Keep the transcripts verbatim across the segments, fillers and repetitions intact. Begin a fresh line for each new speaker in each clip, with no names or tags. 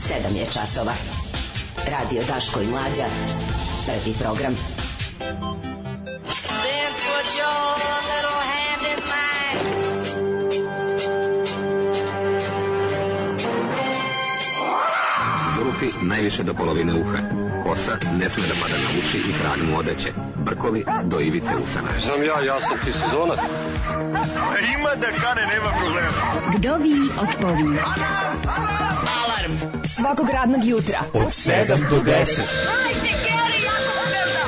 sedam je časova. Radio Daško i Mlađa. Prvi program. Then put your little hand in mine.
Zulufi najviše do polovine uha. Kosa ne sme da pada na uši i kralj mu odeće. Brkovi do ivice usana.
Znam ja, ja sam ti sezonac.
Ima da kane, nema problema.
Vdovi otpovi.
Alarm svakog radnog jutra
od sedam do deset.
Hajde, Geri, jako se velda.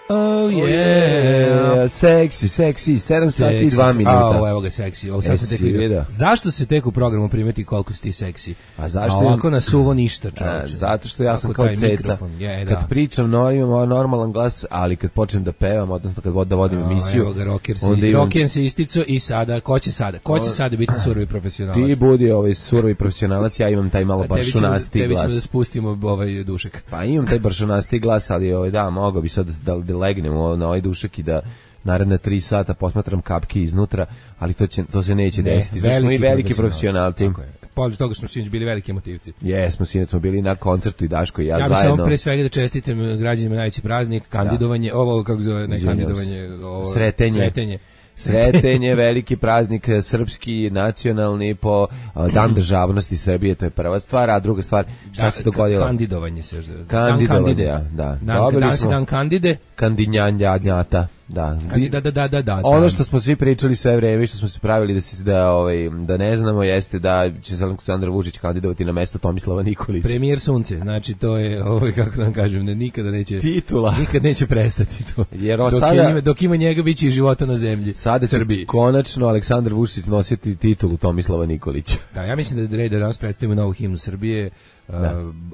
Oh yeah, seksi, seksi, sedam sati i dva minuta.
A, evo ga seksi, ovo sad se tek vidio. Zašto se tek u programu primeti koliko si ti seksi?
A zašto?
A ovako na suvo ništa, čovječe.
Zato što ja sam kao ceca. Je, kad pričam, no, imam normalan glas, ali kad počnem da pevam, odnosno kad da vodim
no,
emisiju,
evo ga, rocker si, imam... rocker se istico i sada, ko će sada? Ko će sada biti surovi profesionalac?
Ti budi ovaj surovi profesionalac, ja imam taj malo baršunasti glas.
Tebi ćemo da spustimo ovaj dušek.
Pa imam taj baršunasti glas, ali ovaj, da, mogao bi sad da, da legnem na ovaj dušek i da naredna tri sata posmatram kapke iznutra, ali to, će, to se neće ne, desiti. Zato smo i veliki profesionalci.
Pored toga smo sinoć bili veliki emotivci.
Jesmo, sinoć smo bili na koncertu i Daško i ja,
ja
zajedno. Ja bih
samo pre svega da čestitam građanima najveći praznik, kandidovanje, da. ovo kako zove, ne kandidovanje, ovo
sretenje.
sretenje.
Sretenje, veliki praznik srpski, nacionalni po dan državnosti Srbije, to je prva stvar, a druga stvar, šta da, se dogodilo?
Kandidovanje se.
Kandidovanje, da. da.
Dan, Dobili dan smo dan kandide.
Kandinjanja, da.
Da, da, da, da, da.
Ono što smo svi pričali sve vreme, što smo se pravili da se da ovaj da ne znamo, jeste da će se Aleksandar Vučić kandidovati na mesto Tomislava Nikolića.
Premijer sunce, znači to je ovaj kako da kažem, ne nikada neće
titula.
Nikad neće prestati to.
Jer
dok,
sada,
ima, dok ima njega biće i života na zemlji.
Sada će konačno Aleksandar Vučić nositi titulu Tomislava Nikolića.
Da, ja mislim da je red da danas predstavimo novu himnu Srbije. Uh,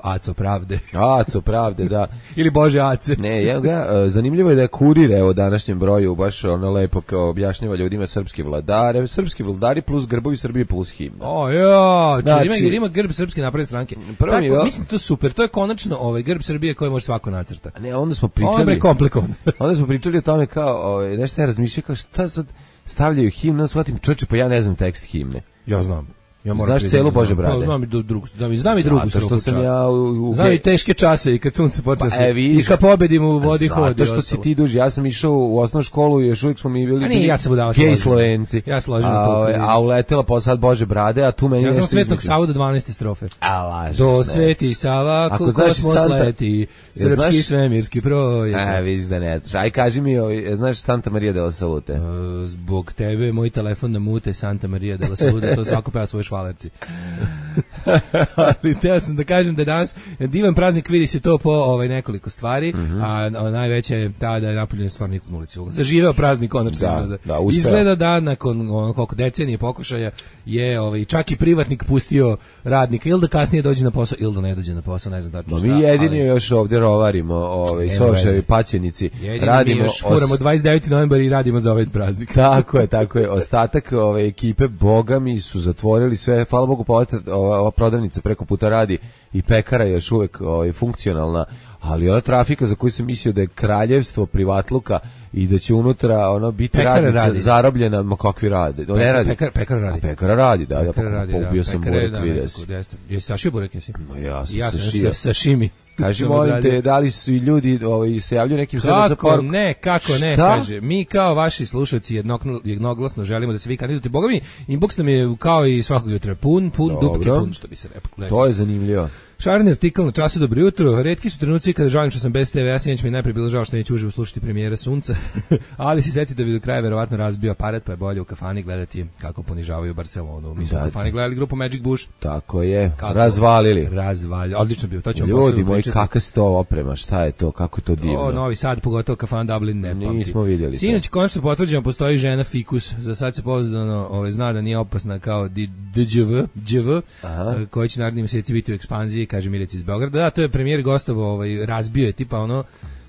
Aco pravde.
Aco pravde, da.
Ili Bože Ace.
Ne, ja ga, uh, zanimljivo je da je Kurir evo današnjem broju baš ono lepo kao objašnjava ljudima srpski vladare, srpski vladari plus grbovi Srbije plus himna.
O ja, znači, ima, ima grb srpske napredne stranke.
Prvo
Tako,
je,
mislim to super, to je konačno ovaj grb Srbije koji može svako nacrta.
Ne, onda smo pričali.
Ovo je komplikovan.
Onda smo pričali o tome kao, ovaj nešto ja razmišljam kao šta sad stavljaju himnu, shvatim čoveče, pa ja ne znam tekst himne.
Ja znam. Ja
znaš celu Bože brade.
Pa, znam i do drugu, znam i znam i drugu
što sam ja u, u
znam i teške čase i kad sunce počne
pa,
se.
E,
I kad pobedim u vodi hodi.
Zato što si ti duži, ja sam išao u osnovnu školu i još uvijek smo mi bili.
A nije, ja sam udavao
gej Slovenci.
Ja složim to.
A, a uletela posle Bože brade, a tu meni
ja znam Svetog Savu do dvanaeste strofe.
A lažeš.
Do Sveti Sava kosmos leti, srpski svemirski projekt.
A vidiš da ne znaš. Aj kaži mi, znaš Santa Maria de la Salute?
Zbog tebe moj telefon na mute, Santa Maria de la Salute, to svako peva svoje švalerci. Ali teo sam da kažem da danas divan praznik, vidi se to po ovaj nekoliko stvari, mm-hmm. a, a najveća je ta da je napravljen stvar nikog na ulici. Zaživeo praznik konačno
da,
izgleda.
Da,
izgleda da nakon ono, koliko decenije pokušaja je ovaj, čak i privatnik pustio radnika ili da kasnije dođe na posao ili da ne dođe na posao, ne znam tačno
no,
šta.
Mi jedini ali... još ovdje rovarimo, ovaj, soševi, paćenici.
Jedini
radimo
mi još furamo os... dvadeset deveti novembar i radimo za ovaj praznik.
Tako je, tako je. Ostatak ove ekipe, boga mi, su zatvorili sve, hvala Bogu, pa ova prodavnica preko puta radi i pekara je još uvek ovaj, funkcionalna, ali ona trafika za koju sam mislio da je kraljevstvo privatluka i da će unutra ono biti radnica radi. zarobljena, ma kakvi rade.
Pekar,
ne radi.
Pekar, pekar radi.
A pekara radi, da.
Pekara
da,
radi,
pa,
da.
Ubio sam burek,
da,
vidio si.
Jesi sašio burek, jesi?
No, ja sam
ja
sašio.
Sa, sašimi.
Kaži, molim te, da li su i ljudi ovaj, se javljaju nekim sada za
poruku? Kako ne, kako ne,
Šta?
kaže. Mi kao vaši slušalci jednog, jednoglasno želimo da se vi kandidujete. Boga mi, inbox nam je kao i svakog jutra pun, pun,
Dobro.
dupke pun, što bi se rekao.
To je zanimljivo.
Šareni artikl na času, dobro jutro. Retki su trenuci kada žalim što sam bez te ve, ja sinoć mi najprije bilo žao što neću uživo slušati premijera Sunca, ali si seti da bi do kraja verovatno razbio aparat, pa je bolje u kafani gledati kako ponižavaju Barcelonu. Mi smo u kafani gledali grupu Magic Bush.
Tako je,
kako?
razvalili.
Razvalili, odlično bio, to ćemo
ljudi
posebno
moji,
pričati.
kakva je to oprema, šta je to, kako je to divno.
O, Novi Sad, pogotovo kafan Dublin, ne pamti.
Nismo vidjeli.
Sinoć konačno potvrđeno postoji žena fikus, za sad se pouzdano ovaj, zna da nije opasna kao D Ž V, Đ V, koji će naredni mjeseci biti u ekspanziji, kaže Milica iz Beograda. Da, to je premijer gostovo, ovaj, razbio je tipa ono,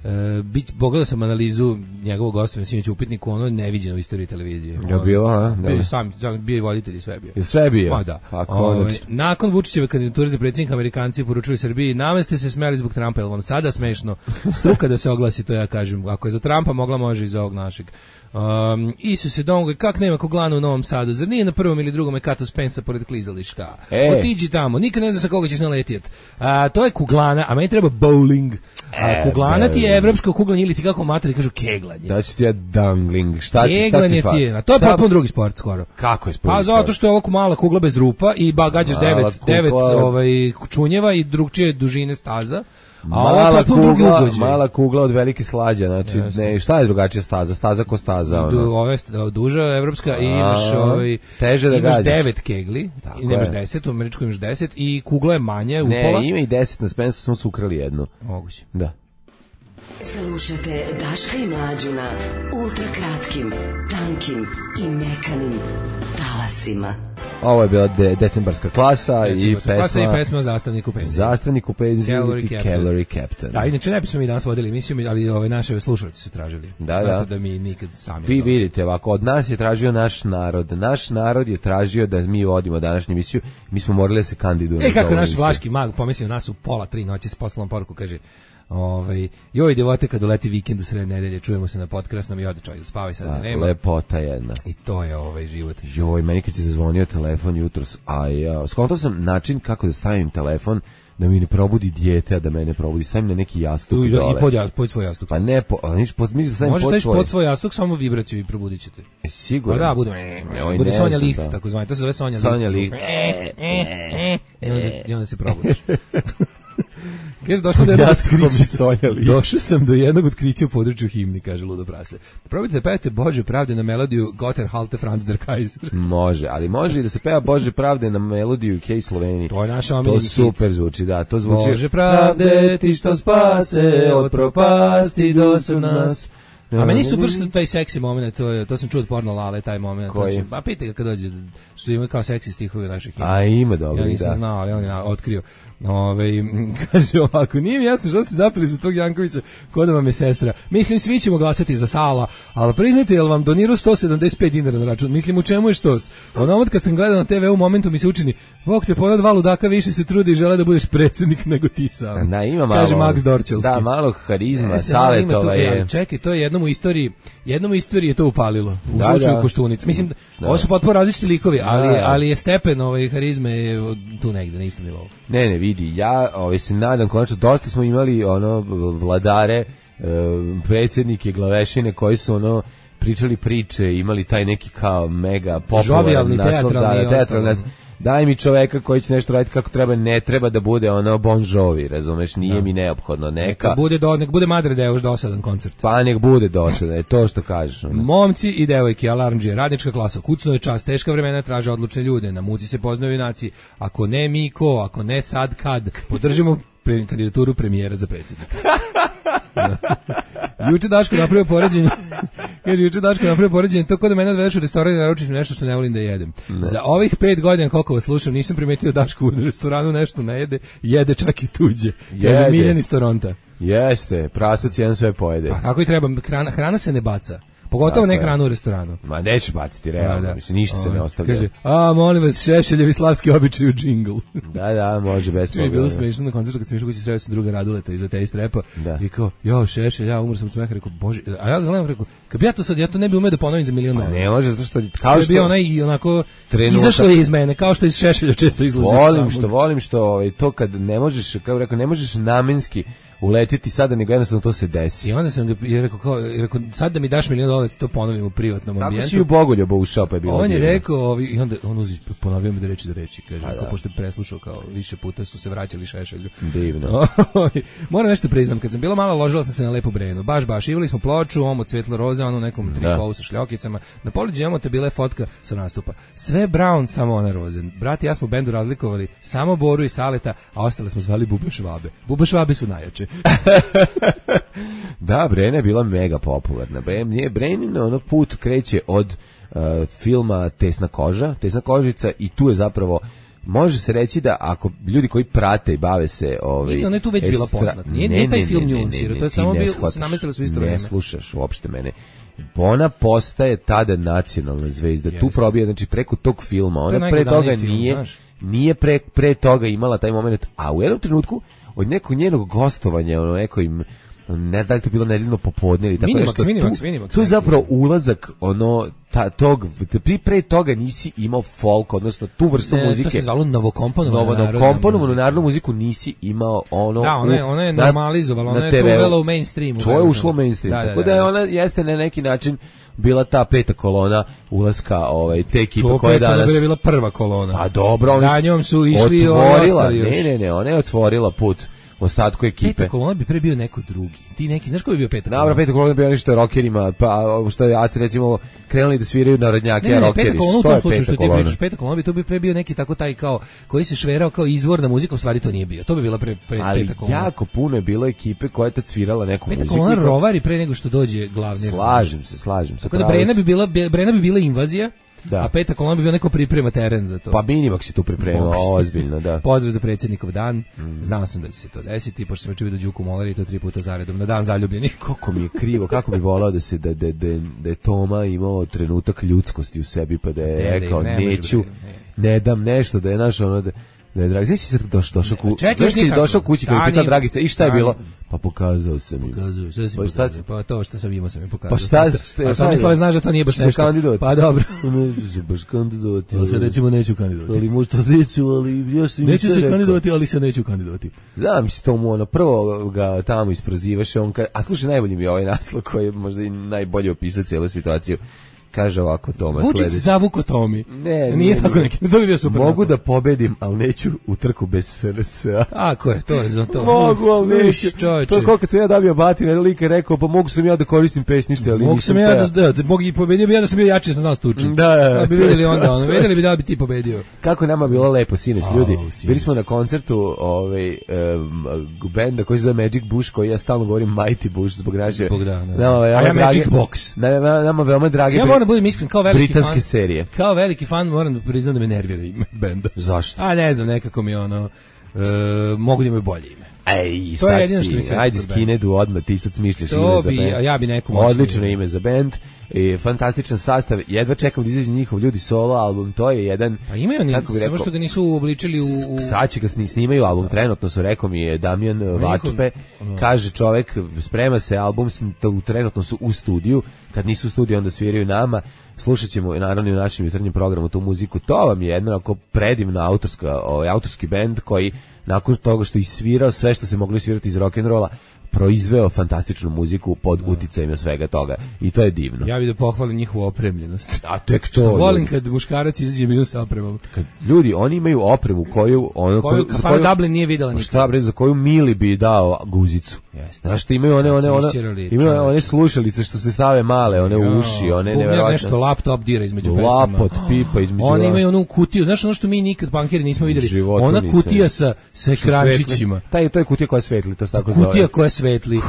Uh, bit, pogledao sam analizu njegovog gostovanja sinoć u upitniku, ono je neviđeno u istoriji televizije.
Je bilo, a?
Bio je sam, bio je voditelj i sve bio.
Je sve bio?
Ma da.
Pa,
Ove, nakon Vučićeve kandidature za predsjednika, Amerikanci poručuju Srbiji, nama ste se smeli zbog Trumpa, jel vam sada smešno? Struka da se oglasi, to ja kažem. Ako je za Trumpa, mogla može iz ovog našeg. Um, Isuse Dongo, kak nema koglana u Novom Sadu, zar nije na prvom ili drugom Ekato Spensa pored klizališta?
E.
Otiđi tamo, nikad ne znaš sa koga ćeš naletjet. A, to je kuglana, a meni treba bowling. A, kuglana ti je evropsko kuglanje ili ti kako materi kažu keglanje.
Da ću ti ja dangling, šta ti, šta
keglanje
ti, fa...
ti je, a to je
šta...
potpuno drugi sport skoro.
Kako je sport?
Pa zato što je ovo mala kugla bez rupa i ba gađaš devet, devet ovaj, čunjeva i drugčije dužine staza. A
mala kugla, mala kugla od velike slađe, znači ne, šta je drugačija staza? Staza ko staza, ono.
Du, ove duža evropska i imaš ovaj
teže da
imaš
gađaš.
devet kegli, i nemaš deset, u američkoj imaš deset i kugla je manja, upola.
Ne, ima i deset, na Spensu smo su ukrali jednu.
Moguće.
Da.
Slušajte Daška i Mlađu na ultra kratkim, tankim i mekanim talasima.
Ovo je bila de, decembarska klasa i pesma,
klasa i pesma o zastavniku penzije.
Zastavniku penzije
Calorie
i
Captain.
Calorie Captain.
Da, inače ne bismo mi danas vodili emisiju, ali ove naše slušalci su tražili.
Da, da.
da mi nikad sami.
Vi vidite, ovako, od nas je tražio naš narod. Naš narod je tražio da mi vodimo današnju emisiju. Mi smo morali da se kandidujemo.
E, kako naš vlaški mag pomislio nas u pola tri noći s poslom poruku, kaže... Ovaj joj djevote kad doleti vikend u sred nedelje, čujemo se na podkrasnom i ode čovjek, spavaj sad, da nema.
Lepota jedna.
I to je ovaj život.
Joj, meni kad se zazvonio telefon jutros, a ja, skontao sam način kako da stavim telefon da mi ne probudi dijete, a da mene probudi. Stavim na neki jastuk
tu,
dole.
I pod, ja, pod svoj jastuk.
Pa ne, po, niš, pod, mislim da stavim
možeš
pod svoj.
pod svoj jastuk, samo vibraciju i probudit ćete.
E, sigurno.
Pa da, bude,
Oj,
bude Sonja
znam,
Licht,
da.
tako zvani. To se zove Sonja,
Sonja
Licht.
Licht.
E, e, e, I onda, i onda se probudiš. Kaže, došao do jednog otkrića. Došao sam do jednog otkrića u području himni, kaže Ludo Prase. Probajte da pevate Bože pravde na melodiju Gotter Halte Franz der Kaiser.
Može, ali može i da se peva Bože pravde na melodiju Kej Sloveniji.
To je naša omiljeni hit.
To super zvuči, da, to zvuči.
Bože pravde ti što spase od propasti do nas. A meni super što taj seksi moment, to, to sam čuo od Porno Lale, taj moment.
Koji?
Pa pitaj ga kad dođe, što ima kao seksi stihovi naših himna.
A ima dobro,
ja nisam
da.
znao, ali on je otkrio. Ove, kaže ovako, nije mi jasno što ste zapeli za tog Jankovića, ko da vam je sestra. Mislim, svi ćemo glasati za Sala, ali priznajte, jel vam donirao sto sedamdeset pet dinara na račun? Mislim, u čemu je štos? Ono kad sam gledao na te ve u momentu mi se učini, Bog te ponad dva ludaka više se trudi i žele da budeš predsjednik nego ti sam.
Da, ima malo.
Kaže Max Dorčelski.
Da, malo harizma,
e,
Savetova je.
Čekaj, to je jednom u istoriji, jednom u istoriji je to upalilo. U
da,
slučaju
da.
Koštunice. Mislim, da. Ovo su potpuno različiti likovi, ali, da. ali je stepen ovaj, harizme je tu negde, na istom nivou.
Ne, ne, vidi, ja ovaj, se nadam, konačno, dosta smo imali ono vladare, e, predsjednike, glavešine koji su ono pričali priče, imali taj neki kao mega popularan naslov, da, teatralni, daj mi čoveka koji će nešto raditi kako treba, ne treba da bude ono Bon Jovi, razumeš, nije da. mi neophodno neka.
Neka bude, do, nek bude Madre Deus dosadan koncert.
Pa nek bude dosadan, je to što kažeš. Ono.
Momci i devojke, alarmđije, radnička klasa, kucno je čas, teška vremena traže odlučne ljude, na muci se poznaju junaci, ako ne mi ko, ako ne sad kad, podržimo pre, kandidaturu premijera za predsjednika. Juče Daško napravio poređenje. Kaže juče Daško napravio poređenje, to kod da mene odvedeš u restoran i naručiš mi nešto što ne volim da jedem. Ne. Za ovih pet godina koliko vas slušam, nisam primetio Daško u restoranu nešto ne jede, jede čak i tuđe. Kaže Miljan iz Toronta.
Jeste, prasac jedan sve pojede.
Pa kako i treba, hrana, hrana se ne baca. Pogotovo ne hranu u restoranu.
Ma neće baciti, realno, da. Mislim, ništa o, se ne ostavlja. Kaže,
a molim vas, Šešeljevi slavski običaj u džingl.
Da, da, može, bez problema.
Bilo smiješno na koncertu kad sam išao kući, sreo sam druga Raduleta iza te strepa i kao, jo, Šešelj, ja umro sam od smeha, rekao, bože, a ja gledam, rekao, kad bi ja to sad, ja to ne bi umeo da ponovim za milion dana.
Ne može, zato što, kao što...
To je bio onaj, onako,
trenutak,
izašlo je iz mene, kao što iz Šešelja često izlazi.
Volim što, volim što, ovaj, to kad ne možeš, kao rekao, ne možeš namenski uletiti sada, nego jednostavno to se desi.
I onda sam ga je rekao, kao, rekao sad da mi daš milion dolara, to ponovim u privatnom ambijentu.
Tako si u Bogoljubu ušao, pa je bilo.
On je rekao, ovi, i onda on uzi, ponovio mi da reči da reči, kaže, kao, pošto je preslušao, kao više puta su se vraćali Šešelju.
Divno.
Moram nešto priznam, kad sam bila mala, ložila sam se na Lepu Brenu. Baš, baš, ivali smo ploču, omo cvetlo roze, ono nekom trikovu sa šljokicama. Na poliđi emote bila je fotka sa nastupa. Sve brown, samo ona rozen. Brat i ja smo u bendu razlikovali samo Boru i Saleta, a ostale smo zvali Bube Švabe. Bube Švabe su najjače.
Da, Brena je bila mega popularna. Brenin ono put kreće od uh, filma Tesna koža, Tesna kožica i tu je zapravo može se reći da ako ljudi koji prate i bave se ovaj
Nije, ona je tu već bila
estra-
poznata. Nije-
Ne,
nije taj
ne,
film
ne, ne,
nijansirao,
ne,
to je
ti
samo
ne
bio-
shvataš,
se namestilo su isto
ne
vreme.
slušaš uopšte mene. Ona postaje tada nacionalna zvezda. Tu
Jeste.
probija, znači preko tog filma. Ona pre
najgledaniji
toga
film,
nije
znaš.
nije pre, pre toga imala taj moment, a u jednom trenutku od nekog njenog gostovanja, ono neko im ne da li to bilo nedeljno popodne ili tako
Minimax,
nešto.
Minimax,
tu,
Minimax,
tu je
neki.
zapravo ulazak ono ta, tog pri pre toga nisi imao folk, odnosno tu vrstu
Ne,
muzike.
to se zvalo novokomponovana
Novo
narodna
komponovanu
muzika.
narodnu muziku nisi imao ono.
Da, ona je, ona je normalizovala, ona je to uvela u mainstream.
To je ušlo u mainstream.
Da, da,
tako
da,
da, je
jeste.
ona jeste na neki način bila ta peta kolona ulaska ovaj te ekipe
To
koja je
peta
danas
je bila prva kolona.
Pa dobro, oni
Za
su
njom su išli
otvorila,
ostali još.
ne, ne, ne, ona je otvorila put ostatku ekipe.
Peta kolona bi pre bio neko drugi. Ti neki, znaš ko bi bio peta kolona?
Dobro, peta kolona bi ono što je rockerima, pa što je Aci recimo krenuli da sviraju narodnjake,
Ne, ne, ne,
rockeri.
peta kolona u
To
tom
je
slučaju
peta
što ti
kolona.
pričaš, peta kolona bi to bi pre bio neki tako taj kao, koji se šverao kao izvorna muzika, u stvari to nije bio. To bi bila pre, pre
Ali
peta kolona.
jako puno je bilo ekipe koja je tad svirala neku
Peta
muziku.
kolona
i to-
rovari pre nego što dođe glavni.
Slažem se, slažem se.
Tako da
pravo
Brena
si.
bi bila, Brena bi bila invazija,
Da.
a peta kolona bi bio neko priprema teren za to.
Pa Minimax si tu pripremao,
Moguće.
ozbiljno, da.
Pozdrav za predsjednikov dan.
Mm.
Znao sam da će se to desiti, pošto sam juče vidio Đuku Moleri i to tri puta zaredom na dan zaljubljenih.
Kako mi je krivo, kako bi volao da se da, da, da, da je Toma imao trenutak ljudskosti u sebi, pa da je
Ne, da
rekao
ne može
neću,
bre, ne.
ne dam nešto, da je naš ono da da je dragi, znaš si sad došao došao ku,
čekaj,
znaš
još nije
ti došao
kasno.
kući kad je
Stani,
pitao Dragica i šta je
stani.
bilo? Pa pokazao sam im.
Pokazuju, šta si
Pa šta
pokazao?
si-
Pa to što sam imao sam im pokazao.
Pa šta ste-
A
šta
Tomislave
je?
znaš da to nije baš
Što
nešto.
kandidat?
Pa dobro.
Neću se baš kandidovati.
To se recimo neću kandidovati.
Ali možda neću, ali još sam im
Neću
sve
se
rekao.
kandidovati, ali se neću kandidovati.
Znam si to mu ono, prvo ga tamo isprozivaš, on ka, a slušaj, najbolji mi je ovaj naslov koji je možda i najbolje opisao cijelu situaciju. Kaže ovako Toma
Vučić
sledeće.
zavuko Tomi.
Ne,
Nije
ne,
tako
ne.
neki. To bi bio super.
Mogu
naslov.
da pobedim, ali neću u trku bez S R S-a.
Tako je, to je za to.
Mogu, ali neću.
Uš, čoveče.
To je kao kad sam ja dobio batina, jedan lik je rekao, pa mogu sam ja da koristim pesnice, ali
Mogu
nisam
sam ja
teo.
da, da, da mogu i pobedio bi ja da sam bio jači, sam znao stučim.
Da, da, da.
Da bi vidjeli onda, ono, vidjeli bi da bi ti pobedio.
Kako je nama bilo lepo sinoć,
Au,
ljudi.
sinoć.
Bili smo na koncertu ovaj um, benda koji se zove Magic Bush, koji ja stalno govorim Mighty Bush zbog naše.
Zbog da, da.
Nama,
A
veoma
ja Magic
drage-
Box.
Na, na, nama veoma drage
Ja
bri-
moram da budem iskren, kao veliki
britanske
fan,
serije.
kao veliki fan moram da priznam da me nervira ime benda.
Zašto?
A ne znam, nekako mi je ono, e, mogu da imaju bolje ime.
Ej,
To je
sad
jedino
ti,
što mi smeta
ajde
kod
Skinedu odmah, ti sad smišljaš
To
ime za
bi-
bend.
a ja bi neku moćniju
Odlično
ime.
ime za bend, i fantastičan sastav, jedva čekam da izađe njihov ljudi solo album, to je jedan,
Pa imaju oni,
kako bi
samo
rekao,
što ga nisu obličili u... u...
sad će ga sni- snimaju album, trenutno su, rekao mi je Damjan Vačpe, kaže čovek, sprema se album, sn- to- trenutno su u studiju, kad nisu u studiju onda sviraju nama, slušat ćemo naravno i u našem jutarnjem programu tu muziku, to vam je jedna onako predivna autorska, ovaj, autorski bend koji nakon toga što je svirao sve što se moglo svirati iz rock'n'rolla, proizveo fantastičnu muziku pod uticajem svega toga i to je divno.
Ja bih da pohvalim njihovu opremljenost.
A tek to.
Što volim
ljudi.
kad muškarac izađe minus sa opremom.
Kad ljudi, oni imaju opremu koju ono
Koju
za
kafana Dublin nije videla
Pa
nikad.
šta bre, za koju Mili bi dao guzicu.
Jeste.
Znaš što imaju one, one,
Kad su
one,
isčerali,
imaju
čoveče.
one slušalice što se stave male, one u uši, one
Bubnjar
neverovatne.
nešto laptop dira između pesama.
Lapot, pipa između.
Oni imaju onu kutiju, znaš ono što mi nikad pankeri nismo vidjeli.
životu
Ona
nisam.
kutija sa, sa
Što
ekrančićima.
svetli. Taj, to je kutija koja svetli, to se tako zove.
Kutija koja svetli.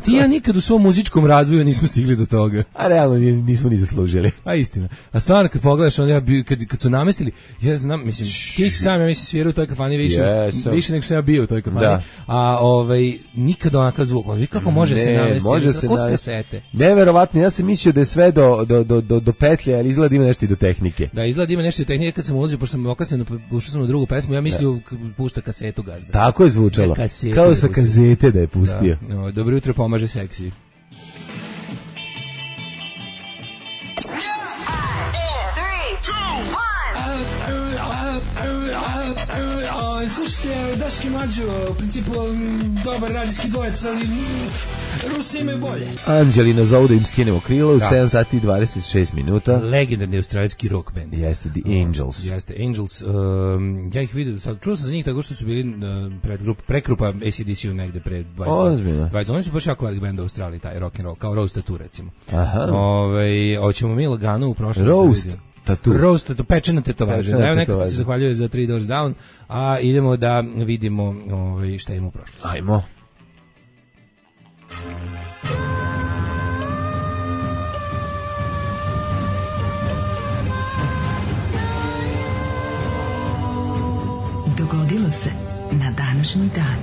Ti ja nikad u svom muzičkom razvoju nismo stigli do toga.
A realno ni- nismo ni zaslužili.
A istina. A stvarno kad pogledaš, onda ja bi, kad, kad su namestili, ja znam, mislim, ti si sam, ja mislim, svirao u toj kafani više,
Jesam.
više nego što ja bio u toj kafani.
Da.
A ovaj, nikad onakav zvuk. Ono, kako može se
Ne,
namestiti?
može
Sa
se
kos
navesti.
kasete.
Neverovatno, ja sam mislio da je sve do, do, do, do, do petlje, ali izgleda ima nešto i do tehnike.
Da, izgleda ima nešto tehnike. Kad sam ulazio, pošto sam okasnio, ušao sam na drugu pesmu, ja mislio k- pušta kasetu gazda.
Tako je zvučalo.
Sa kasete
Kao
da
sa
pusti.
kazete da je pustio.
Da. No, dobro jutro, pomaže seksi.
Slušajte, Daški Mađo, u principu m, dobar radijski dvojec, ali m, Rusi imaju bolje.
Anđelina zovu da im skinemo krilo u
Da.
sedam sati i dvadeset šest minuta.
Legendarni australijski rock band.
Jeste The Angels.
Jeste, Angels. Um, ja ih vidio, sad, čuo sam za njih tako što su bili uh, predgrup, prekrupa A C D C-u negde pre dvadeset
Ozbiljno.
dvadeset Oni su baš jako velik band u Australiji, taj rock and roll, kao Rose Tattoo recimo.
Aha.
Ove, hoćemo mi lagano u prošlom.
Roast Tattoo.
Roast, to pečena tetovaža.
Pečena
Da, evo neko ti
tetovaža.
se zahvaljuje za Three Doors Down, a idemo da vidimo ovaj, šta ima u prošlosti.
Ajmo.
Dogodilo se na današnji dan.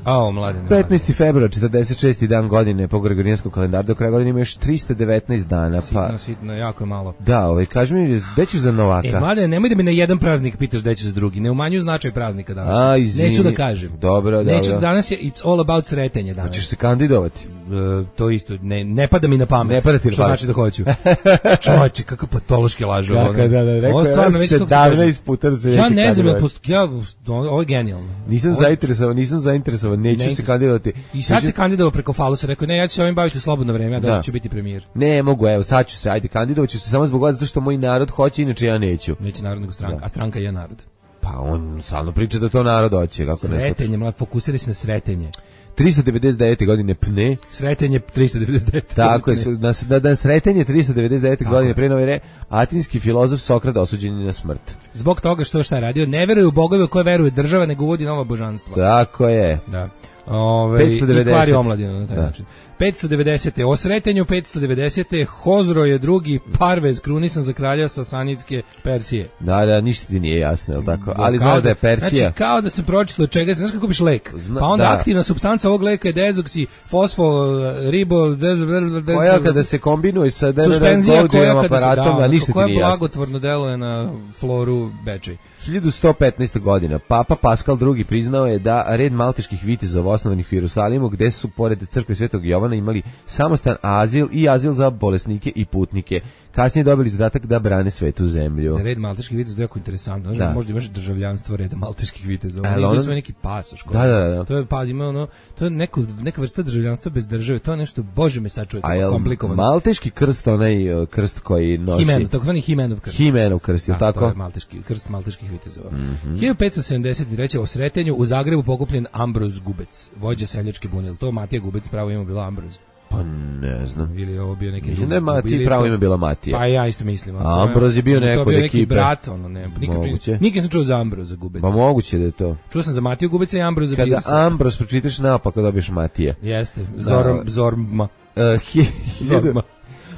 A, mladene.
petnaesti februar, četrdeset šesti dan godine po Gregorijanskom kalendaru, do kraja godine ima još tristo devetnaest dana.
Sitno,
pa...
sitno, jako je malo.
Da, ovaj, kaži mi, gde ćeš za Novaka?
E, mladene, nemoj da mi na jedan praznik pitaš gde ćeš za drugi. Ne umanjuju značaj praznika danas.
A, izvini.
Neću da kažem.
Dobro, dobro.
Neću, danas je it's all about sretenje danas.
Hoćeš se kandidovati?
E, to isto, ne, ne pada mi na pamet.
Ne pada ti na
što
pamet.
znači da hoću. Čovječe, kakav patološki lažu.
Kako, da, da, rekao
ovo stvarno, već kako
sedamnaest puta da se
ja
neće
ne znam, ja,
kandidovati.
ja, ovo je genijalno.
Nisam
Ovo-
zainteresovan, nisam zainteresovan, neću
Ne,
se kandidovati.
I sad
Neću-
se kandidovao preko falusa, rekao, ne, ja ću se ovim baviti u slobodno vreme, ja da
Da.
ću biti premijer.
Ne mogu, evo, sad ću se, ajde, kandidovat ću se samo zbog vas, zato što moj narod hoće, inače ja neću.
Neće narod nego stranka,
Da.
a stranka je narod.
Pa on stalno priča da to narod hoće, kako ne shvataš.
Sretenje, mlad, fokusiraj se na sretenje.
tristo devedeset devete godine pne,
Sretenje tristo devedeset devet.
tako je, na, na dan sretenje tristo devedeset devete
Tako
godine
je.
pre nove ere, atinski filozof Sokrat osuđen je na smrt.
Zbog toga što šta je radio, ne veruje u bogove u koje veruje država, nego uvodi nova božanstva.
Tako je.
Da. Ove,
petsto devedeset.
I kvari omladinu na taj
Da.
način. petsto devedeset. O sretenju petsto devedeset. Hozro je drugi Parvez krunisan za kralja Sasanidske Persije.
Da, da, ništa ti nije jasno, je li tako? Ali
Kao
znaš da je Persija...
Znači, kao da se pročitalo čega, znaš kako kupiš lek?
Zna-
Pa onda
da.
aktivna supstanca ovog leka je dezoksi, fosfo, ribo, dez, dez,
koja kada se kombinuje sa
suspenzija koja kada se
aparatom,
da,
a ništa ti
koja
nije jasno.
blagotvorno deluje na floru Bečej.
hiljadu sto petnaesta. godina, Papa Paskal drugi priznao je da red malteških vitezova osnovanih u Jerusalimu, gde su pored crkve Svetog Jovana imali samostan azil i azil za bolesnike i putnike. Kasnije dobili zadatak da brane svetu zemlju.
Red malteških viteza je jako interesantno. Znaš,
Da.
možda imaš državljanstvo reda malteških viteza.
Ali
Oni
ono-
ono... svoj neki pasoš. koji-
Da, da, da.
To je, pa, ima ono, to je neko, neka vrsta državljanstva bez države. To je nešto, bože me sačuje,
A
tako
jel
komplikovano.
malteški krst, onaj uh, krst koji nosi...
Himenov, takozvani Himenov krst.
Himenov krst, je li
Da,
tako?
to je malteški, krst malteških vitezova.
Mhm.
hiljadu petsto sedamdeset treće. o sretenju u Zagrebu pokupljen Ambroz Gubec, vođa seljačke bunje. Jel to Matija Gubec, pravo ime bilo Ambroz?
Pa ne znam.
Ili je ovo bio neki
Mislim
drugi?
da je Mati
Ili
pravo
to-
ime bila Matija.
Pa ja isto mislim.
A Ambroz je bio
To
neko
je bio
od
neki
ekipe.
brat, ono, ne, nikad,
Moguće.
nikad sam čuo za Ambroza Gubeca.
Pa moguće da je to.
Čuo sam za Matiju Gubeca i Ambroza
Kada
Bilsa.
Ambros pročitaš naopako dobiješ Matija.
Jeste, Zorom,
Da.
Zorma.
Uh, hi-
Zorma.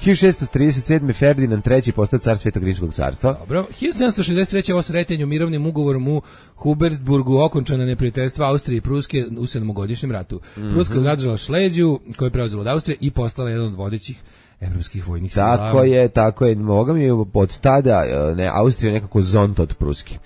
hiljadu šessto trideset sedme. Ferdinand treći postao car Svetog rimskog carstva.
Dobro. hiljadu sedamsto šezdeset treće. o sretenju mirovnim ugovorom u Hubertsburgu okončana neprijateljstva Austrije i Pruske u sedmogodišnjem ratu. Pruska je zadržala Šleziju, koju je preuzela od Austrije i postala jedan od vodećih evropskih vojnih sila.
Tako je, tako je. Moga mi je od tada e, ne, Austrija nekako zonta od Pruske.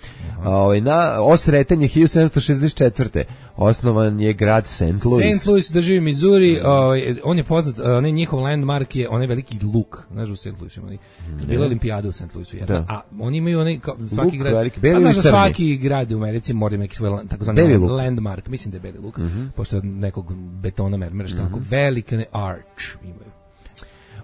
Ovaj na osretanje hiljadu sedamsto šezdeset četvrte. osnovan je grad Saint Louis.
Saint Louis drži Missouri, ovaj, on je poznat, onaj njihov landmark je onaj veliki luk, znaš u Saint Louisu, onaj, kad je bila olimpijada u Saint Louisu, jedna,
Da.
a oni imaju onaj, kao, svaki
Luk
grad,
veliki, beli
pa znaš
ili
da
crni?
svaki grad u Americi mora imati svoj land- takozvani
Beli
land-
luk.
landmark, mislim da je beli luk, pošto je od nekog betona mermera, što onako veliki onaj arch imaju.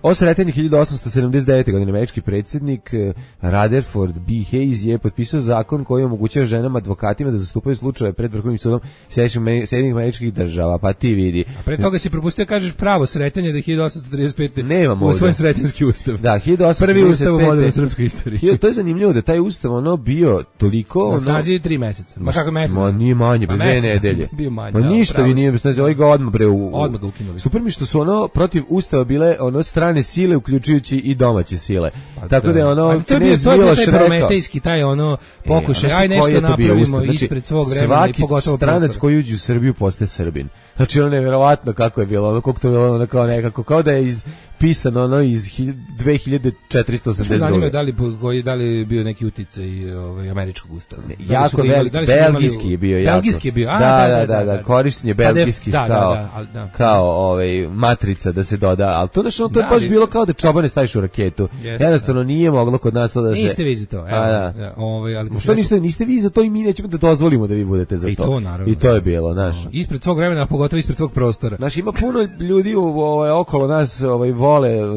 Osretanje hiljadu osamsto sedamdeset devete. godine američki predsjednik eh, Rutherford B. Hayes je potpisao zakon koji omogućava ženama advokatima da zastupaju slučajeve pred Vrhovnim sudom Sjedinjenih Američkih Država, pa ti vidi.
A pre toga si propustio, kažeš pravo sretanje da je hiljadu osamsto trideset pete.
Nemam
u
ovdje.
svoj sretenski ustav.
Da, hiljadu osamsto
Prvi
trideset pete.
ustav u modernoj srpskoj istoriji.
Hiljadu- To je zanimljivo da taj ustav ono bio toliko...
Na
ono-
snazi je tri meseca. Ma kako mesec?
Ma nije manje, bez
Ma
dve
mesec.
nedelje.
Bio manje,
Ma
da,
ništa
pravo
vi
si.
nije bez snazi, ovaj ga odmah bre u... u-
Odmah ga ukinuli.
Super mi što su ono protiv ustava bile ono strane sile, uključujući i domaće sile. Tako da je ono
A to je bio,
knez
to je bio
Miloš
taj
rekao...
prometejski, taj ono pokušaj,
E, a
aj
znaš ti koji
nešto
je to bio
napravimo
ustav? Znači,
ispred svog vremena i
svaki
pogotovo
stranac
prostora.
koji uđe u Srbiju postaje Srbin. Znači ono nevjerovatno kako je bilo, ono koliko to je bilo ono kao nekako, kao da je iz pisano ono iz hilj- dve hiljade četiristo
Što me
osamdeset
zanima
druge.
je da li, po- koji, da li je bio neki uticaj ovaj, američkog ustava. Da li su
Jako
ga imali-
velik,
da li su ga imali u-
belgijski je bio jako.
Belgijski je bio, a,
da, da, da, da, korištenje
Pa def-
belgijskih
da, da,
kao,
da, ali da.
kao ovaj, matrica da se doda, ali to, znači, ono, to je
Da,
baš
ali-
bilo kao da čobane staviš u raketu.
Jeste,
Jednostavno nije moglo kod nas to da se...
Niste vi za to, evo.
A, da.
da, ovaj, ali kad
Što
sam
niste, niste vi za to i mi nećemo da dozvolimo da vi budete za
I
to.
to, naravno.
I to je bilo, znaš.
rekao, ispred svog vremena, a pogotovo ispred svog prostora.
Znaš, ima puno ljudi u, ovaj, okolo nas ovaj, vole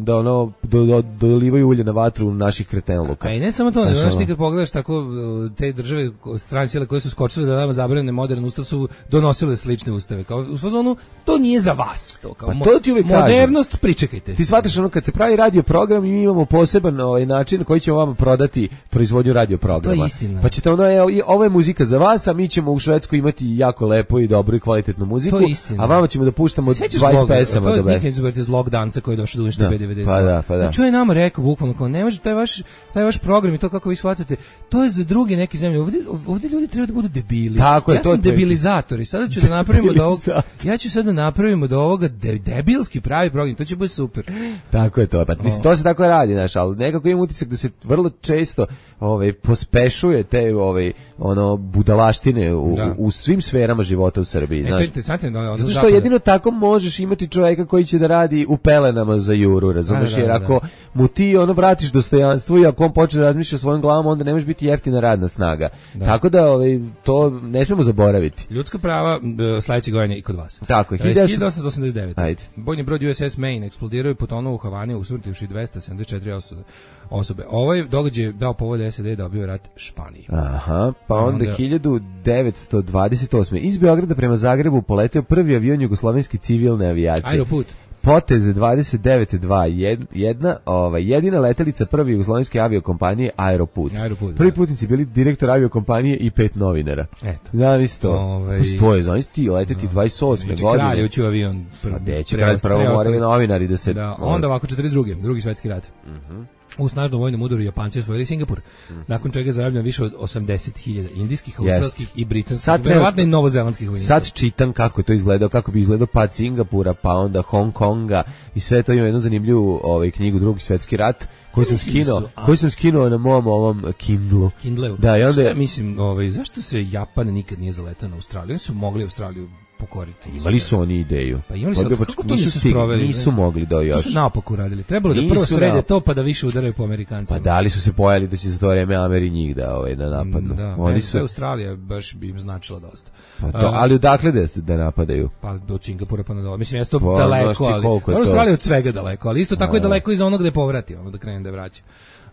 da ono, do, do, dolivaju ulje na vatru naših kretenluka.
A i ne samo to, nego
Znaš,
znaš
ono.
ti kad pogledaš tako uh, te države, strane sile koje su skočile da nama zabrane modern ustav su donosile slične ustave. Kao u fazonu, to nije za vas. To, kao,
Pa
mo-
to ti uvijek kažem.
modernost, pričekajte.
Ti shvataš shvataš ono kad se pravi radio program i mi imamo poseban ovaj način koji ćemo vama prodati proizvodnju radio programa.
To je istina.
Pa ćete ono, evo, ovo je muzika za vas, a mi ćemo u Švedskoj imati jako lepo i dobru i kvalitetnu muziku,
to je istina.
A vama ćemo da puštamo dvadeset pesama do
bez. To je nikad iz Log Danca koji je došao do uništa B D V D.
Pa da, pa da.
Znači, je nama rekao bukvalno kao ne može taj vaš taj vaš program i to kako vi shvatate, to je za druge neke zemlje. Ovdje, ovdje ljudi treba da budu debili.
Tako je,
ja
to
sam debilizator i sada ću da napravimo da ovog, ja ću sad da napravimo da ovoga de, debilski pravi program, to će biti super.
Tako je to, pa mislim to se tako radi, znaš, ali nekako imam utisak da se vrlo često ovaj pospešuje te ovaj ono budalaštine u, u, u svim sferama života u Srbiji,
e,
znaš.
To je interesantno da
zato što jedino tako možeš imati čovjeka koji će da radi u pelenama za juru, razumeš, jer ako mu ti ono vratiš dostojanstvo i ako on počne da razmišlja svojom glavom, onda ne može biti jeftina radna snaga. Da. Tako da ovaj, to ne smemo zaboraviti.
Ljudska prava sledeće godine i kod vas.
Tako je.
hiljadu osamsto osamdeset devet.
Ajde.
Bojni brod U S S Maine eksplodirao i potonuo u Havani, usmrtivši dvesta sedamdeset četiri osobe. osobe. Ovaj događaj je dao povod S A D da objavi rat Španiji.
Aha, pa onda, onda hiljadu devetsto dvadeset osme iz Beograda prema Zagrebu poleteo prvi avion jugoslovenske civilne avijacije.
Aeroput.
Potez dvadeset devet dvadeset jedan, ovaj, jedina letelica prve jugoslovenske aviokompanije Aeroput.
Aeroput
Prvi
da.
putnici bili direktor aviokompanije i pet novinara.
Eto.
Da, isto.
Ovaj...
To je, znaš ti, leteti no. dvadeset osme godine.
Kralj ući u avion.
Pr- A neće kralj, prvo morali novinari da se...
Da, onda ovako četrdeset druge drugi svetski rat. Mhm. Uh-huh. U snažnom vojnom udaru Japanci osvojili Singapur, mm-hmm. nakon čega je zarobljeno više od osamdeset hiljada indijskih, australskih yes. i britanskih, verovatno i novozelandskih vojnika.
Sad čitam kako je to izgledao, kako bi izgledao pad Singapura, pa onda Hong Konga i sve to ima jednu zanimljivu ovaj, knjigu Drugi svetski rat, koju sam skinuo, koju sam skinuo na mom ovom Kindlu.
Kindleu.
Da, i onda
Šta, mislim, ovaj, zašto se Japan nikad nije zaletao na Australiju? Oni su mogli Australiju pokoriti.
Imali su oni ideju.
Pa imali su,
pa,
kako to nisu sproveli?
Nisu mogli do još.
To su naopako uradili. Trebalo da prvo srede nap... to pa da više udaraju po Amerikancima.
Pa da li su se pojeli da će za to vreme Ameri njih da, ovaj, da napadnu?
Da,
oni
su... Australija baš bi im značila dosta.
Pa to, ali odakle da, da napadaju?
Pa od Singapura pa nadalje. Mislim, jeste to pa, daleko, ali... Australija od svega daleko, ali isto tako je daleko iza onog gde povrati, ono da krene da vraća.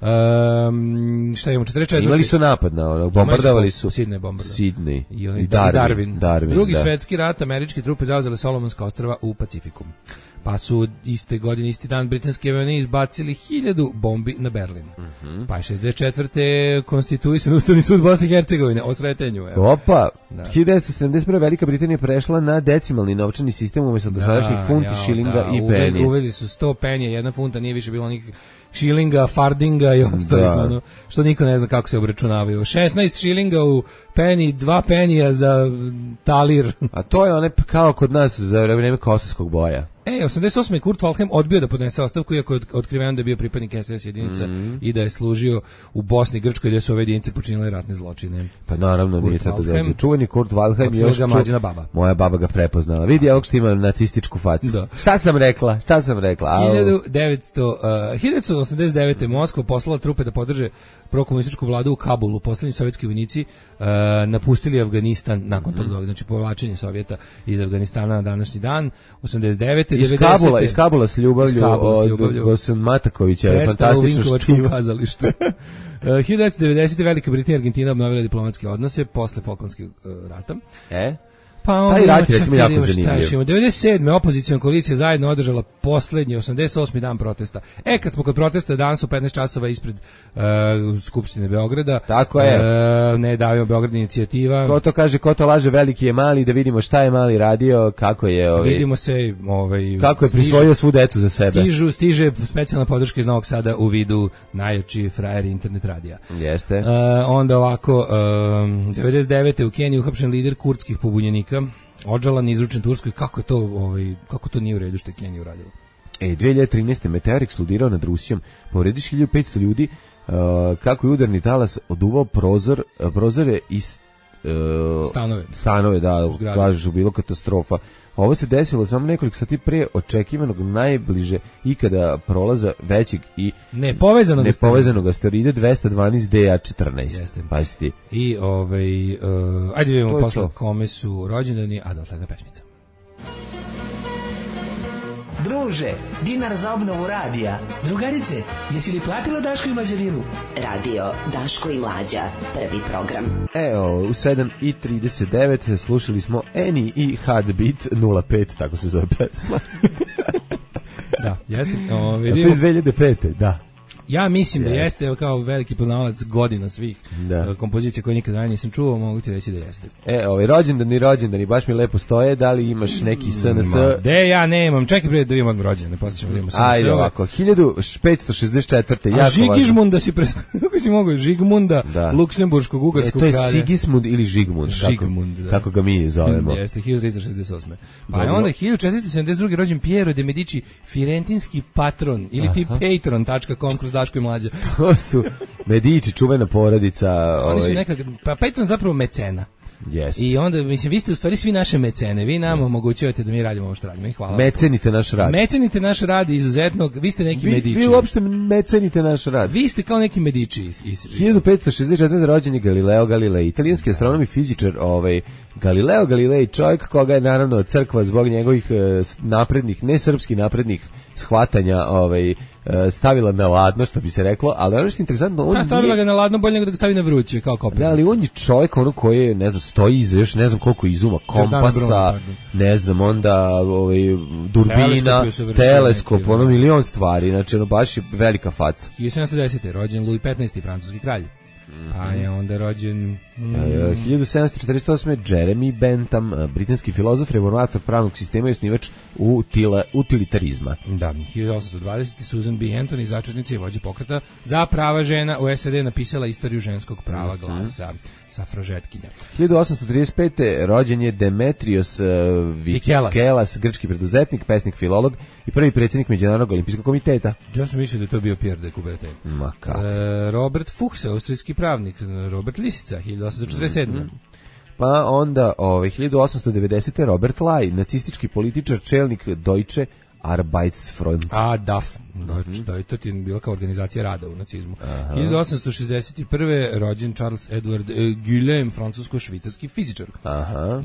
Um, šta imamo, četrdeset četiri
Imali su napad na ono, bombardovali su
Sidney bombardovali.
Sidney
i, i
Darwin,
Darwin.
Darwin.
Drugi
da.
svetski rat, američke trupe zauzele Solomonska ostrva u Pacifiku. Pa su iste godine, isti dan britanski avioni izbacili hiljadu bombi na Berlin. Mm-hmm. Pa je šezdeset četvrte konstituisan Ustavni sud Bosne i Hercegovine o sretenju. Evo.
Opa, da. hiljadu devetsto sedamdeset prve Velika Britanija prešla na decimalni novčani sistem umjesto dosadašnjih funti, ja, šilinga da, i peni.
Uveli su sto penija, jedna funta, nije više bilo nikakvih šilinga, fardinga i ostalih, ono, što niko ne zna kako se obračunavaju. šesnaest šilinga u peni, dva penija za talir.
A to je one kao kod nas za vreme kosovskog boja.
E, osamdeset osme Kurt Waldheim odbio da podnese ostavku, iako je otkriveno da je bio pripadnik S S jedinica mm-hmm. i da je služio u Bosni i Grčkoj gdje su ove jedinice počinile ratne zločine.
Pa naravno, Kurt nije tako da je. Čuveni Kurt Waldheim je još
ču... baba.
Moja baba ga prepoznala. Vidi, ovog što ima nacističku facu. Da. Šta sam rekla? Šta sam rekla?
hiljadu devetsto osamdeset devete Moskva poslala trupe da podrže prokomunističku vladu u Kabulu. Poslednji sovjetski vojnici uh, napustili Afganistan nakon mm-hmm. tog, znači povlačenje Sovjeta iz Afganistana na današnji dan. osamdeset devete
Iz Kabula, iz Kabula s ljubavlju od Gosan Matakovića, je fantastično štivo.
Kazalištu. hiljadu devetsto devedesete Velika Britanija i Argentina obnovila diplomatske odnose posle Falklandskog uh, rata.
E?
Pa onda
taj rat je recimo jako zanimljiv.
devedeset sedme opozicijona koalicija zajedno održala poslednji osamdeset osmi dan protesta. E, kad smo kod protesta, danas u petnaest časova ispred uh, Skupštine Beograda.
Tako je.
Uh, ne davimo Beograd inicijativa.
Ko to kaže, ko to laže, veliki je mali, da vidimo šta je mali radio, kako je... Ovaj,
vidimo se... Ovaj,
kako je prisvojio svu decu za sebe.
Stižu, stiže specijalna podrška iz Novog Sada u vidu najjači frajeri internet radija.
Jeste.
Uh, onda ovako, um, devedeset devete u Keniji uhapšen lider kurdskih pobunjenika, odžalan, izručen Turskoj. Kako je to, ovaj, kako to nije u redu što je Kenija uradila?
E, dve hiljade trinaeste meteor eksplodirao nad Rusijom, povrediš hiljadu petsto ljudi, uh, kako je udarni talas oduvao prozor, uh, prozore iz uh,
stanove.
Stanove, da, kažeš, bilo katastrofa. Ovo se desilo samo nekoliko sati pre očekivanog najbliže ikada prolaza većeg i
nepovezanog,
nepovezanog asteroida dvesta dvanaest D A četrnaest. Pazite.
I ovaj uh, ajde vidimo posle kome su rođendani, a dotle jedna pesmica.
Druže, dinar za obnovu radija.
Drugarice, jesi li platila Daško i Mlađarinu?
Radio Daško i Mlađa, prvi program.
Evo, u sedam i trideset devet slušali smo Eni i Heartbeat nula pet, tako se zove pesma.
Da, jeste. O,
A
vidimo.
to je iz dve hiljade pete, da.
Ja mislim da
Jeste.
jeste, evo, kao veliki poznavalac godina svih
Da.
uh, kompozicija koje nikad ranije nisam čuo, mogu ti reći da jeste.
E, ovaj rođendani, rođendani, baš mi lepo stoje, da li imaš neki S N S?
Ma, de, ja nemam, čekaj prije da vidimo odmah rođene, posle ćemo da vidimo S N S.
Ajde ovako, hiljadu petsto šezdeset četvrte.
A Žigižmunda si pres... Kako si mogu? Žigmunda,
Da.
Luksemburškog,
E,
ugarskog
to je
kralja.
Sigismund ili Žigmund,
Žigmund,
kako,
da.
kako ga mi zovemo.
Jeste, hiljadu trista šezdeset osme. Pa je
Dobro.
onda hiljadu četiristo sedamdeset druge rođen Piero de Medici, firentinski patron, ili ti patron tačka com kroz Daško i Mlađa.
To su Medici, čuvena porodica.
Oni su
ovaj,
nekak, pa patron zapravo mecena.
Jeste.
I onda, mislim, vi ste u stvari svi naše mecene, vi nam omogućujete da mi radimo ovo što radimo i hvala.
Mecenite naš rad.
Mecenite naš rad izuzetnog, vi ste neki
vi,
Medici.
vi uopšte mecenite naš rad.
Vi ste kao neki Medici. Iz, iz,
hiljadu petsto šezdeset četvrte rođen je Galileo Galilei, italijanski astronom i fizičar. Ovaj, Galileo Galilei, čovjek koga je naravno crkva zbog njegovih eh, naprednih, ne srpski naprednih shvatanja ovaj, eh, stavila na ladno, što bi se reklo, ali ono što je interesantno, on
Pa stavila
nije-
ga na ladno bolje nego da ga stavi na vruće, kao kopir.
Da, ali on je čovjek ono koji je, ne znam, stoji iza još ne znam koliko izuma,
Giordano
kompasa,
Bruno, pardon.
ne znam, onda ovaj, durbina,
Teleskop je usavršen
teleskop,
neki,
ono
da.
milion stvari, znači ono baš je velika faca.
hiljadu sedamsto desete. rođen Louis petnaesti. francuski kralj. Pa je onda rođen... Mm,
E, hiljadu sedamsto četrdeset osme. Jeremy Bentham, e, britanski filozof, reformator pravnog sistema i osnivač utila, utilitarizma.
Da, hiljadu osamsto dvadesete. Susan B. Anthony, začetnica i vođa pokreta za prava žena u S A D, napisala istoriju ženskog prava glasa, safražetkinja.
hiljadu osamsto trideset pete. rođen je Demetrios uh,
Vikelas.
Vikelas, grčki preduzetnik, pesnik, filolog i prvi predsjednik Međunarodnog olimpijskog komiteta.
Ja sam mislio da je to bio Pierre de Coubertin.
Ma kako.
E, Robert Fuchs, austrijski pravnik. Robert Lisica, hiljadu osamsto četrdeset sedme.
Pa onda ovaj, hiljadu osamsto devedesete. Robert Lai, nacistički političar, čelnik Deutsche Arbeitsfront.
A, D A F, znači, da, to ti je bila kao organizacija rada u nacizmu. hiljadu osamsto šezdeset prve. rođen Charles Edward e, Guillaume, francusko-švicarski fizičar.
Aha.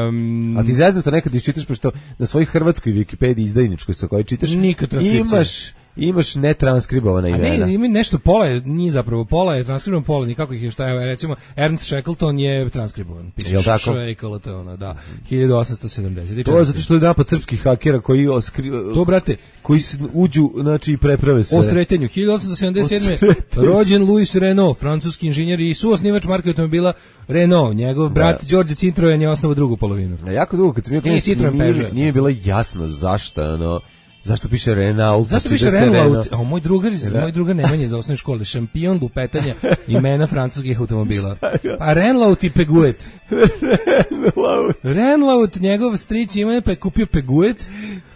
Um,
A ti zezno to nekad iščitaš, pošto na svojoj hrvatskoj Wikipediji izdajničkoj sa kojoj čitaš,
Nikad transkripcija.
imaš, imaš netranskribovana
A
imena.
ne, ima nešto, pola je, nije zapravo, pola je transkribovan, pola nikako ih je šta je, recimo, Ernst Shackleton je transkribovan, piše
Jel tako?
Shackleton, da, hiljadu osamsto sedamdeset.
To je zato što je napad srpskih hakera koji oskri,
To, brate,
koji s- uđu, znači i preprave sve.
o sretenju, hiljadu osamsto sedamdeset sedme.
O sretenju.
rođen Louis Renault, francuski inženjer i suosnivač marke automobila Renault, njegov brat Đorđe Citroen je osnovao drugu polovinu.
A jako dugo kad sam bio
Nije
klinac,
Citroen
nije,
Peugeot.
nije mi bilo jasno zašto, ono, zašto piše Renault.
Zašto
pa
piše
čita se
Renault? A moj drugar, iz-
Re-
moj drugar Nemanja iz osnovne škole, šampion lupetanja imena francuskih automobila. Pa Renault i Peguet.
Renault.
Renault, njegov stric ima pa je kupio Peguet,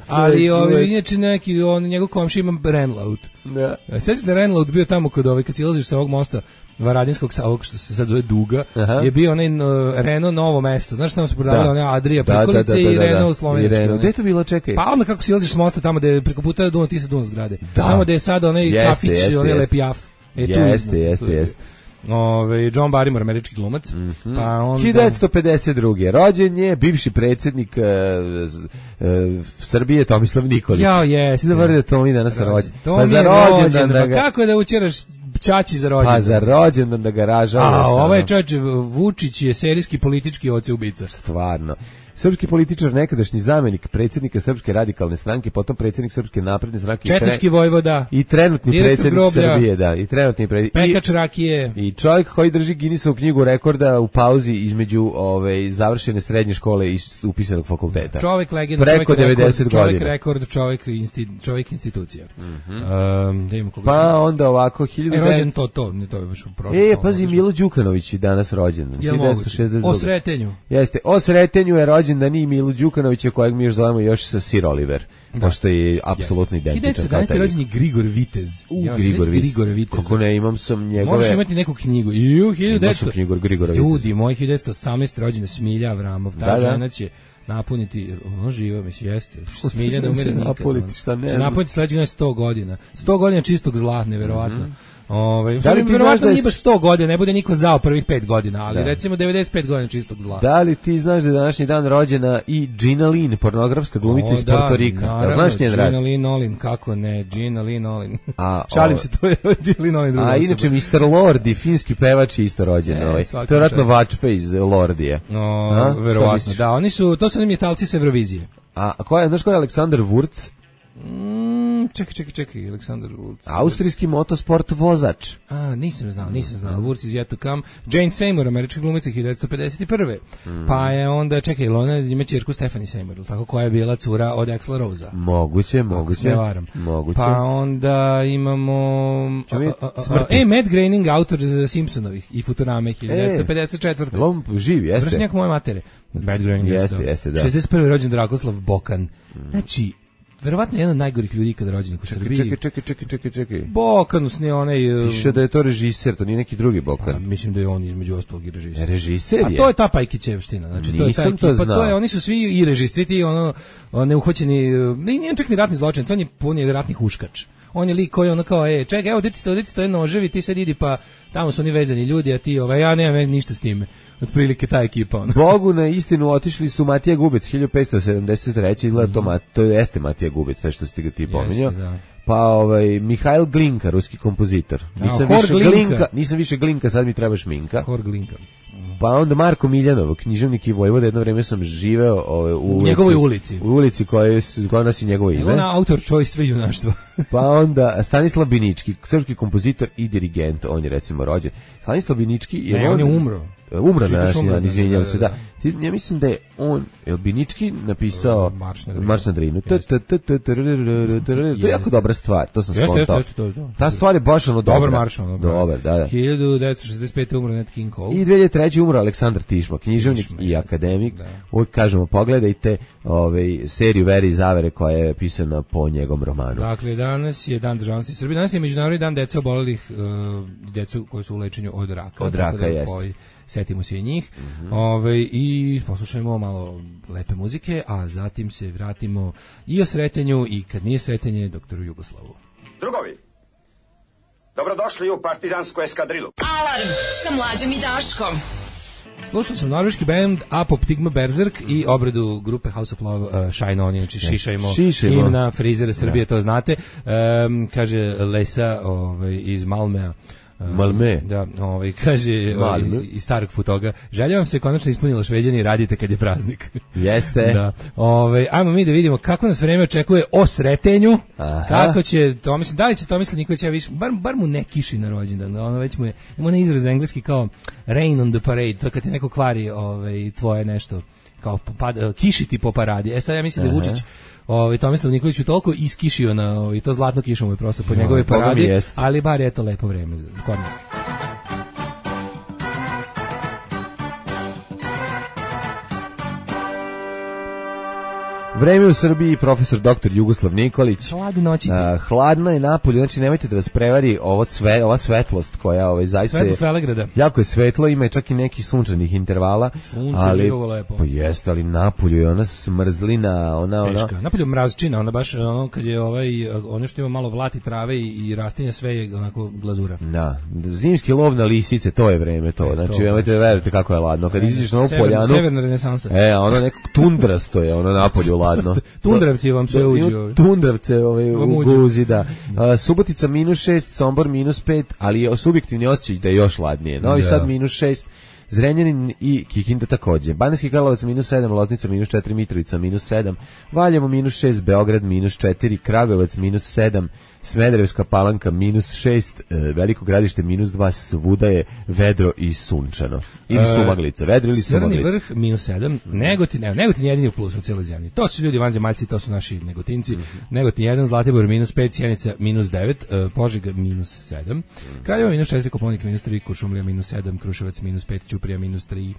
ali ovaj inače neki on njegov komšija ima Renault.
Da.
Sećaš da je Renault bio tamo kod ovaj kad silaziš sa ovog mosta Varadinskog, sa ovog što se sad zove Duga,
Aha.
je bio onaj no, Renault Novo mesto. Znaš tamo se prodavalo
Da.
one Adria
Da, da,
prikolice
da, da,
i
da, da.
Renault
I
slovenački.
Renault.
onaj.
Gde je to bilo, čekaj?
Pa onda kako silaziš s mosta tamo da je preko puta Dunav, ti se Dunav zgrade.
Da.
Tamo da je sad onaj
Jeste,
kafić,
jeste,
onaj
jeste.
Lepi Jaf. E, tu
Jeste,
iznad,
jeste,
tu je.
jeste.
Ove, John Barrymore, američki glumac. Pa onda...
hiljadu devetsto pedeset druge. rođen je bivši predsjednik e, e, Srbije Tomislav Nikolić.
Jao, jeste.
Ti da da Tomi danas rođen.
To
Pa
mi
za
je
rođendan
rođendan,
da
pa
ga...
kako je da učeraš ćaći za rođendan?
Pa za rođendan da ga ražava.
A,
sa-
ovaj čovječ, Vučić je serijski politički oce ubica.
Stvarno. Srpski političar, nekadašnji zamenik predsjednika Srpske radikalne stranke, potom predsjednik Srpske napredne stranke i,
Četnički
tre-
vojvoda,
i trenutni
direktor
predsjednik
groblja,
Srbije, da, i trenutni predsjednik.
pekač rakije.
I, I čovjek koji drži Guinnessovu knjigu rekorda u pauzi između ove završene srednje škole i upisanog fakulteta.
Čovjek legenda,
Preko
čovjek rekord,
devedeset
čovjek
godina.
rekord, čovjek, insti, čovjek institucija.
Mhm.
Um, da imamo koga
Pa
smo-
onda ovako hiljadu
E, rođen
devetsto
to, to, ne to je baš u prošlom.
E, pazi, Milo Đukanović je danas rođen.
Jel
hiljadu devetsto šezdeset druge.
O sretenju.
Jeste, o sretenju je rođen da nije Milo Đukanovića, kojeg mi još zovemo još sa Sir Oliver, pošto je apsolutno
hiljadu
identičan
devetsto
kao
jedanaeste.
taj lik.
rođen je Grigor Vitez.
U,
Ja,
Grigor
Grigor,
Vitez.
Grigor Vitez.
Kako ne, imam sam njegove...
Moraš imati neku knjigu. I u hiljadu
Imao
devetsto
sam knjigu Grigora Viteza.
Ljudi, moj hiljadu devetsto osamnaeste. rođena Smilja Avramov. Ta
Da, da.
žena će napuniti, ono živa, mislim, jeste. Smilja ne
će
umire nikad.
napuniti,
ono.
šta ne
Će
znam.
napuniti sledeće godine sto godina. sto godina čistog zla, neverovatno. Ovaj,
Da li ti znaš
verovatno
da je
nije baš sto godina, ne bude niko zao prvih pet godina, ali
Da.
recimo devedeset pet godina čistog zla.
Da li ti znaš da je današnji dan rođena i Gina Lynn, pornografska glumica
O,
iz
da,
Porto Rika? Jel
naravno,
znaš njen rad?
Gina Lynn Olin, kako ne, Gina Lynn Olin.
A,
Šalim
o-
se, to je Gina Lynn Olin druga
A
osoba.
inače mister Lordi, finski pevač je isto rođen.
E,
ovaj.
svaka
To je vjerojatno
čast.
Vačpe iz Lordije.
No,
A? Šta
verovatno,
misliš?
da, oni su, to su nam Italci s Eurovizije.
A ko je, znaš ko je Aleksandar Wurz?
Mm, čekaj, čekaj, čekaj, Aleksandar Wurz.
Austrijski motosport vozač.
A, nisam znao, nisam znao. Wurz is yet to come. Jane Seymour, američka glumica hiljadu devetsto pedeset prve. Mm. Pa je onda, čekaj, ona ima ćerku Stephanie Seymour, tako, koja je bila cura od Axla Rosea.
Moguće, moguće.
Ne varam.
Moguće.
Pa onda imamo... A, a, a, a, e, Matt Groening, autor Simpsonovih i Futurame hiljadu devetsto pedeset četvrte.
On živi, jeste.
Vršnjak moje matere. Matt Groening
jeste, jeste, da.
šezdeset prve rođen Dragoslav Bokan. Znači, verovatno jedan od najgorih ljudi kada rođenih u Srbiji.
Čekaj, čekaj, čekaj, čekaj, čekaj.
Bokanus, ne onaj...
Piše da je to režiser, to nije neki drugi Bokan.
A, mislim da je on između ostalog i režiser.
Režiser je?
A to je ta Pajkićevština. Znači, to je ta ekipa, to, to je, oni su svi i režiseri, ti ono, neuhoćeni, nije čak ni ratni zločin, on je pun je ratnih huškač. On je lik koji ono kao, e, čekaj, evo, deti stoje, deti stoje noževi, ti sad idi, pa tamo su oni vezani ljudi, a ti, ovaj, ja nemam ništa s time. Otprilike ta ekipa. Ono.
Bogu na istinu otišli su Matija Gubec, hiljadu petsto sedamdeset treće izgleda to, mm-hmm. to jeste Matija Gubec, sve što si ti, ti pominjao. Pa ovaj, Mihajl Glinka, ruski kompozitor. Nisam, a, više Glinka. Glinka, nisam više Glinka, sad mi treba Šminka.
Hor Glinka.
Pa onda Marko Miljanov, književnik i vojvoda, jedno vreme sam živeo ovaj, u,
u njegovoj ulici.
U ulici koja, koja nosi njegovo ime.
Evo na autor čojstva i junaštva.
Pa onda Stanislav Binički, srpski kompozitor i dirigent, on je recimo rođen. Stanislav Binički je...
Ne, on, on je umro.
Umro na naši dan, izvinjam se, da. Ja mislim da je on, je Binički napisao Marš na Drinu. To je jako dobra stvar, to sam skontao. Ta stvar je baš ono dobra.
Dobar marš, ono.
Dobar, da, da.
hiljadu devetsto šezdeset pete umro Nat King Cole.
I dve hiljade treće umro Aleksandar Tišma, književnik i akademik. Uvijek kažemo, pogledajte ovaj, seriju Vere i zavere koja je pisana po njegovom romanu.
Dakle, danas je dan državnosti Srbije, danas je Međunarodni dan deca obolelih, deca koji su u lečenju od raka.
Od raka, jeste.
Setimo se i njih. Mm-hmm. Ove, i poslušajmo malo lepe muzike, a zatim se vratimo i o sretenju i kad nije sretenje doktoru Jugoslavu.
Drugovi, dobrodošli u partizansku eskadrilu.
Alarm sa Mlađom i Daškom.
Slušao sam norveški band Apoptigma Berserk i obradu grupe House of Love uh, Shine On, znači šišajmo, šišajmo. Himna Frizera Srbije, da. To znate. Um, kaže Lesa ovaj, iz Malmea.
Malme.
Da, ovaj kaže ovaj, iz starog fotoga. Želja vam se konačno ispunilo Šveđani, radite kad je praznik.
Jeste.
Da. Ovaj ajmo mi da vidimo kako nas vreme očekuje o sretenju. Aha. Kako će to, mislim, da li će Tomislav Nikolić ja više bar bar mu ne kiši na rođendan. Ono već mu je, ima onaj izraz engleski kao rain on the parade, to kad ti neko kvari ovaj tvoje nešto kao pad, kišiti po paradi. E sad ja mislim Aha. da Vučić Ovaj Tomislav Nikolić je toliko iskišio na ovaj to zlatno kišom je prosto po no, njegove paradi, ali bar je to lepo vreme kod nas.
Vreme u Srbiji, profesor doktor Jugoslav Nikolić.
Hladne noći.
Uh, hladno je napolju, znači nemojte da vas prevari ovo sve, ova svetlost koja ovaj zaista
Svetlost Velegrada.
Jako je svetlo, ima čak i nekih sunčanih intervala.
Sunce
ali
je lepo.
Pa jeste, ali napolju je ona smrzlina, ona ona.
Napolju mrazčina, ona baš ono kad je ovaj ono što ima malo vlati trave i, i rastinja, sve je onako glazura.
Da, zimski lov na lisice, to je vreme to. E, znači nemojte da verujete kako je ladno kad izađeš na ovu poljanu.
Severna renesansa.
E, ono neko tundrasto je, ono napolju ladno.
Tundravci vam sve uđu.
Tundravce ovaj, u guzi, da. Uh, Subotica minus šest, Sombor minus pet, ali je subjektivni osjećaj da je još ladnije. Novi da. Sad minus šest, Zrenjanin i Kikinda takođe. Banijski Karlovac minus sedam, Loznica minus četiri, Mitrovica minus sedam, Valjevo minus šest, Beograd minus četiri, Kragujevac minus sedam, Smederevska Palanka minus šest, Veliko Gradište minus dva, svuda je vedro i sunčano. Ili sumaglica, vedro ili sumaglica.
Crni vrh minus sedam, Negotin, evo, Negotin jedini u plusu u cijeloj zemlji. To su ljudi vanzemaljci, to su naši Negotinci. Mm-hmm. Negotin jedan, Zlatibor minus pet, Sjenica minus devet, Požega minus sedam, Kraljevo minus četiri, Koponik minus tri, Kuršumlija minus sedam, Kruševac minus pet, Ćuprija minus tri,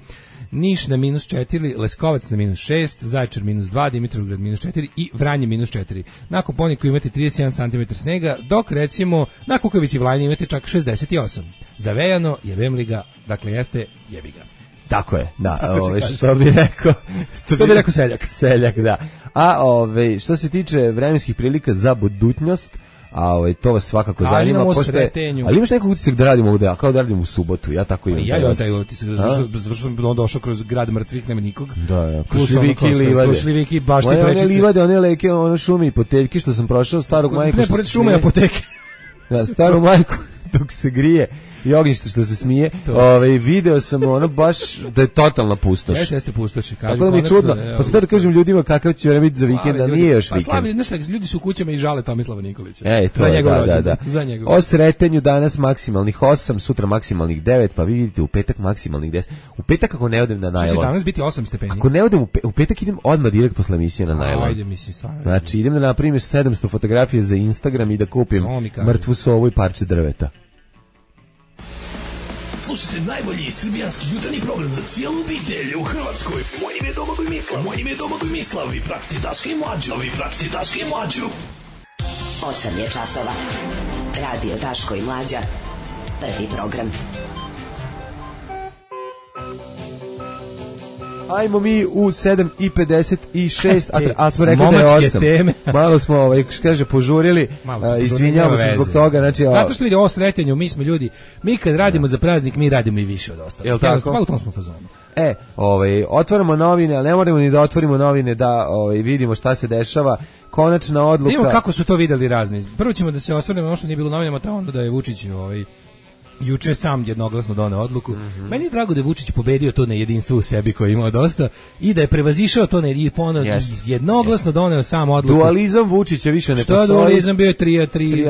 Niš na minus četiri, Leskovac na minus šest, Zaječar minus dva, Dimitrovgrad minus četiri i Vranje minus četiri. Na Koponiku imate trideset jedan centimetara snega, dok recimo na Kukavici Vlajni imate čak šezdeset osam. Zavejano, jebem li ga, dakle jeste, jebi ga.
Tako je, da, ove, što bi rekao,
što, što bi rekao seljak.
Seljak, da. A ove, što se tiče vremenskih prilika za budućnost, a ovaj to vas svakako
Kaži
zanima
pošto.
Ali imaš nekog utisak da radimo ovde, kao da radimo u subotu, ja tako imam.
Ja imam taj utisak, zato što sam došao kroz grad mrtvih, nema nikog.
Da, ja. Krušljiviki i livade.
Krušljiviki, baš ti prečice.
One livade, one leke, one šume i poteljke što sam prošao starog majku.
Ne, pored šume i apoteke.
Da, staru majku. dok se grije i ognjište što se smije. Ovaj video sam ono baš da je totalna pustoš.
Jeste, jeste pustoš.
Tako da mi je čudno. Pa sad da kažem ljudima kakav će vreme biti za vikend, a nije još vikend.
Pa slavi, znaš, ljudi su u kućama i žale Tomislava Nikolića.
Ej, to
za njegov
da,
rođendan.
da, da.
Za njegov.
O sretenju danas maksimalnih osam, sutra maksimalnih devet, pa vi vidite u petak maksimalnih deset. U petak ako ne odem na najlon.
Će danas biti osam stepeni.
Ako ne odem u, pe, u petak idem odmah direkt posle emisije na najlon.
Ajde, mislim stvarno.
Znači idem da napravim sedamsto fotografije za Instagram i da kupim mrtvu sovu i parče drveta.
Slušajte najbolji srbijanski jutarnji program za cijelu obitelj u Hrvatskoj. Moje ime je Domagoj Mislav. Moje ime je Domagoj Mislav. Vi pratite Daška i Mlađu. Vi pratite Daška i Mlađu.
osam je časova. Radio Daško i Mlađa. Prvi program.
Ajmo mi u sedam i pedeset šest, a, a smo rekli da je osam.
Teme.
Malo smo, ovaj, kaže, požurili, a, izvinjamo se zbog toga. Znači,
zato što vidi ovo sretenju, mi smo ljudi, mi kad radimo za praznik, mi radimo i više od ostalih.
Jel tako?
Pa u tom smo fazonu.
E, ovaj, otvaramo novine, ali ne moramo ni da otvorimo novine da ovaj, vidimo šta se dešava. Konačna odluka.
Vidimo kako su to videli razni. Prvo ćemo da se osvrnemo ono što nije bilo u novinama, to onda da je Vučić ovaj, juče sam jednoglasno doneo odluku. Mm-hmm. Meni je drago da je Vučić pobedio to nejedinstvo u sebi koje je imao dosta i da je prevazišao to ne, ponovno yes. jednoglasno yes. doneo sam odluku.
Dualizam Vučića više ne
što
postoji.
Što dualizam bio je tri tri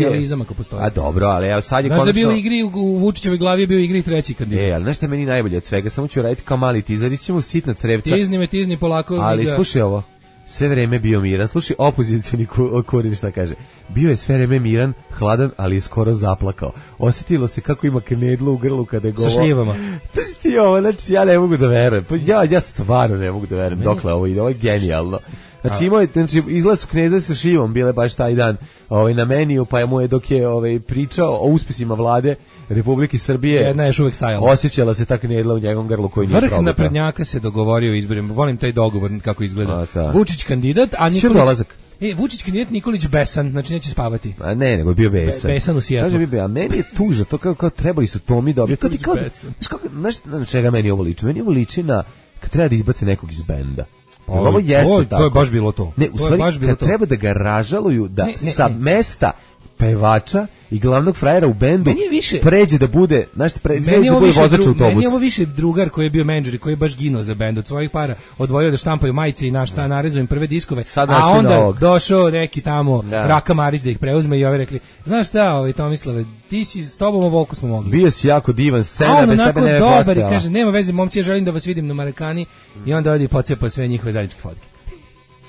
dualizam ako postoji.
A dobro, ali evo sad je
znaš
konačno.
Znaš da bio u igri, u Vučićevoj glavi je bio u igri treći kandidat.
E, ali znaš šta meni najbolje od svega, samo ću raditi kao mali tizarić, ćemo sitna crevca.
Tizni me, tizni polako.
Ali da. Slušaj ovo. Sve vreme bio miran. Slušaj, opozicioni Kurin šta kaže. Bio je sve vreme miran, hladan, ali je skoro zaplakao. Osjetilo se kako ima knedlu u grlu kada je govo.
Sa šljivama.
Pa sti ovo, znači ja ne mogu da verujem. Pa ja, ja stvarno ne mogu da verujem. Dokle ovo ide, ovo je genijalno. Znači imao je, znači izgleda su knedle sa šivom bile baš taj dan ovaj, na meniju, pa je mu je dok je ovaj, pričao o uspesima vlade Republike Srbije.
Jedna je još uvek stajala.
Osjećala se ta knedla u njegovom grlu koji nije probao.
Vrh naprednjaka se dogovorio o izborima. Volim taj dogovor kako izgleda. A, Vučić kandidat, a Nikolić... E, Vučić kandidat, Nikolić besan, znači neće spavati.
A ne, nego je bio besan.
Be, besan u Sjetlu.
Kaže bi, a meni je tužno, to kao, kao trebali su Tomi dobiti. To ti kao, znaš na čega meni ovo liči? Meni ovo liči na kad treba da izbace nekog iz benda.
O, ovo jeste o, tako. To je baš bilo to.
Ne, u stvari, kad to. Treba da ga ražaluju da ne, ne, sa ne. mesta pevača i glavnog frajera u bendu
više,
pređe da bude, znaš, pređe da bude vozač autobusa.
Meni je ovo više drugar koji je bio menadžer i koji je baš ginuo za bend, od svojih para odvojio da štampaju majice i na šta narezuju im prve diskove, sad a onda novog. Došao neki tamo da. Raka Marić da ih preuzme i ovi rekli, znaš šta, ovaj Tomislave, ti si s tobom ovoliko smo mogli.
Bio si jako divan scena, bez tebe ne
dobar i kaže, nema veze, momci, ja želim da vas vidim na Marakani i onda odi pocepa sve njihove zajedničke fotke.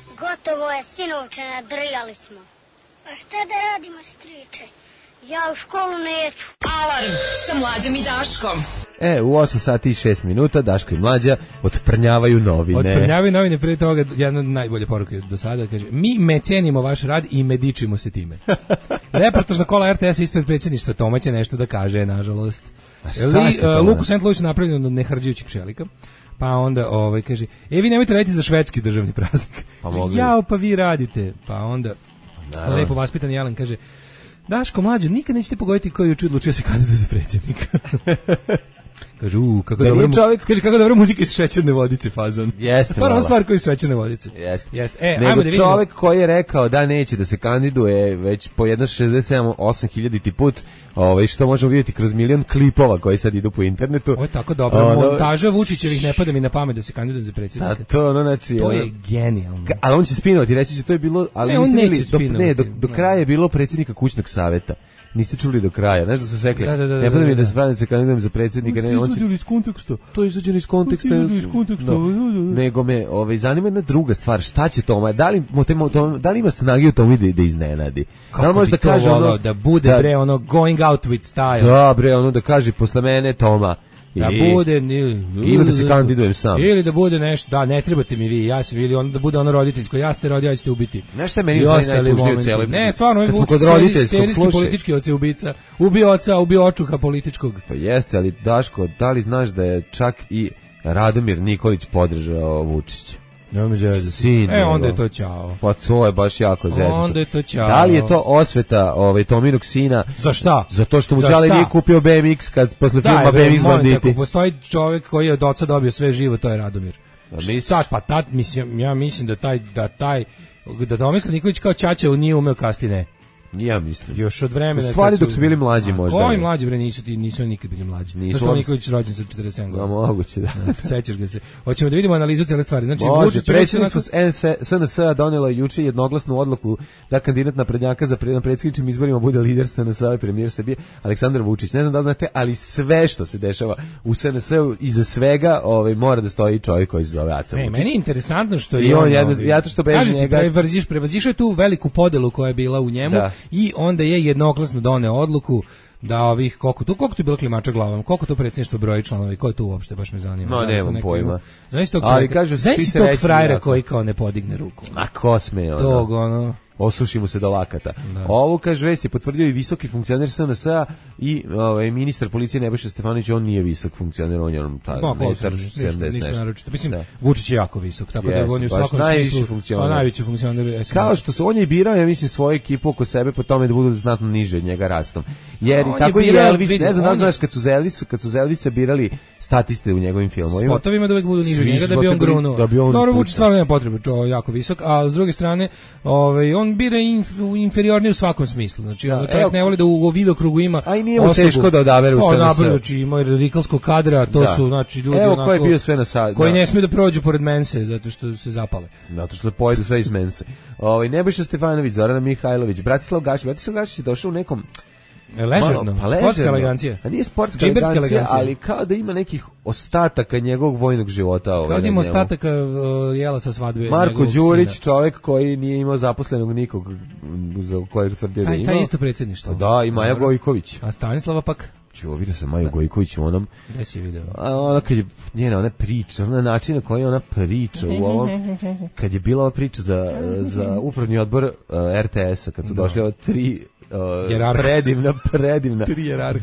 Gotovo je, sinovče, nadrljali smo. A šta da radimo, striče? Ja u školu neću.
Alarm sa Mlađom i Daškom.
E, u osam sati i šest minuta Daško i Mlađa otprnjavaju novine.
Otprnjavaju novine, prije toga jedna najbolja poruka do sada, kaže, mi me cenimo vaš rad i me dičimo se time. Reportažna kola R T S ispred predsjedništva Toma će nešto da kaže, nažalost. Li, uh, Luku Saint Louis napravljen od nehrđujućeg čelika. Pa onda ovaj kaže, e vi nemojte raditi za švedski državni praznik.
Pa mogli.
Jao, pa vi radite. Pa onda naravno. Lepo vaspitan Jelan kaže, Daško Mlađo, nikad nećete pogoditi koji je odlučio se kandiduje za predsjednika. Kaže, u, kako da dobro, čovjek... kaže, kako dobro muzika iz šećerne vodice, fazon.
Jeste,
stvarno stvar koji iz šećerne vodice.
Jeste.
Jeste. E,
nego
ajmo da vidimo.
Čovjek koji je rekao da neće da se kandiduje već po jedno šezdeset sedam osam hiljaditi put, ovaj, što možemo vidjeti kroz milion klipova koji sad idu po internetu.
Ovo je tako dobro. Ono, montaža Vučićevih ne pada mi na pamet da se kandiduje za predsjednika.
A to, ono, znači...
To
ono,
je genijalno.
Ka, ali on će spinovati, reći će to je bilo... Ali
ne, on neće spinovati.
Ne, do, do kraja je bilo predsjednika kućnog savjeta. Niste čuli do kraja, znaš da su sekli,
da, da, da,
ne pada mi da,
da
se pravim da se kandidujem za predsjednika, ne, on će...
iz konteksta.
To je izađeno iz konteksta.
Iz konteksta.
No, nego me, ovaj, zanima jedna druga stvar, šta će Toma, da li, da li ima snagi u Tomi da, da iznenadi?
Kako da li može da kaže ono, da bude da, bre ono going out with style.
Da bre, ono da kaže posle mene Toma.
Da I, bude ili,
ili da se kandidujem sam.
Ili da bude nešto, da ne trebate mi vi, ja sam ili on da bude ono roditeljsko, ja ste rodio, ja ćete ubiti.
Nešto je meni najtužnije u cijeloj.
Ne, stvarno je Vučić serijski politički oce ubica. Ubio oca, ubio očuha političkog.
Pa jeste, ali Daško, da li znaš da je čak i Radomir Nikolić podržao Vučića?
Ne mi zezati.
Sin,
e, onda je to ćao.
Pa to je baš jako zezati.
Onda je to ćao.
Da li je to osveta ovaj, Tominog sina?
Za šta?
Zato što mu Đale nije kupio B M X kad posle da, filma B M X banditi. Da,
postoji čovjek koji je od oca dobio sve živo, to je Radomir. Šta, pa tad, mislim, ja mislim da taj, da taj, da Tomislav Nikolić kao Ćaća nije umeo kastine.
Ja mislim.
Još od vremena.
U stvari dok su bili mlađi možda.
Koji mlađi bre nisu ti nisu nikad bili mlađi.
Nisu
Što Nikolić rođen sa četrdeset sedam godina.
No, moguće da.
Sećaš ga se. Hoćemo da vidimo analizu cele stvari. Znači
Vučić predsjedništvo S N S-a donelo juče jednoglasnu odluku da kandidat naprednjaka za na predsjedničkim izborima bude lider S N S-a i premijer Srbije Aleksandar Vučić. Ne znam da li znate, ali sve što se dešava u S N S-u iza svega, ovaj mora da stoji čovjek koji se zove Aca Vučić.
Ne, meni je interesantno što je
I on,
on
jedno, ja to što bez njega
prevaziš prevazišao tu veliku podelu koja je bila u njemu
da.
I onda je jednoglasno doneo odluku da ovih koliko tu koliko tu bilo klimača glavom, koliko to predsjedništvo broji članovi, ko je tu uopšte baš me zanima.
No,
da,
nemam pojma.
Znaš tog
ali kažu
svi se tog frajera koji kao ne podigne ruku.
Ma ko sme ono.
Tog ono
osuši mu se do lakata.
Da.
Ovo, kaže, vest je potvrdio i visoki funkcioner S N S-a i ovaj, ministar policije Nebojša Stefanović, on nije visok funkcioner, on je on taj ministar sedamdeset nešto.
Mislim, da. Vučić je jako visok, tako
yes,
da on je u svakom
smislu funkcioner.
najveći funkcioner S N S.
Kao što su on je birao, ja mislim, svoju ekipu oko sebe po tome da budu znatno niže od njega rastom. Jer
no,
tako
je
i Elvis,
vidi,
ne znam da
je...
znaš, kad su za Elvis, kad su za Elvisa birali statiste u njegovim filmovima.
Spotovima da uvek budu niže od njega, da bi on grunuo. Dobro, Vučić stvarno nema potrebe, to je jako visok, a s druge strane, ovaj, on bira inf, inferiorniji u svakom smislu. Znači, da, čovjek ne voli da u, u videokrugu ima
a i nije mu teško da odabere u S N S.
Znači, ima radikalskog kadra, to da. Su, znači, ljudi
evo,
onako...
ko je bio sve na sad,
koji
da.
Ne smiju da prođu pored mense, zato što se zapale.
Zato što pojedu sve iz mense. Ovaj, Nebojša Stefanović, Zorana Mihajlović, Bratislav Gašić, Bratislav Gašić je došao u nekom...
Ležerno, pa sportska elegancija.
A nije sportska elegancija, elegancija, ali kao da ima nekih ostataka njegovog vojnog života. Ovaj,
kao da ima ostataka uh, jela sa svadbe.
Marko Đurić, sina. Čovjek koji nije imao zaposlenog nikog za kojeg tvrdio da ima.
Taj isto predsjedništvo.
Da, i Maja Gojković.
A Stanislava pak?
Čuo, vidio sam Maju Gojković u onom...
Gde si vidio?
Ona kad je, njena, ona priča, ona način na koji ona priča u ovom... Kad je bila ova priča za, za upravni odbor uh, R T S-a, kad su no. došli ova tri... Uh, predivna, predivna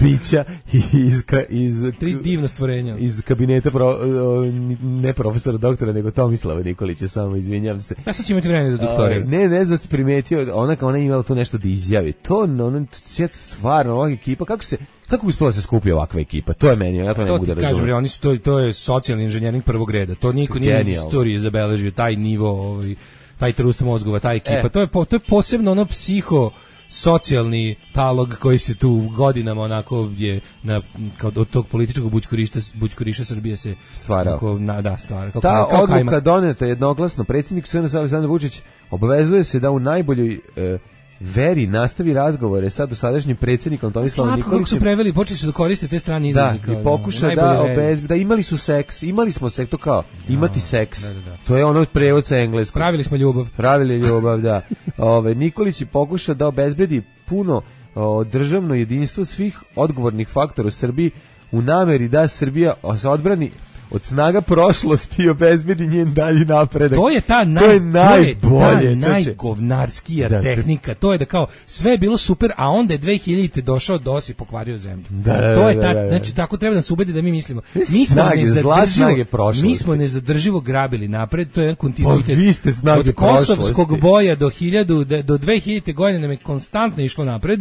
bića iz, iz,
tri divna stvorenja
iz kabineta pro, uh, ne profesora doktora, nego Tomislava Nikolića, samo izvinjam se.
Ja sad ću imati vremena do doktora.
Uh, ne, ne znam se primetio, ona kao ona imala to nešto da izjavi. To, ona, stvarno, ova ekipa, kako se, kako uspela se skupi ovakva ekipa? To je meni, ja to ne mogu da razumem.
Kažem, oni su, to, to je socijalni inženjering prvog reda. To niko nije u istoriji zabeležio, taj nivo, ovaj, taj trust mozgova, ta ekipa. E. To, je, to je posebno ono psiho socijalni talog koji se tu godinama onako je na, kao od tog političkog bućkorišta, bućkoriša Srbije se
stvarao.
Onako, na, da, stvara. Kao,
Ta
kao
odluka
kajma.
Doneta jednoglasno, predsjednik S N S Aleksandar Vučić obavezuje se da u najboljoj e, veri nastavi razgovore sa dosadašnjim predsjednikom Tomislavom Nikolićem.
Kako su preveli, počeli su da koriste te strane izraze.
Da, i pokuša da obezbedi, da imali su seks, imali smo seks, to kao, imati seks. Da, da, da. To je ono prevod sa engleskog.
Pravili smo ljubav.
Pravili ljubav, da. Ove, Nikolić je pokuša da obezbedi puno o, državno jedinstvo svih odgovornih faktora u Srbiji u nameri da Srbija se odbrani od snaga prošlosti i obezbedi njen dalji napredak.
To je ta, naj,
to je najbolje,
ta najgovnarskija
da,
tehnika. To je da kao sve je bilo super, a onda je dve hiljadite došao DOS i pokvario zemlju.
Da, da,
to je ta,
da, da.
znači tako treba da se ubedi da mi mislimo. Mi smo
snage,
nezadrživo, mi smo nezadrživo grabili napred, to je jedan kontinuitet.
Vi ste snage
od kosovskog boja do hiljadu do dve hiljadite godine nam je konstantno išlo napred.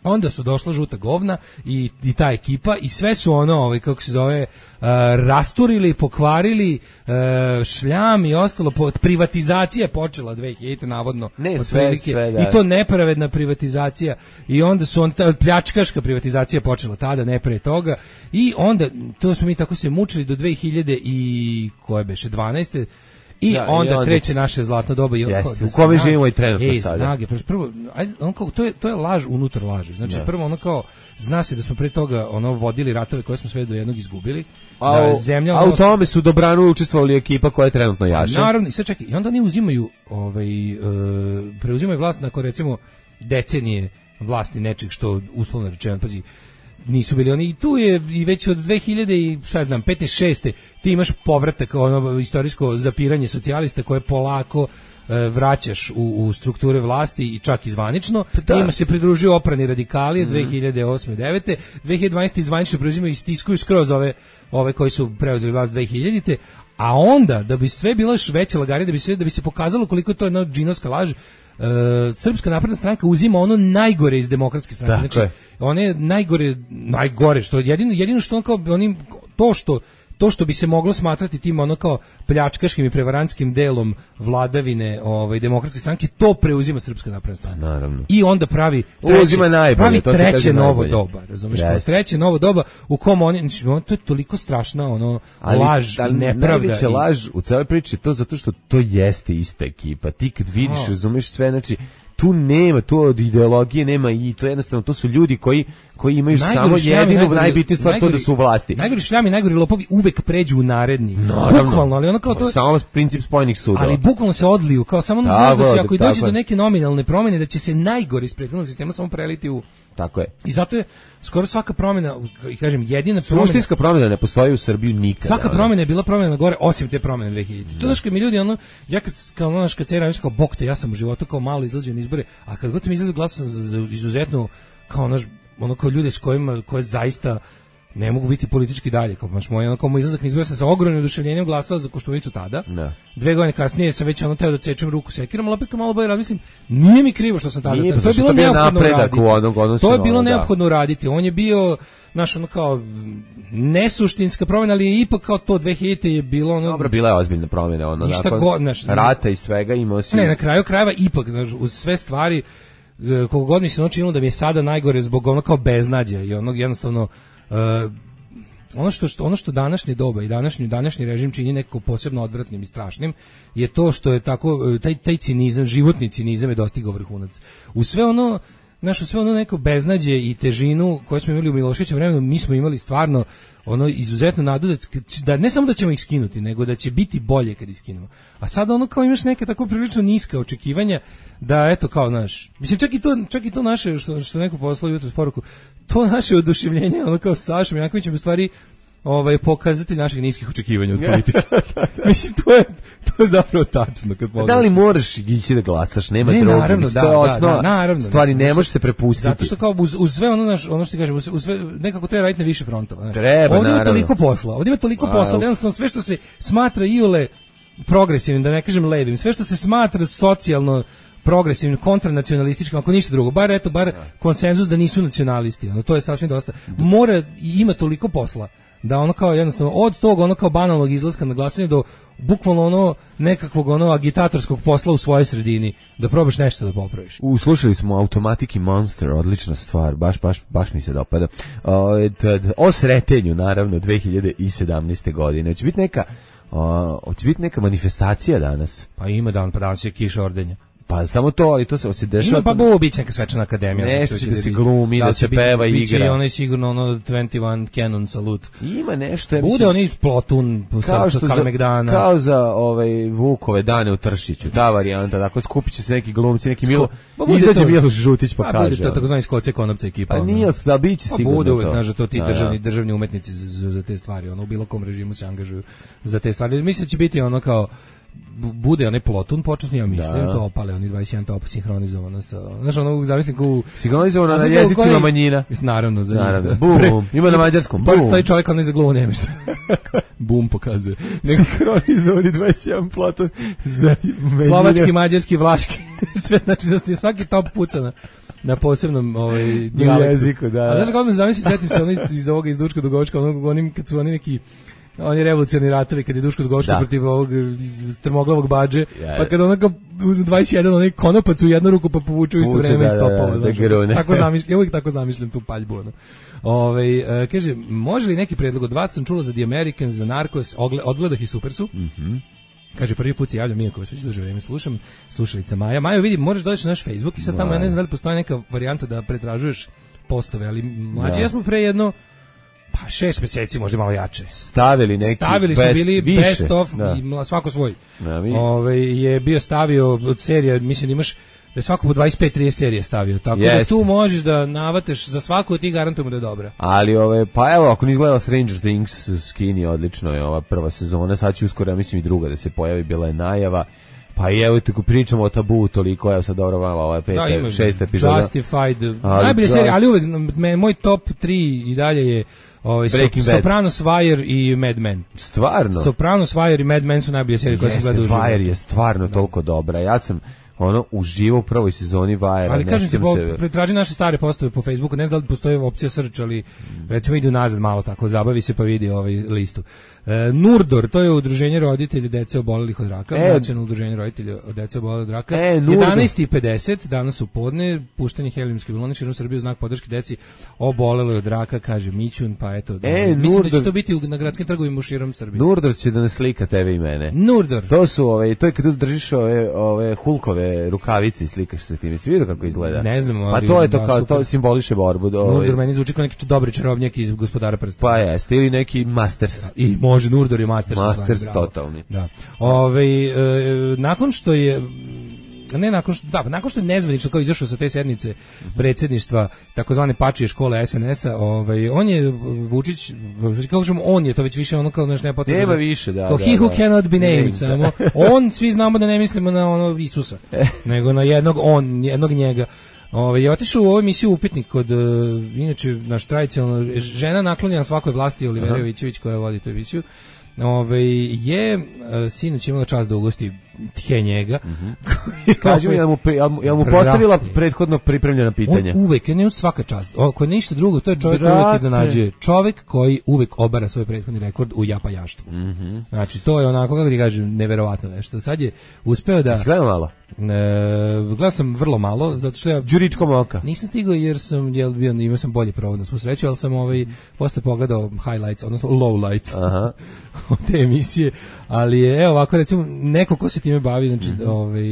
Onda su došla žuta govna i, i ta ekipa i sve su ono, ovaj, kako se zove, uh, rasturili, pokvarili, uh, šljam i ostalo. Po, privatizacija je počela dve hiljadite navodno.
Ne, sve, sve, da.
I to nepravedna privatizacija. I onda su on, ta, pljačkaška privatizacija počela tada, ne pre toga. I onda, to smo mi tako se mučili do dve hiljade i koje beše, dvanaeste I, da, onda i onda kreće naše zlatno doba i
jeste, da u kome živimo i trenutno
ej,
sada.
Snage, prvo, ajde, on kao, to je to je laž unutar laži. Znači da. Prvo ono kao zna se da smo pre toga ono vodili ratove koje smo sve do jednog izgubili.
A,
da zemlja
a
ono,
u tome su dobrano učestvovali ekipa koja je trenutno jaša.
Naravno, i sad čekaj, i onda oni uzimaju ovaj uh, preuzimaju vlast nakon recimo decenije vlasti nečeg što uslovno rečeno, pazi, nisu bili oni i tu je i već od dve hiljade i šta znam pete šeste ti imaš povratak ono istorijsko zapiranje socijalista koje polako e, vraćaš u, u strukture vlasti i čak i zvanično. Da. Ima se pridružio oprani radikali mm. dve hiljade osme devete dve hiljade dvanaeste zvanično preuzimaju i stiskuju skroz ove ove koji su preuzeli vlast dve hiljadite a onda da bi sve bilo još veće lagare da bi se da bi se pokazalo koliko je to jedna džinovska laž. Uh, Srpska napredna stranka uzima ono najgore iz demokratske stranke. Dakle. Znači, one najgore, najgore što jedino jedino što on kao onim to što to što bi se moglo smatrati tim ono kao pljačkaškim i prevarantskim delom vladavine ovaj demokratske stranke, to preuzima Srpska napredna stranka.
Naravno.
I onda pravi treće,
najbolje,
pravi
to
treće novo
najbolje.
doba, razumeš?
Yes.
Treće novo doba u kom oni, znači, to je toliko strašna ono
ali,
laž
ali
i nepravda.
Najveća
i...
laž u celoj priči je to zato što to jeste ista ekipa. Ti kad vidiš,
oh.
razumeš sve, znači tu nema, tu od ideologije nema i to jednostavno, to su ljudi koji koji imaju
najgori
samo
šljami,
jedinu
najgori,
najbitniju stvar,
najgori,
to da su u vlasti.
Najgori šljami, najgori lopovi uvek pređu u naredni.
Naravno.
Bukvalno, ali ono kao to...
Samo princip spojenih sudova.
Ali bukvalno se odliju, kao samo ono znaš da će, ako i dođe do neke nominalne promjene, da će se najgori iz prethodnog sistema samo preliti u...
Tako je.
I zato je skoro svaka promjena, i kažem, jedina promjena...
Suštinska promjena ne postoji u Srbiji nikada.
Svaka promjena je bila promjena na gore, osim te promjene dve hiljadite. To znaš kad mi ljudi, ono, ja kad, kao ono, kad se kao, bok te, ja sam u životu kao malo izlazio na izbore, a kad god sam izlazio glasao za, za izuzetno, kao ono, ono kao ljude s kojima, koje zaista ne mogu biti politički dalje, kao baš moj ono kao moj izlazak na izbore, sam sa ogromnim oduševljenjem glasao za Koštunicu tada.
Ne.
Dve godine kasnije sam već ono teo da cečem ruku sekirom, ali opet kao malo bolje razmislim, nije mi krivo što sam tada.
Nije,
to je bilo neophodno uraditi.
Onog,
to je bilo neophodno uraditi. On je bio naš ono kao nesuštinska promjena, ali je ipak kao to dve hiljadite je bilo ono...
Dobro, bila je ozbiljna promjena, ono, nakon
go, naš,
rata i svega imao si...
Ne, na kraju krajeva ipak, znaš, uz sve stvari, koliko god mi se ono činilo da mi je sada najgore zbog ono kao beznađa i onog jednostavno... Uh, ono što, što ono što današnje doba i današnji današnji režim čini nekako posebno odvratnim i strašnim je to što je tako taj taj cinizam, životni cinizam je dostigao vrhunac. U sve ono naše sve ono neko beznađe i težinu koju smo imali u Miloševićevom vremenu, mi smo imali stvarno ono izuzetno nadu da, da ne samo da ćemo ih skinuti, nego da će biti bolje kad ih skinemo. A sada ono kao imaš neke tako prilično niska očekivanja da eto kao naš. Mislim čak i to čak i to naše što što neko poslao jutros poruku, to naše oduševljenje ono kao Sašom Jankovićem u stvari ovaj pokazati naših niskih očekivanja od politike. Mislim to je to je zapravo tačno kad pogledaš.
Da li moraš ići da glasaš, nema
ne,
droge,
naravno,
mislim,
da,
to je
da,
osnova,
da, naravno,
stvari
mislim,
ne može se prepustiti.
Zato što kao uz, uz sve ono naš, ono što ti kažem, uz, uz sve nekako treba raditi na više frontova, znači.
Treba,
ovdje ima
naravno.
toliko posla, ovdje ima toliko posla, da jednostavno sve što se smatra iole progresivnim, da ne kažem levim, sve što se smatra socijalno progresivnim, kontranacionalističkim, ako ništa drugo, bar eto, bar konsenzus da nisu nacionalisti, ono, to je sasvim dosta. Mora i ima toliko posla da ono kao jednostavno od tog ono kao banalnog izlaska na glasanje do bukvalno ono nekakvog ono agitatorskog posla u svojoj sredini da probaš nešto da popraviš.
U slušali smo Automatic i Monster, odlična stvar, baš baš baš mi se dopada. O, o sretenju naravno dve hiljade sedamnaeste. godine. Će biti neka o, će biti neka manifestacija danas.
Pa ima dan, pa danas je kiša ordenja.
Pa samo to, ali to se osjeća.
Ima pa bo biće neka svečana akademija.
Nešto će da se glumi, da se peva i igra.
Biće i onaj sigurno ono dvadeset jedan Canon salut.
Ima nešto. Ja
bude
mislim,
oni Plotun,
kao što za, kao za ovaj Vukove dane u Tršiću, ta varijanta, dakle skupit će se neki glumci, neki Milo, izađe Miloš Žutić pa, pa kaže.
Bude to takozvani Skoce Konopca ekipa.
Pa nije, da biće sigurno.
Pa bude uvek,
to.
znaš, to ti državni, državni umetnici za, za te stvari, ono u bilo kom režimu se angažuju za te stvari. Mislim da će biti ono kao bude onaj Plotun počasni, ja mislim, da. To opale, oni dvadeset jedan top sinhronizovano sa, znaš, ono, zavisnim ku...
Sinhronizovano na jezicima koji, manjina.
Naravno, za
naravno. Bum, Pre, ima na mađarskom, bum.
Pored stoji čovjek, ono iza glumu nema što. Bum pokazuje.
Sinhronizovani dvadeset jedan Plotun za manjine.
Slovački, mađarski, vlaški, sve, znači, da svaki top puca na, na posebnom ovaj, dijalektu.
Jeziku, da.
A znaš, kako me zamislim, setim se ono iz, iz ovoga iz Duška Dugovička, ono, onim, kad su oni neki oni revolucionarni ratovi kad je Duško Dugovičko protiv ovog strmoglavog badže, yeah. Pa kad onako uzme dvadeset jedan onaj konopac u jednu ruku pa povuče u isto vreme iz topova. Da, da, tako zamišljam, ja uvijek tako zamišljam tu paljbu. Ono. Ove, uh, kaže, može li neki predlog od vas, sam čula za The Americans, za Narcos, odgledah i super su.
Mhm.
Kaže, prvi put se javlja Mijako, već duže vreme slušam, slušalica Maja. Majo, vidi, možeš doći na naš Facebook i sad tamo, ja ne znam da li postoji neka varijanta da pretražuješ postove, ali mlađi, ja smo pre jedno pa šest mjeseci, možda malo jače.
Stavili neki
Stavili smo
best,
bili
više,
best of,
da.
I svako svoj.
Da,
Ove, je bio stavio od serija, mislim da imaš da svako po dvadeset pet trideset serije stavio, tako
Jeste.
Da tu možeš da navateš za svaku od tih, garantujemo da je dobra.
Ali ove, pa evo, ako nisi gledala Stranger Things, skini, odlično je ova prva sezona, sad će uskoro, ja mislim i druga da se pojavi, bila je najava. Pa i evo tako pričamo o Tabu toliko, evo sad dobro malo, ova peta, da, šest epizoda.
Justified, najbolje serije, ali uvek moj top tri i dalje je ovaj, Sopranos, Wire i Mad Men.
Stvarno?
Sopranos, Wire i Mad Men su najbolje serije koje sam gledao u životu.
Wire je stvarno da. Toliko dobra. Ja sam ono uživo u prvoj sezoni Vajera.
Ali kažem ti, pretraži naše stare postave po Facebooku, ne znam da li postoji opcija search, ali recimo ide nazad malo tako, zabavi se pa vidi ovaj listu. E, Nurdor, to je udruženje roditelja dece obolelih od raka, e, nacionalno udruženje roditelja od dece obolelih od raka. E, jedanaest i pedeset danas u podne, puštanje helijumske balone širom Srbije u znak podrške deci oboleloj od raka, kaže Mićun, pa eto.
E,
mislim
Nurdor,
da će to biti u, na gradskim trgovima širom Srbije.
Nurdor će da nas slika tebe i mene.
Nurdor.
To su ove, to je kad držiš ove, ove Hulkove rukavice i slikaš se tim. Jesi vidio kako izgleda?
Ne znam,
pa to je to kao to simboliše borbu.
Nurdor meni zvuči kao neki dobri čarobnjak iz Gospodara prstena.
Pa jeste, ili neki Masters.
I može Nurdor i Masters.
Masters
zvani,
totalni.
Da. Ove, e, nakon što je ne nakon što da, nakon što je nezvanično kao izašao sa te sednice predsjedništva takozvane pačije škole es en es-a, ovaj on je Vučić, kako kažemo, on je to već više ono kao znaš ne potrebno.
Nema više, da.
Kao
da,
he who
da.
cannot be named, samo on, svi znamo da ne mislimo na ono Isusa, nego na jednog on, jednog njega. Ove, je otišao u ovu emisiju Upitnik kod, uh, inače, naš tradicionalno, žena naklonjena svakoj vlasti, Olivera Jovićević, koja vodi tu emisiju, ove, je uh, sinoć imala čast da ugosti tje njega.
Mm-hmm. Kaži mi, jel mu, jel mu postavila prethodno pripremljena pitanja?
On uvek, ne svaka čast. Ako je ništa drugo, to je čovjek koji uvek iznenađuje. Čovjek koji uvek obara svoj prethodni rekord u japajaštvu.
Mm-hmm.
Znači, to je onako, kako ti kažem, neverovatno nešto. Sad je uspeo da...
Gledam malo?
E, gledao sam vrlo malo, zato što ja...
Đuričkom oka.
Nisam stigao jer sam, jel, bio, imao sam bolje provod na svu sreću, ali sam ovaj, posle pogledao highlights, odnosno lowlights
Aha.
od te emisije, ali je, evo ovako, recimo, neko ko se time bavi, znači, mm-hmm. ovaj,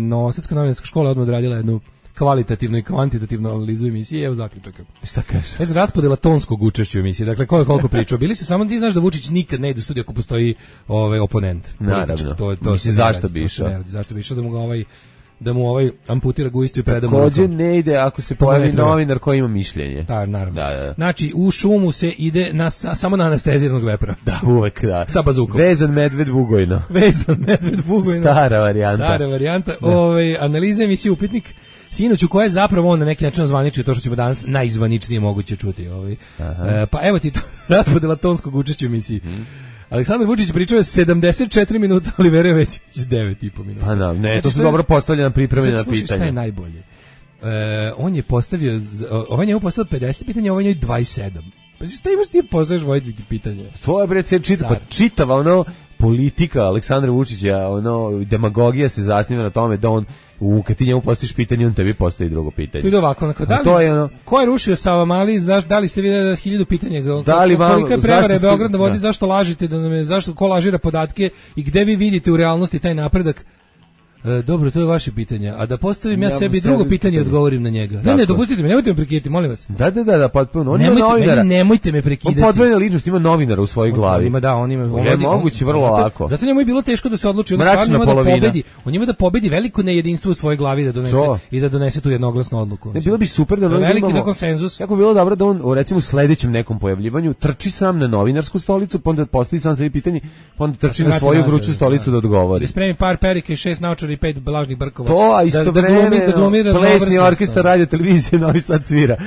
Novosadska novinarska škola odmah odradila jednu kvalitativnu i kvantitativnu analizu emisije, evo zaključaka.
Šta kažeš?
Znači, raspodela tonskog učešća u emisiji, dakle, ko je koliko pričao. Bili su samo, ti znaš da Vučić nikad ne ide u studiju ako postoji ovaj, oponent.
Naravno.
To, to
Mislim, zašto bi išao?
Zašto bi išao da mu ga ovaj da mu ovaj amputira gujicu i preda mu.
Također ne ide ako se pojavi novinar koji ima mišljenje.
Da, naravno.
Da, da.
Znači, u šumu se ide na, samo na anesteziranog vepra.
Da, uvek, da.
Sa bazukom.
Vezan medved Bugojno.
Vezan medved Bugojno.
Stara varijanta.
Stara varijanta. Ove, analiza emisije Upitnik, sinoć u kojoj je zapravo on na neki način zvaničio to što ćemo danas najzvaničnije moguće čuti. Ovaj. E, pa evo ti to, raspodela tonskog učešća u emisiji. Hmm. Aleksandar Vučić pričao je sedamdeset četiri minuta, Olivera već devet i po minuta.
Pa na, ne, to su dobro postavljena pripremljena pitanja.
Slušaj, šta je najbolje? E, on je postavio, ovaj njemu postavio pedeset pitanja, ovaj njemu dvadeset sedam. Pa šta imaš ti postaviš voditeljke pitanja?
To je bre čita, pa čitava ono politika Aleksandra Vučića, ono demagogija se zasniva na tome da on u kad ti njemu postaviš pitanje, on tebi postavi drugo pitanje.
To ide ovako, onako, da li, to je ono, ko je rušio Savamali, zaš, da li ste vidjeli hiljadu pitanja,
da li vam,
kolika je prevara Beograd na vodi, da. Zašto lažite, da nam je, zašto, ko lažira podatke i gde vi vidite u realnosti taj napredak? E, dobro, to je vaše pitanje. A da postavim ja, ja sebi drugo pitanje, pitanje i odgovorim na njega. Ne, ne, dopustite me, nemojte me prekidati, molim vas.
Da, da, da, da potpuno. On
nemojte,
ima novinara.
Nemojte me prekidati.
On podvojena ličnost, ima novinara u svojoj glavi.
On ima, da, on ima. On
je moguće vrlo
zato,
lako.
Zato njemu je bilo teško da se odluči. On stvarno ima da pobedi. On ima da pobedi veliko nejedinstvo u svojoj glavi da donese to. I da donese tu jednoglasnu odluku.
Ne, bilo bi super da on
veliki da konsenzus.
Kako bi bilo dobro da on, recimo, u sledećem nekom pojavljivanju trči sam na novinarsku stolicu, pa onda postavi sam sebi pitanje, pa onda trči na svoju vruću stolicu da odgovori.
Spremi par perike, šest naočara i pet blažnih brkova.
To, a isto
da,
vreme,
da glumi, da glumi
plesni orkestar radio televizije Novi Sad svira.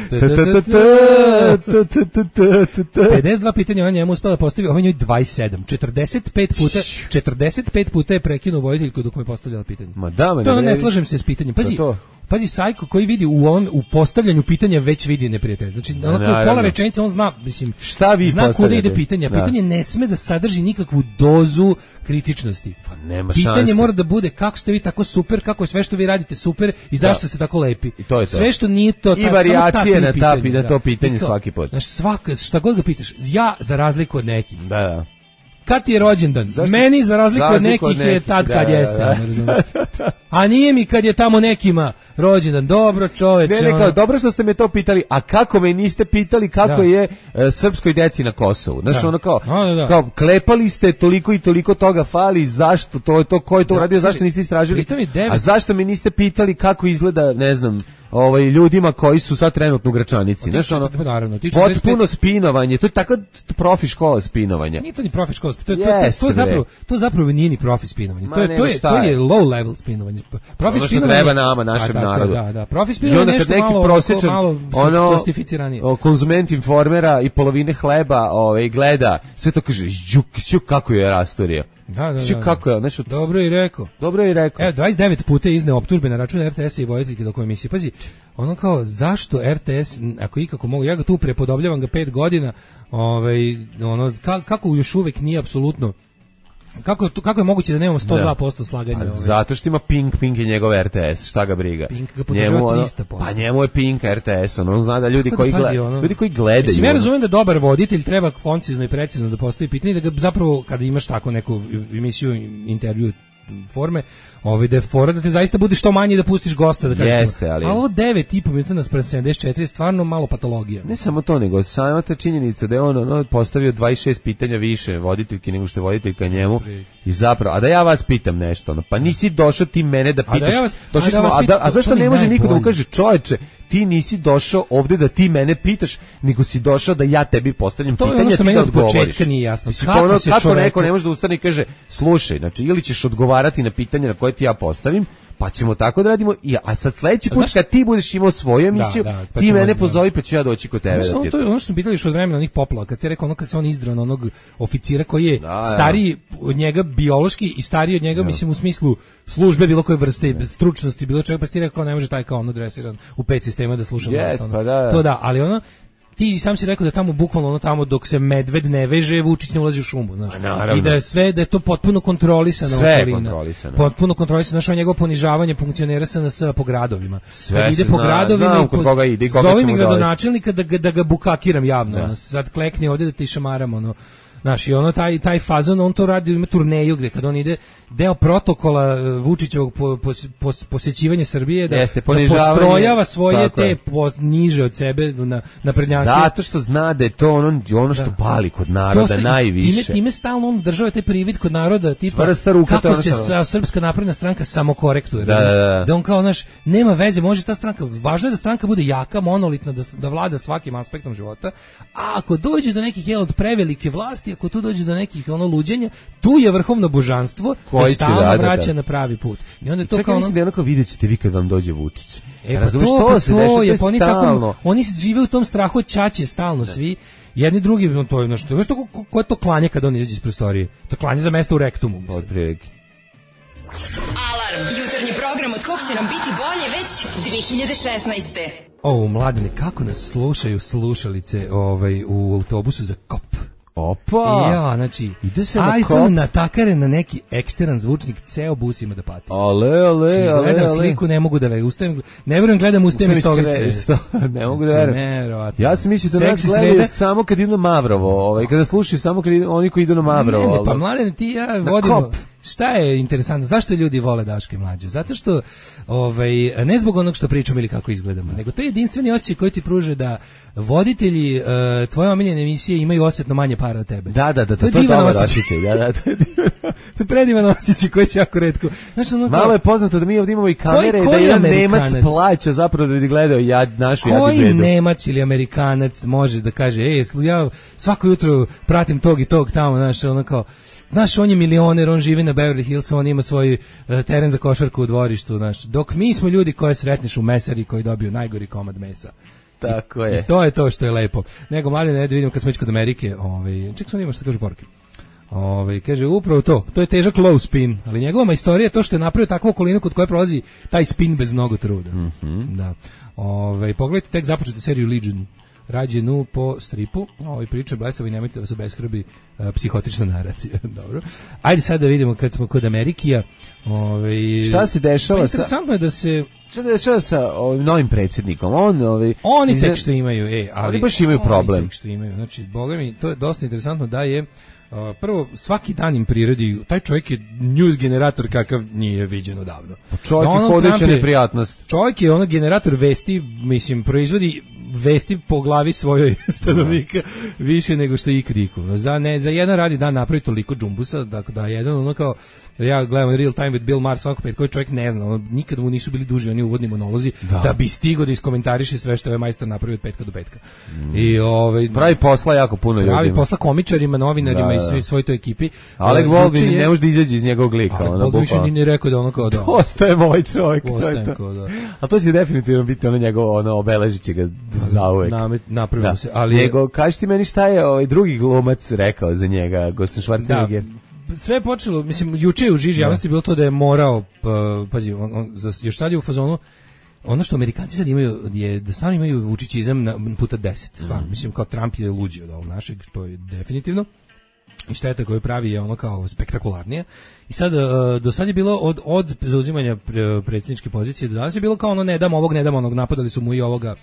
pedeset dva pitanja on njemu uspela postaviti, ovaj njoj dvadeset sedam. četrdeset pet puta, četrdeset pet puta je prekinuo voditeljku dok mu je postavljala pitanje.
Ma da, ma
to ne, ne slažem se s pitanjem. Pazi,
to.
Pazi, Sajko koji vidi u on u postavljanju pitanja već vidi neprijatelja. Znači, na onako pola rečenice on zna, mislim,
šta vi
zna kuda ide pitanje. Da. Pitanje ne sme da sadrži nikakvu dozu kritičnosti.
Pa nema
pitanje
šanse.
Mora da bude kako ste vi tako super, kako je sve što vi radite super i zašto da. Ste tako lepi.
I to je to.
Sve što nije to,
i varijacije na ta pitanja, to pitanje kao, svaki put.
Znaš, svaka, šta god ga pitaš, ja za razliku od nekih.
Da, da.
Kad ti je rođendan? Zašto? Meni za razliku od nekih, od nekih je tad kad da, jeste. Da, da. A nije mi kad je tamo nekima rođendan. Dobro, čoveče.
Ne, ne, kao, dobro što ste me to pitali, a kako me niste pitali kako da. Je uh, srpskoj deci na Kosovu? Znaš, da. Ono kao, a, da, da. Kao, klepali ste toliko i toliko toga fali, zašto to je to, ko je to uradio, da, zašto niste istražili? A zašto me niste pitali kako izgleda, ne znam, ovaj ljudima koji su sad trenutno u Gračanici, znaš, ono,
naravno,
potpuno spinovanje, to je tako profi škola spinovanja.
Nije to ni profi škola, to, to, to, to, to, zapravo, to zapravo nije ni profi spinovanje, to je, to je, to je low level spinovanje. Profi
ono što
spinovanje
treba nama, našem
a, tako,
narodu.
Da, da. Profi
I
spinovanje
onda
nešto
kad neki
malo,
prosječan,
malo
ono,
sostificiranije.
konzument Informera i polovine hleba ovaj, gleda, sve to kaže, juk, juk, kako je rastorio.
Da, da,
Juk,
da.
kako je, nešto...
Dobro je rekao.
Dobro je rekao.
Evo, dvadeset devet puta je izneo optužbe na račun R T S-a i voditeljke dok emisije. Pazi, ono kao, zašto R T S, ako ikako mogu, ja ga tu prepodobljavam ga pet godina, ovaj, ono, ka, kako još uvek nije apsolutno, kako, kako je moguće da nemamo sto dva posto slaganja?
Pa,
ovaj?
zato što ima Pink, Pink je njegov R T S, šta ga briga.
Pink ga podržava trista posto.
Pa njemu je Pink R T S, on, on zna da ljudi
Kako
koji,
da pazi,
gleda,
ono,
ljudi koji gledaju...
Mislim, ja
ono,
razumijem da dobar voditelj treba koncizno i precizno da postavi pitanje, da ga zapravo, kada imaš tako neku emisiju, intervju forme, ovaj da je fora da te zaista bude što manje da pustiš gosta da kažeš.
Jeste, ali...
ali ovo devet i po minuta naspram sedamdeset četiri je stvarno malo patologija.
Ne samo to, nego sama ta činjenica da je on ono, postavio dvadeset šest pitanja više voditeljki nego što je voditeljka njemu i zapravo, a da ja vas pitam nešto, ono, pa nisi došao ti mene da pitaš,
a, da ja vas,
došli
a, da
smo,
vas
a, da,
pitam,
a zašto ne može niko da mu
najbolje.
kaže, čoveče, ti nisi došao ovde da ti mene pitaš, nego si došao da ja tebi postavljam
to
pitanja,
ono
ti
meni
da
od
odgovoriš.
početka nije jasno.
Mislim,
Kako
ono,
se
kako
čoveku...
neko ne može da ustane i kaže, slušaj, znači, ili ćeš odgovarati na pitanja na koje ti ja postavim, pa ćemo tako da radimo, i, a sad sledeći put
znaš,
kad ti budeš imao svoju emisiju,
da, da, pa
ti
ćemo,
mene
da.
pozovi pa ću ja doći kod tebe.
Ono,
da ti...
to je ono što smo pitali još od vremena onih poplava, kad ti je rekao ono kad se on izdrao na onog oficira koji je
da,
stariji od njega biološki i stariji od njega, da. mislim u smislu službe bilo koje vrste, da. stručnosti, bilo čega, pa si ti rekao ne može taj kao ono dresiran u pet sistema da sluša
yes,
vlast, ono.
pa da, da.
To da, ali ono ti sam si rekao da tamo bukvalno ono tamo dok se medved ne veže, Vučić ne ulazi u šumu, znaš. I da je sve da je to potpuno kontrolisano,
sve je
okolina.
kontrolisano.
Potpuno kontrolisano, našo njegovo ponižavanje funkcionera S N S po gradovima.
Sve
Kad ide po
zna,
gradovima
znam
i
kod koga ide i koga
zovem
ćemo
mi
dovesti.
gradonačelnika da ga, da ga bukakiram javno,
da.
ono, sad klekni ovde da ti šamaram, ono. Znaš, i ono taj, taj fazon, on to radi, ima turneju gde kad on ide, deo protokola Vučićevog po, po, po, posjećivanja Srbije, da,
Jeste,
da postrojava svoje te po, niže od sebe na, na prednjake.
Zato što zna da je to ono, ono što da. pali kod naroda
sta,
najviše.
Time, time stalno on država taj privid kod naroda, tipa
ruka,
kako se sa, Srpska napredna stranka samokorektuje.
Da, da, da.
da on kao, naš, nema veze, može ta stranka, važno je da stranka bude jaka, monolitna, da, da vlada svakim aspektom života, a ako dođe do nekih jel, od prevelike vlasti, ako tu dođe do nekih ono luđenja, tu je vrhovno božanstvo koje stalno da, vraća da, da. na pravi put. I onda je to
čekaj,
kao ono...
mislim da je onako vidjet ćete vi kad vam dođe Vučić.
E, pa
razumiješ,
to,
to
pa
se
to
deša,
je,
to
pa oni,
tako,
oni žive u tom strahu od ćaće stalno, da. svi. Jedni drugi, no, to je nešto, znaš to ko, ko je to klanje kad on izađe iz prostorije? To klanje za mesto u rektumu.
Od prilike.
Alarm, jutarnji program od kog će nam biti bolje već dve hiljade šesnaeste.
O, mladine, kako nas slušaju slušalice ovaj, u autobusu za kop.
Opa!
Ja, znači,
ide se na
iPhone
kop.
natakare na neki eksteran zvučnik, ceo bus ima da pati.
Ale, ale,
znači,
ale,
gledam
ale.
sliku, ne mogu da verujem, ustajem, ne verujem, gledam ustajem iz stolice.
Ne mogu da verujem. Ja sam mislio da nas gledaju sreda. Samo kad idu na Mavrovo, ovaj, kada slušaju samo kad idu, oni koji idu na Mavrovo.
Ne, ne, pa mladene, ti ja vodimo... Kop. Šta je interesantno? Zašto ljudi vole Daška i Mlađu? Zato što ovaj ne zbog onog što pričamo ili kako izgledamo, nego to je jedinstveni osjećaj koji ti pruže da voditelji uh, tvoje omiljene emisije imaju osjetno manje para od tebe.
Da, da, da,
to je
to je
divan
dobar
osjećaj.
osjećaj. Da, da, to je divan.
To je predivan osjećaj koji se jako retko. Znaš, ono,
malo je poznato da mi ovdje imamo i kamere koji, koji da jedan Nemac plaća zapravo da bi gledao ja, našu jadnu bedu.
Koji Nemac ili Amerikanac može da kaže, ej, ja svako jutro pratim tog i tog tamo, znaš, ono kao, znaš, on je milioner, on živi na Beverly Hillsu, on ima svoj uh, teren za košarku u dvorištu, znaš, dok mi smo ljudi koje sretneš u mesari koji dobiju najgori komad mesa.
Tako
I,
je.
I to je to što je lepo. Nego, mali ne da vidimo kad smo već kod Amerike, ovaj, ček sam ima što kažu poruke. Ovaj, kaže, upravo to, to je težak low spin, ali njegova istorija je to što je napravio takvu okolinu kod koje prolazi taj spin bez mnogo truda.
Mm-hmm.
Da. Ovaj, pogledajte tek započete seriju Legion. Rađenu po stripu, ovaj priča blesavi, nemojte da se beskrbi uh, psihotična naracija. Dobro. Ajde sad da vidimo kad smo kod Amerikija. Ovaj,
šta se dešava
pa interesantno
sa...
je da se...
Šta se dešava sa ovim novim predsjednikom? On, ovaj,
oni tek što imaju, e, ali...
Oni baš imaju problem.
Oni tek što imaju. Znači, boga mi, to je dosta interesantno da je Uh, prvo, svaki dan im prirodi, taj čovjek je news generator kakav nije viđen odavno.
Čovjek je hodeća neprijatnost.
Čovjek je ono generator vesti, mislim, proizvodi vesti po glavi svojoj stanovnika više nego što je ikad iko. Za, ne, za jedan radi dan napravi toliko džumbusa, da, da jedan ono kao, ja gledam Real Time with Bill Maher svako pet, koji čovjek ne zna, ono, nikad mu nisu bili duži oni uvodni monolozi, da, da bi stigo da iskomentariše sve što je majstor napravio od petka do petka. Mm. I, ovaj,
pravi posla jako puno ljudima.
Pravi posla komičarima, novinarima da, i svoj, svoj toj ekipi.
Alec Baldwin ne može da izađe iz njegovog lika.
Alec Baldwin više ni ne rekao da ono kao da.
Postaje moj čovjek.
Postaje to kao da.
A to će definitivno biti ono njegovo, ono, obeležit će ga zauvek.
Namet, napravimo da. se. Ali
Nego, kaži ti meni šta je ovaj drugi glumac rekao za njega, Gostan Schwarzenegger?
Da. Sve je počelo, mislim, juče je u žiži javnosti bilo to da je morao, pa, pazi, on, on, još sad je u fazonu, ono što Amerikanci sad imaju je da stvarno imaju vučićizam na puta deset, stvarno, mm. mislim, kao Trump je luđi od ovog našeg, to je definitivno. I šteta koju pravi je ono kao spektakularnije. I sad, do sad je bilo od, od zauzimanja predsjedničke pozicije do danas je bilo kao ono ne dam ovog, ne dam onog, napadali su mu i ovoga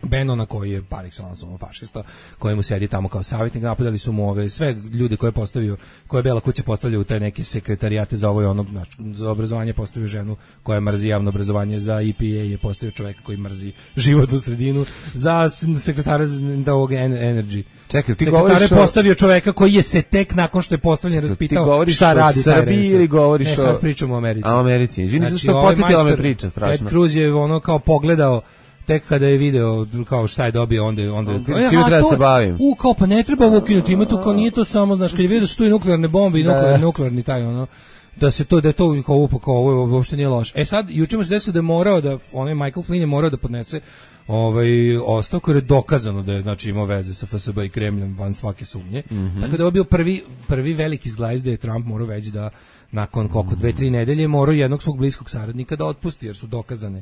Bennona koji je par excellence ono fašista, kojemu sedi tamo kao savjetnik, napadali su mu ove sve ljude koje je postavio, koje je Bela kuća postavlja u taj neke sekretarijate za ovo i ono, znači, za obrazovanje postavio ženu koja mrzi javno obrazovanje, za E P A je postavio čoveka koji mrzi životnu sredinu, za sekretara da ovog Energy.
Čekaj, ti
sekretar je
o...
postavio čoveka koji je se tek nakon što je postavljen raspitao šta radi taj
Srbiji ili govoriš
ne, sad pričamo o Americi.
A o Americi, izvini znači, što podsjetila me priča strašno.
Ted Cruz je ono kao pogledao tek kada je video kao šta je dobio, onda onda
okay, čime treba se bavim.
U kao pa ne treba ovo ukinuti, ima tu kao nije to samo, znači kad je vidio da su tu i nuklearne bombe i nuklearni nuklearni taj ono da se to da je to kao upo kao ovo uopšte nije loše. E sad juče mu se desilo da je morao da onaj Michael Flynn je morao da podnese ovaj ostavku jer je dokazano da je znači imao veze sa F S B i Kremljom van svake sumnje. Mm -hmm. Tako da je bio prvi prvi veliki zglajz da je Trump morao već da nakon koliko dve tri nedelje morao jednog svog bliskog saradnika da otpusti jer su dokazane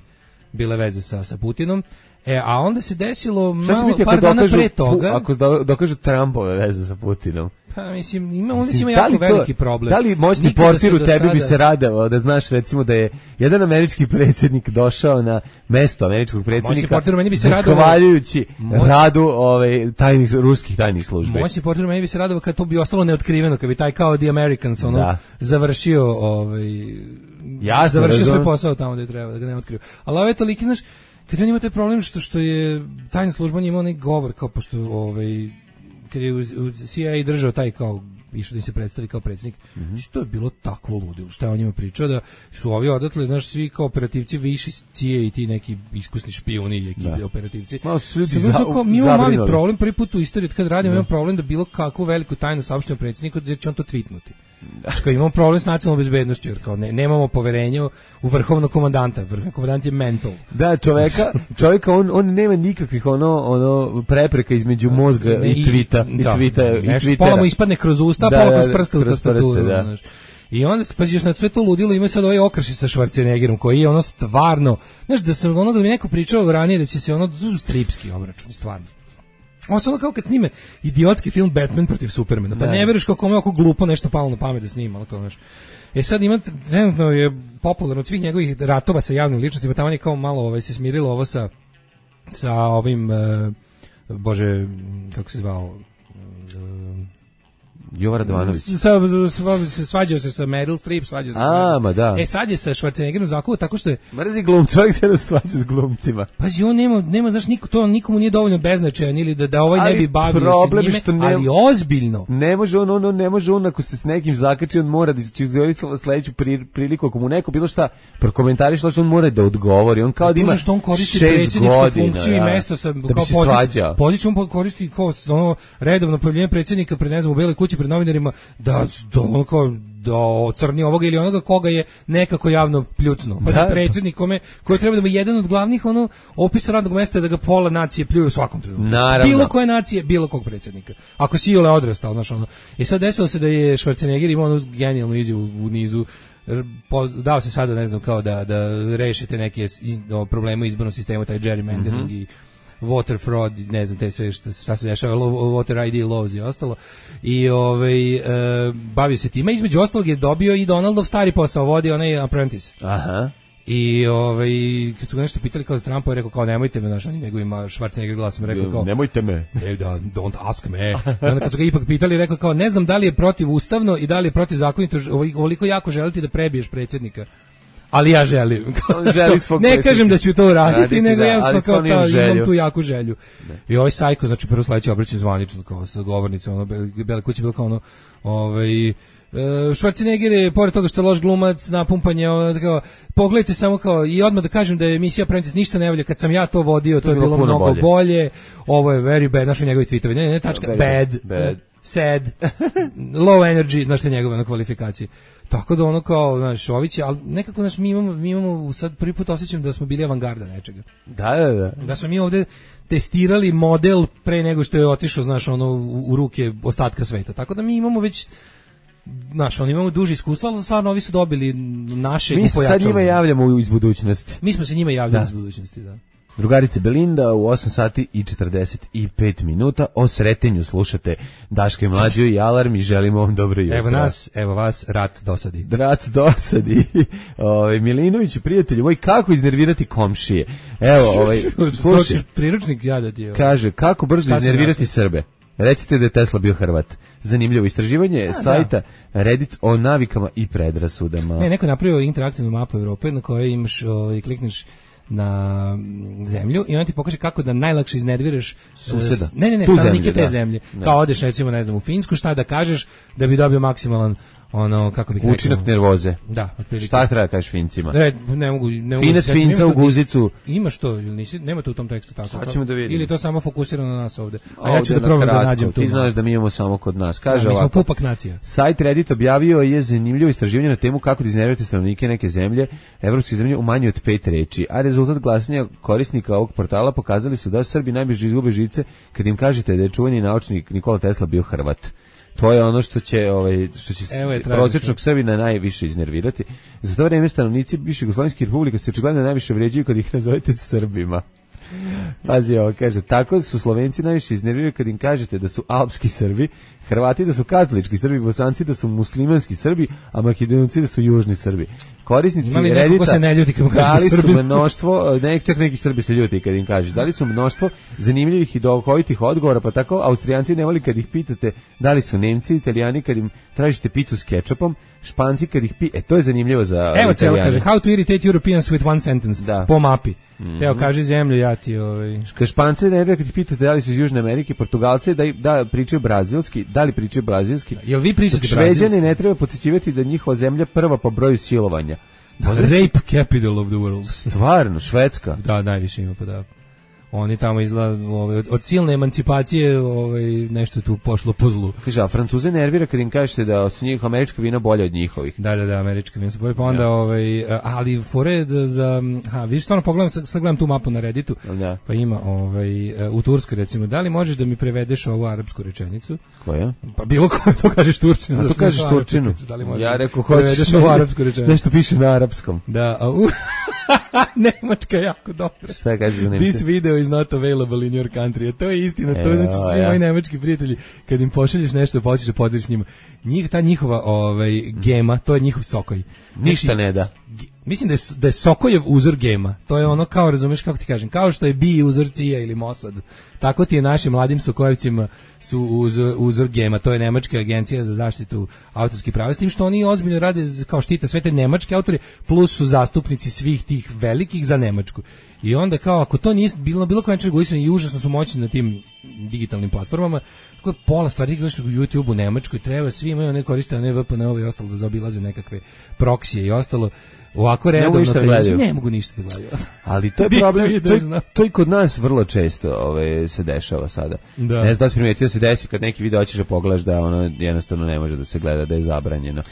bile veze sa sa Putinom. E, a onda se desilo malo, par dana pre toga...
Ako dokažu Trumpove veze sa Putinom.
Pa, mislim, ima, onda mislim, ima jako to, veliki problem.
Da li moćni portir u tebi sada... bi se radao da znaš, recimo, da je jedan američki predsjednik došao na mesto američkog predsjednika zahvaljujući moć... radu ovaj, tajnih, ruskih tajnih službi.
Moćni portir meni bi se radao kad to bi ostalo neotkriveno, kad bi taj kao The Americans ono, da. završio ovaj,
Jasno,
završio svoj posao tamo gde treba, da ga ne otkriju. Ali ovo je toliki, znaš, kad on ima taj problem što, što je tajna služba imao onaj govor, kao pošto ovaj, kad je u, u C I A držao taj kao išao da se predstavi kao predsjednik, mm-hmm. to je bilo takvo ludilo, što je on njima pričao da su ovi odatle, znaš, svi kao operativci viši C I A i ti neki iskusni špijuni i ekipi operativci.
Malo su ljudi
za, kao, mi imamo mali problem, prvi put u istoriji kad radimo, imamo problem da bilo kakvu veliku tajnu saopštimo predsjedniku da će on to tweetnuti. Znači kao imamo problem s nacionalnom bezbednošću jer kao ne, nemamo poverenja u vrhovnog komandanta, vrhovni komandant je mental.
Da, čoveka, čovjeka on on nema nikakvih ono ono prepreka između mozga ne, i tvita i, i tvita i Twittera.
Pola mu ispadne kroz usta, da, pola kroz prste u tastaturu, da. Znaš. I onda se paziš na sve to ludilo, ima sad ovaj okrši sa Schwarzeneggerom koji je ono stvarno, znaš da sam ono da mi neko pričao ranije da će se ono to su stripski obračuni stvarno. On se ono kao kad snime idiotski film Batman protiv Supermana, pa da. Ne veruješ kako mu je oko glupo nešto palo na pamet da snima, kao znaš. E sad ima, trenutno je popularno od svih njegovih ratova sa javnim ličnostima, tamo je kao malo ovaj, se smirilo ovo sa, sa ovim, uh, bože, kako se zvao, uh,
Jovan Radovanović.
Se svađao se sa Meryl Streep, svađao se
A,
sa...
ma da.
E sad je sa Schwarzeneggerom zakuo tako što je...
Mrzi glum, čovjek se da svađa s glumcima.
Pazi, on nema, nema znaš, niko, to nikomu nije dovoljno beznačajan ili da, da ovaj ali ne bi bavio se njime, što ne, ali ozbiljno.
Ne može on, on, on, ne može on, ako se s nekim zakači, on mora da će izgledati sledeću priliku, ako mu neko bilo šta prokomentariš, on mora da odgovori. On kao da ima
što on koristi predsjedničku funkciju i mesto sa,
da
kao poziciju. Poziciju on koristi kao ono, redovno pojavljenje predsjednika pred, ne znam, u Beloj kući pred novinarima, da da ono kao da ocrni ovoga ili onoga koga je nekako javno pljucnuo. Pa za predsjednik kome koji treba da bude jedan od glavnih ono opisa radnog mesta da ga pola nacije pljuju u svakom trenutku. Bilo koje nacije, bilo kog predsjednika. Ako si Iole odrastao, znaš ono. I sad desilo se da je Schwarzenegger imao onu genijalnu izjavu u nizu dao se sada ne znam kao da da rešite neke iz, no, probleme u izbornom sistemu, taj gerrymandering mm-hmm. i water fraud, ne znam, te sve šta, šta se dešava, water I D laws i ostalo. I ovaj, e, bavio se time. Između ostalog je dobio i Donaldov stari posao, vodi onaj Apprentice.
Aha.
I ovaj, kad su ga nešto pitali kao za Trumpa, je rekao kao nemojte me, znaš, on nego ima Schwarzenegger glasom, rekao kao
nemojte me.
Ne, da, don't ask me. I onda kad su ga ipak pitali, rekao kao ne znam da li je protivustavno i da li je protivzakonito ovoliko jako želiti da prebiješ predsjednika. ali ja želim.
On želi svog
ne kažem da ću to uraditi,
raditi,
nego
da,
jednostavno kao
stvarno
ta,
imam
imam
želju.
tu jaku želju. Da. I ovaj sajko, znači prvo sledeće obraćanje zvanično kao sa govornicom, ono Bela kuća bilo kao ono, ovaj Schwarzenegger je, pored toga što je loš glumac, napumpanje, ono, kao, pogledajte samo kao, i odmah da kažem da je emisija Apprentice ništa ne volja, kad sam ja to vodio, to, to je bilo, bilo mnogo bolje. bolje, ovo je very bad, znaš njegovi tweetovi, ne, ne, tačka, bad, bad, sad, low energy, znaš te njegove ono, kvalifikacije. Tako da ono kao, znaš, Ović, ali nekako, znaš, mi imamo, mi imamo, sad prvi put osjećam da smo bili avangarda nečega.
Da, da, da.
Da smo mi ovde testirali model pre nego što je otišao, znaš, ono, u, u ruke ostatka sveta. Tako da mi imamo već, znaš, oni imamo duže iskustva, ali stvarno ovi su dobili naše
mi
i pojačali.
Mi se sad njima javljamo iz budućnosti.
Mi smo se njima javljali iz budućnosti, da.
Drugarice Belinda u osam sati i četrdeset pet minuta. O sretenju slušate Daška i Mlađu i Alarm i želimo vam dobro jutro.
Evo nas, evo vas, rat dosadi.
Rat dosadi. Ovaj Milinoviću, prijatelju moj, kako iznervirati komšije? Evo, ovaj slušaj,
priručnik jadati. Ovaj.
Kaže, kako brzo iznervirati Srbe? Recite da je Tesla bio Hrvat. Zanimljivo istraživanje A, sajta da. Reddit o navikama i predrasudama.
Ne, neko napravio interaktivnu mapu Evrope na kojoj imaš, ovaj, klikneš na zemlju i on ti pokaže kako da najlakše iznerviraš
suseda.
Ne, ne, ne, stanovnike te zemlje. Da. Kao odeš recimo, ne znam, u Finsku, šta da kažeš da bi dobio maksimalan ono, kako bih rekao,
učinak nervoze.
Da, otprilike.
Šta treba kažeš Fincima?
Ne, ne mogu, ne mogu.
Finac Finca u guzicu.
Imaš to ili nisi? Nema to u tom tekstu tako.
Sad ćemo da vidimo.
Ili to samo fokusirano na nas ovde. A
ovde
ja ću da probam da nađem tu.
Ti znaš da mi imamo samo kod nas. Kaže
da, mi
ovako.
Smo pupak nacija.
Sajt Reddit objavio je zanimljivo istraživanje na temu kako da iznervirate stanovnike neke zemlje, evropske zemlje u manje od pet reči, a rezultat glasanja korisnika ovog portala pokazali su da Srbi najbrže izgube žice kad im kažete da je čuveni naučnik Nikola Tesla bio Hrvat. To je ono što će ovaj što će prosječnog Srbina najviše iznervirati. Za to vreme stanovnici bivših jugoslovenskih republika se očigledno najviše vređaju kad ih nazovete Srbima. Pazi ovo, kaže, tako su Slovenci najviše iznerviraju kad im kažete da su alpski Srbi, Hrvati da su katolički Srbi, Bosanci da su muslimanski Srbi, a Makedonci da su južni Srbi. Korisnici Reddita dali su mnoštvo, ne, čak neki Srbi se ljuti kad im kaže, dali su mnoštvo zanimljivih i duhovitih odgovora, pa tako Austrijanci ne voli kad ih pitate da li su Nemci, Italijani kad im tražite picu s kečapom, Španci kad ih pi... E, to je zanimljivo za
Evo celo kaže, how to irritate Europeans with one sentence, da. Po mapi. Mm-hmm. Evo, kaže zemlju, ja ti ovaj...
Špance ne kad ih pitate da li su iz Južne Amerike, Portugalce da, da pričaju brazilski, da li pričaju brazilski.
Da, jel vi pričate
brazilski? Šveđani ne treba podsjećivati da njihova zemlja prva po broju silovanja.
Da, rape capital of the world.
Stvarno, Švedska.
Da, najviše ima, pa da. Oni tamo izgleda, ovaj, od, od silne emancipacije ovaj, nešto tu pošlo po zlu.
Kaže, a Francuze nervira kad im kažete da su njih američka vina bolja od njihovih.
Da, da, da, američka vina su bolja, pa onda, ja. ovaj, ali fore da za, ha, vidiš, stvarno pogledam, sad, sad gledam tu mapu na Redditu,
ja.
Pa ima, ovaj, u Turskoj recimo, da li možeš da mi prevedeš ovu arapsku rečenicu?
Koja?
Pa bilo ko, to kažeš Turčinu.
A to kažeš Turčinu.
Da
ja rekao, hoćeš
ovu arapsku rečenicu.
Nešto piše na arapskom.
Da, a u... Nemačka je jako dobra.
Šta kažeš za Nemce?
This video is not available in your country. To je istina, to je znači svi ja. moji nemački prijatelji, kad im pošalješ nešto, pa hoćeš da podeliš njima. Njih, ta njihova ovaj, gema, to je njihov sokoj.
Ništa znači, ne da.
Mislim da je, da je Sokojev uzor gema. To je ono kao, razumeš kako ti kažem, kao što je Bi uzor Cija ili Mossad. Tako ti je našim mladim Sokojevcima su uzor, uzor gema. To je Nemačka agencija za zaštitu autorskih prava. S tim što oni ozbiljno rade kao štita sve te nemačke autore, plus su zastupnici svih tih velikih za Nemačku. I onda kao, ako to nije bilo, bilo koje regulisano i užasno su moćni na tim digitalnim platformama, tako pola stvari gledaš u YouTube u Nemačkoj, treba, svi imaju ne koriste, a ne V P N ove i ostalo da zaobilaze nekakve proksije i ostalo. Ovako redovno te, ne mogu ništa da gledaju.
Ali to je problem, to, je, to i kod nas vrlo često ove, se dešava sada.
Da.
Ne znam da si primijetio da se desi kad neki video hoćeš da pogledaš da ono jednostavno ne može da se gleda, da je zabranjeno.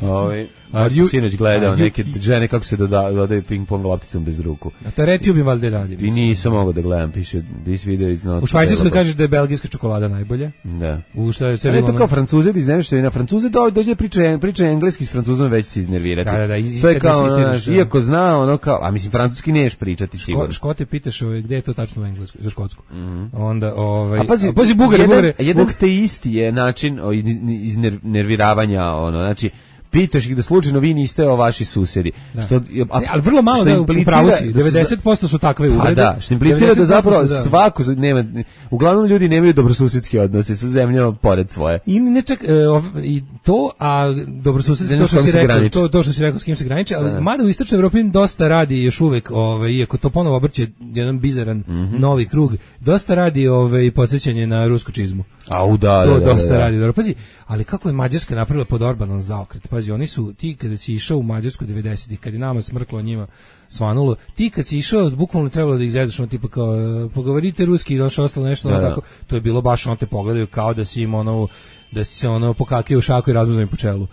Ove, a sam sinoć gledao neke žene kako se doda, dodaju ping-pong lopticom bez ruku.
A to RedTube valjda radi.
I nisam mogao da gledam, piše this video is not.
U Švajcarskoj kažeš da je belgijska čokolada najbolja.
Da.
U šta se
ne to kao Francuze da iznerviš na Francuze da dođe priča priča engleski s Francuzom već se iznervirati.
Da, da, da,
to je kao Znaš, iako zna ono kao, a mislim francuski neš pričati sigurno.
Škote pitaš ovaj, gde je to tačno u englesku, za škotsku.
Mm -hmm.
Onda ovaj,
a pazi,
a pazi Bugari,
jedan,
Bugari.
Jedan te isti je način iznerviravanja, ono, znači pitaš ih da slučajno vi niste o vaši susedi.
Da.
Što, a,
ne, ali vrlo malo da upravo si, devedeset posto su takve uvrede.
Da, što implicira da zapravo da. svako nema, uglavnom ljudi nemaju dobrosusedski odnose sa zemljama pored svoje.
I ne čak uh, i to, a dobrosusedski to što si rekao, to, to što si rekao s kim se graniči, ali da. mada u istočnoj Evropi dosta radi još uvek, ovaj, iako to ponovo obrće jedan bizaran mm-hmm. novi krug, dosta radi ovaj, podsjećanje na rusku čizmu.
Au, da,
to
da, da,
dosta
da.
radi. Dobro, pazi, ali kako je Mađarska napravila pod Orbanom zaokret? Pazi, oni su, ti kada si išao u Mađarsku devedesetih, kad je nama smrklo njima svanulo, ti kad si išao, bukvalno trebalo da ih zezaš, ono tipa kao, pogovorite ruski i došlo ostalo nešto, da, ono, tako, to je bilo baš, ono te pogledaju kao da si im ono, da si se ono pokakio u šaku i razmuzao po čelu.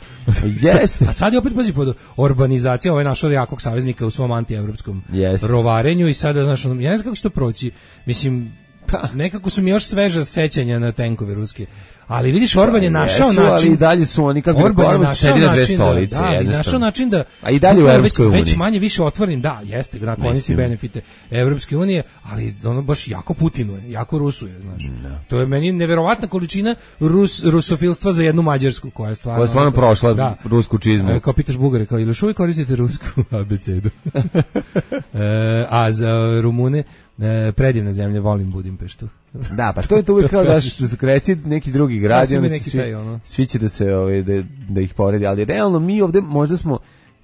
Jeste.
A sad je opet, pazi, pod urbanizacija ovaj našao jakog saveznika u svom antievropskom rovarenju i sada, znaš, ono, ja ne znam kako će to proći, mislim, nekako su mi još sveža sećanja na tenkove ruske. Ali vidiš, Orban je našao
jesu,
način.
Ali i dalje su oni kako
Orban je našao
na dve
način
stolice,
da, da, i našao način da
a i dalje u Evropskoj uniji.
Već manje više otvoren, da, jeste, da koristi benefite Evropske unije, ali ono baš jako Putinuje, jako Rusuje, znaš. No. To je meni neverovatna količina Rus, rusofilstva za jednu Mađarsku koja je stvarno.
Koja je stvarno ono, prošla da, rusku čizmu.
E, kao pitaš Bugare, kao ili još uvijek koristite rusku abecedu. e, a za Rumune E, predivna zemlja, volim Budimpeštu.
Da, pa to je to uvijek kao da reci neki drugi grad,
ja,
onda
neki
svi,
taj, ono.
svi će da se ovaj, da, da ih poredi, ali realno mi ovde možda smo,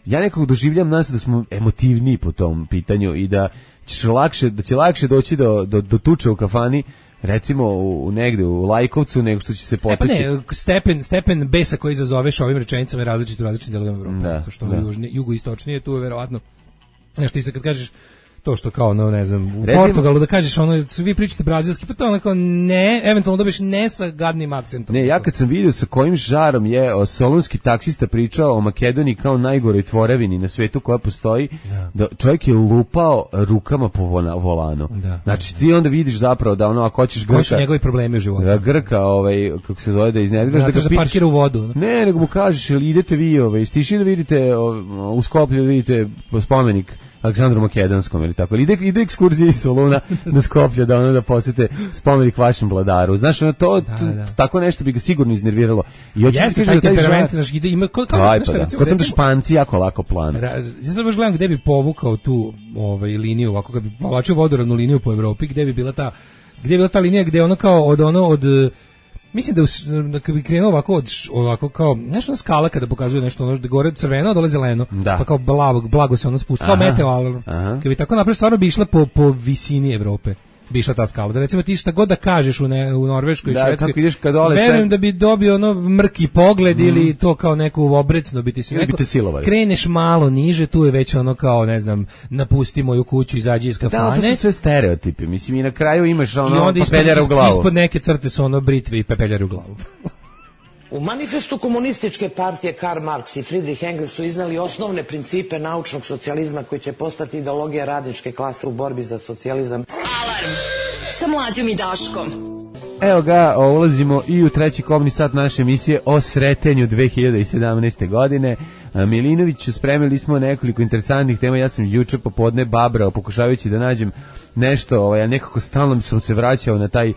ja nekako doživljam nas da smo emotivniji po tom pitanju i da ćeš lakše, da će lakše doći do, do, do tuče u kafani, recimo u, u negde u Lajkovcu, nego što će se poteći.
E pa ne, stepen, stepen besa koji izazoveš ovim rečenicama je različit u različitim delovima Evrope.
Da,
to što
da.
južni, jugoistočnije, tu je verovatno, znaš ti se kad kažeš to što kao, no, ne znam, u recimo, Portugalu da kažeš ono, vi pričate brazilski, pa to onako ne, eventualno dobiješ ne sa gadnim akcentom.
Ne, ja kad sam vidio sa kojim žarom je o, solunski taksista pričao o Makedoniji kao najgoroj tvorevini na svetu koja postoji, da, da čovjek je lupao rukama po volanu.
Da,
znači ti onda vidiš zapravo da ono, ako hoćeš Grka...
Koji su njegovi problemi u životu?
Da Grka, ovaj, kako se zove, da iznediraš, da ga pitaš...
parkira u vodu. Ne?
ne, nego mu kažeš, ili idete vi, ovaj, stiši da vidite u Skoplju, da vidite spomenik Aleksandru Makedonskom ili tako. Ide, ide ekskurzija iz Soluna do Skoplja da ono da posete spomenik vašem vladaru. Znaš, ono to, da, da. tako nešto bi ga sigurno iznerviralo. I hoće
jeste taj temperament, znaš, ide, ima, kao, kao,
Aj, pa da. Kod tam Španci jako lako plan.
Ja sad baš gledam gde bi povukao tu ovaj, liniju, ovako, kad bi povlačio vodoravnu liniju po Evropi, gde bi bila ta, gde bi bila ta linija gde ono kao od ono, od mislim da, da kad bi krenuo ovako, od, ovako kao, nešto na skala kada pokazuje nešto, ono, da gore crveno, dole zeleno,
da.
pa kao blago, blago se ono spušta, kao meteo alarm. Kad bi tako napravio, stvarno bi išla po, po visini Evrope. Bi išla ta skala. Da recimo ti šta god da kažeš u, ne, u Norveškoj i
da,
Švedskoj, verujem da bi dobio ono mrki pogled mm. ili to kao neku obrecno bi ti se neko, kreneš malo niže, tu je već ono kao, ne znam, napusti moju kuću, izađi iz kafane.
Da, to su sve stereotipi. Mislim, i na kraju imaš ono
pepeljara u glavu. Ispod neke crte su ono britve i pepeljari u glavu.
U manifestu komunističke partije Karl Marx i Friedrich Engels su iznali osnovne principe naučnog socijalizma koji će postati ideologija radničke klase u borbi za socijalizam.
Alarm sa Mlađom i Daškom.
Evo ga, ulazimo i u treći kobni sat naše emisije o sretenju dve hiljade sedamnaeste. godine. Milinoviću, spremili smo nekoliko interesantnih tema. Ja sam juče popodne babrao pokušavajući da nađem nešto, ovaj, a nekako stalno sam se vraćao na taj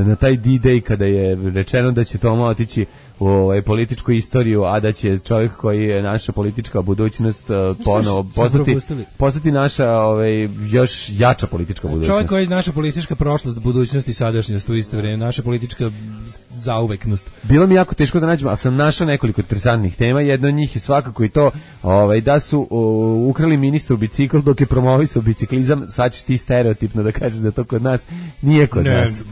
na taj D-Day kada je rečeno da će Toma otići u ovaj, političku istoriju, a da će čovjek koji je naša politička budućnost ponovo postati, postati naša ovaj, još jača politička budućnost.
Čovjek koji je naša politička prošlost, budućnost i sadašnjost u isto vrijeme, naša politička zauveknost.
Bilo mi jako teško da nađem, ali sam našao nekoliko interesantnih tema. Jedna od njih je svakako i to ovaj, da su uh, ukrali ministru bicikl dok je promovisao biciklizam. Sad ćeš ti stereotipno da kažeš da to kod nas nije kod
ne.
nas.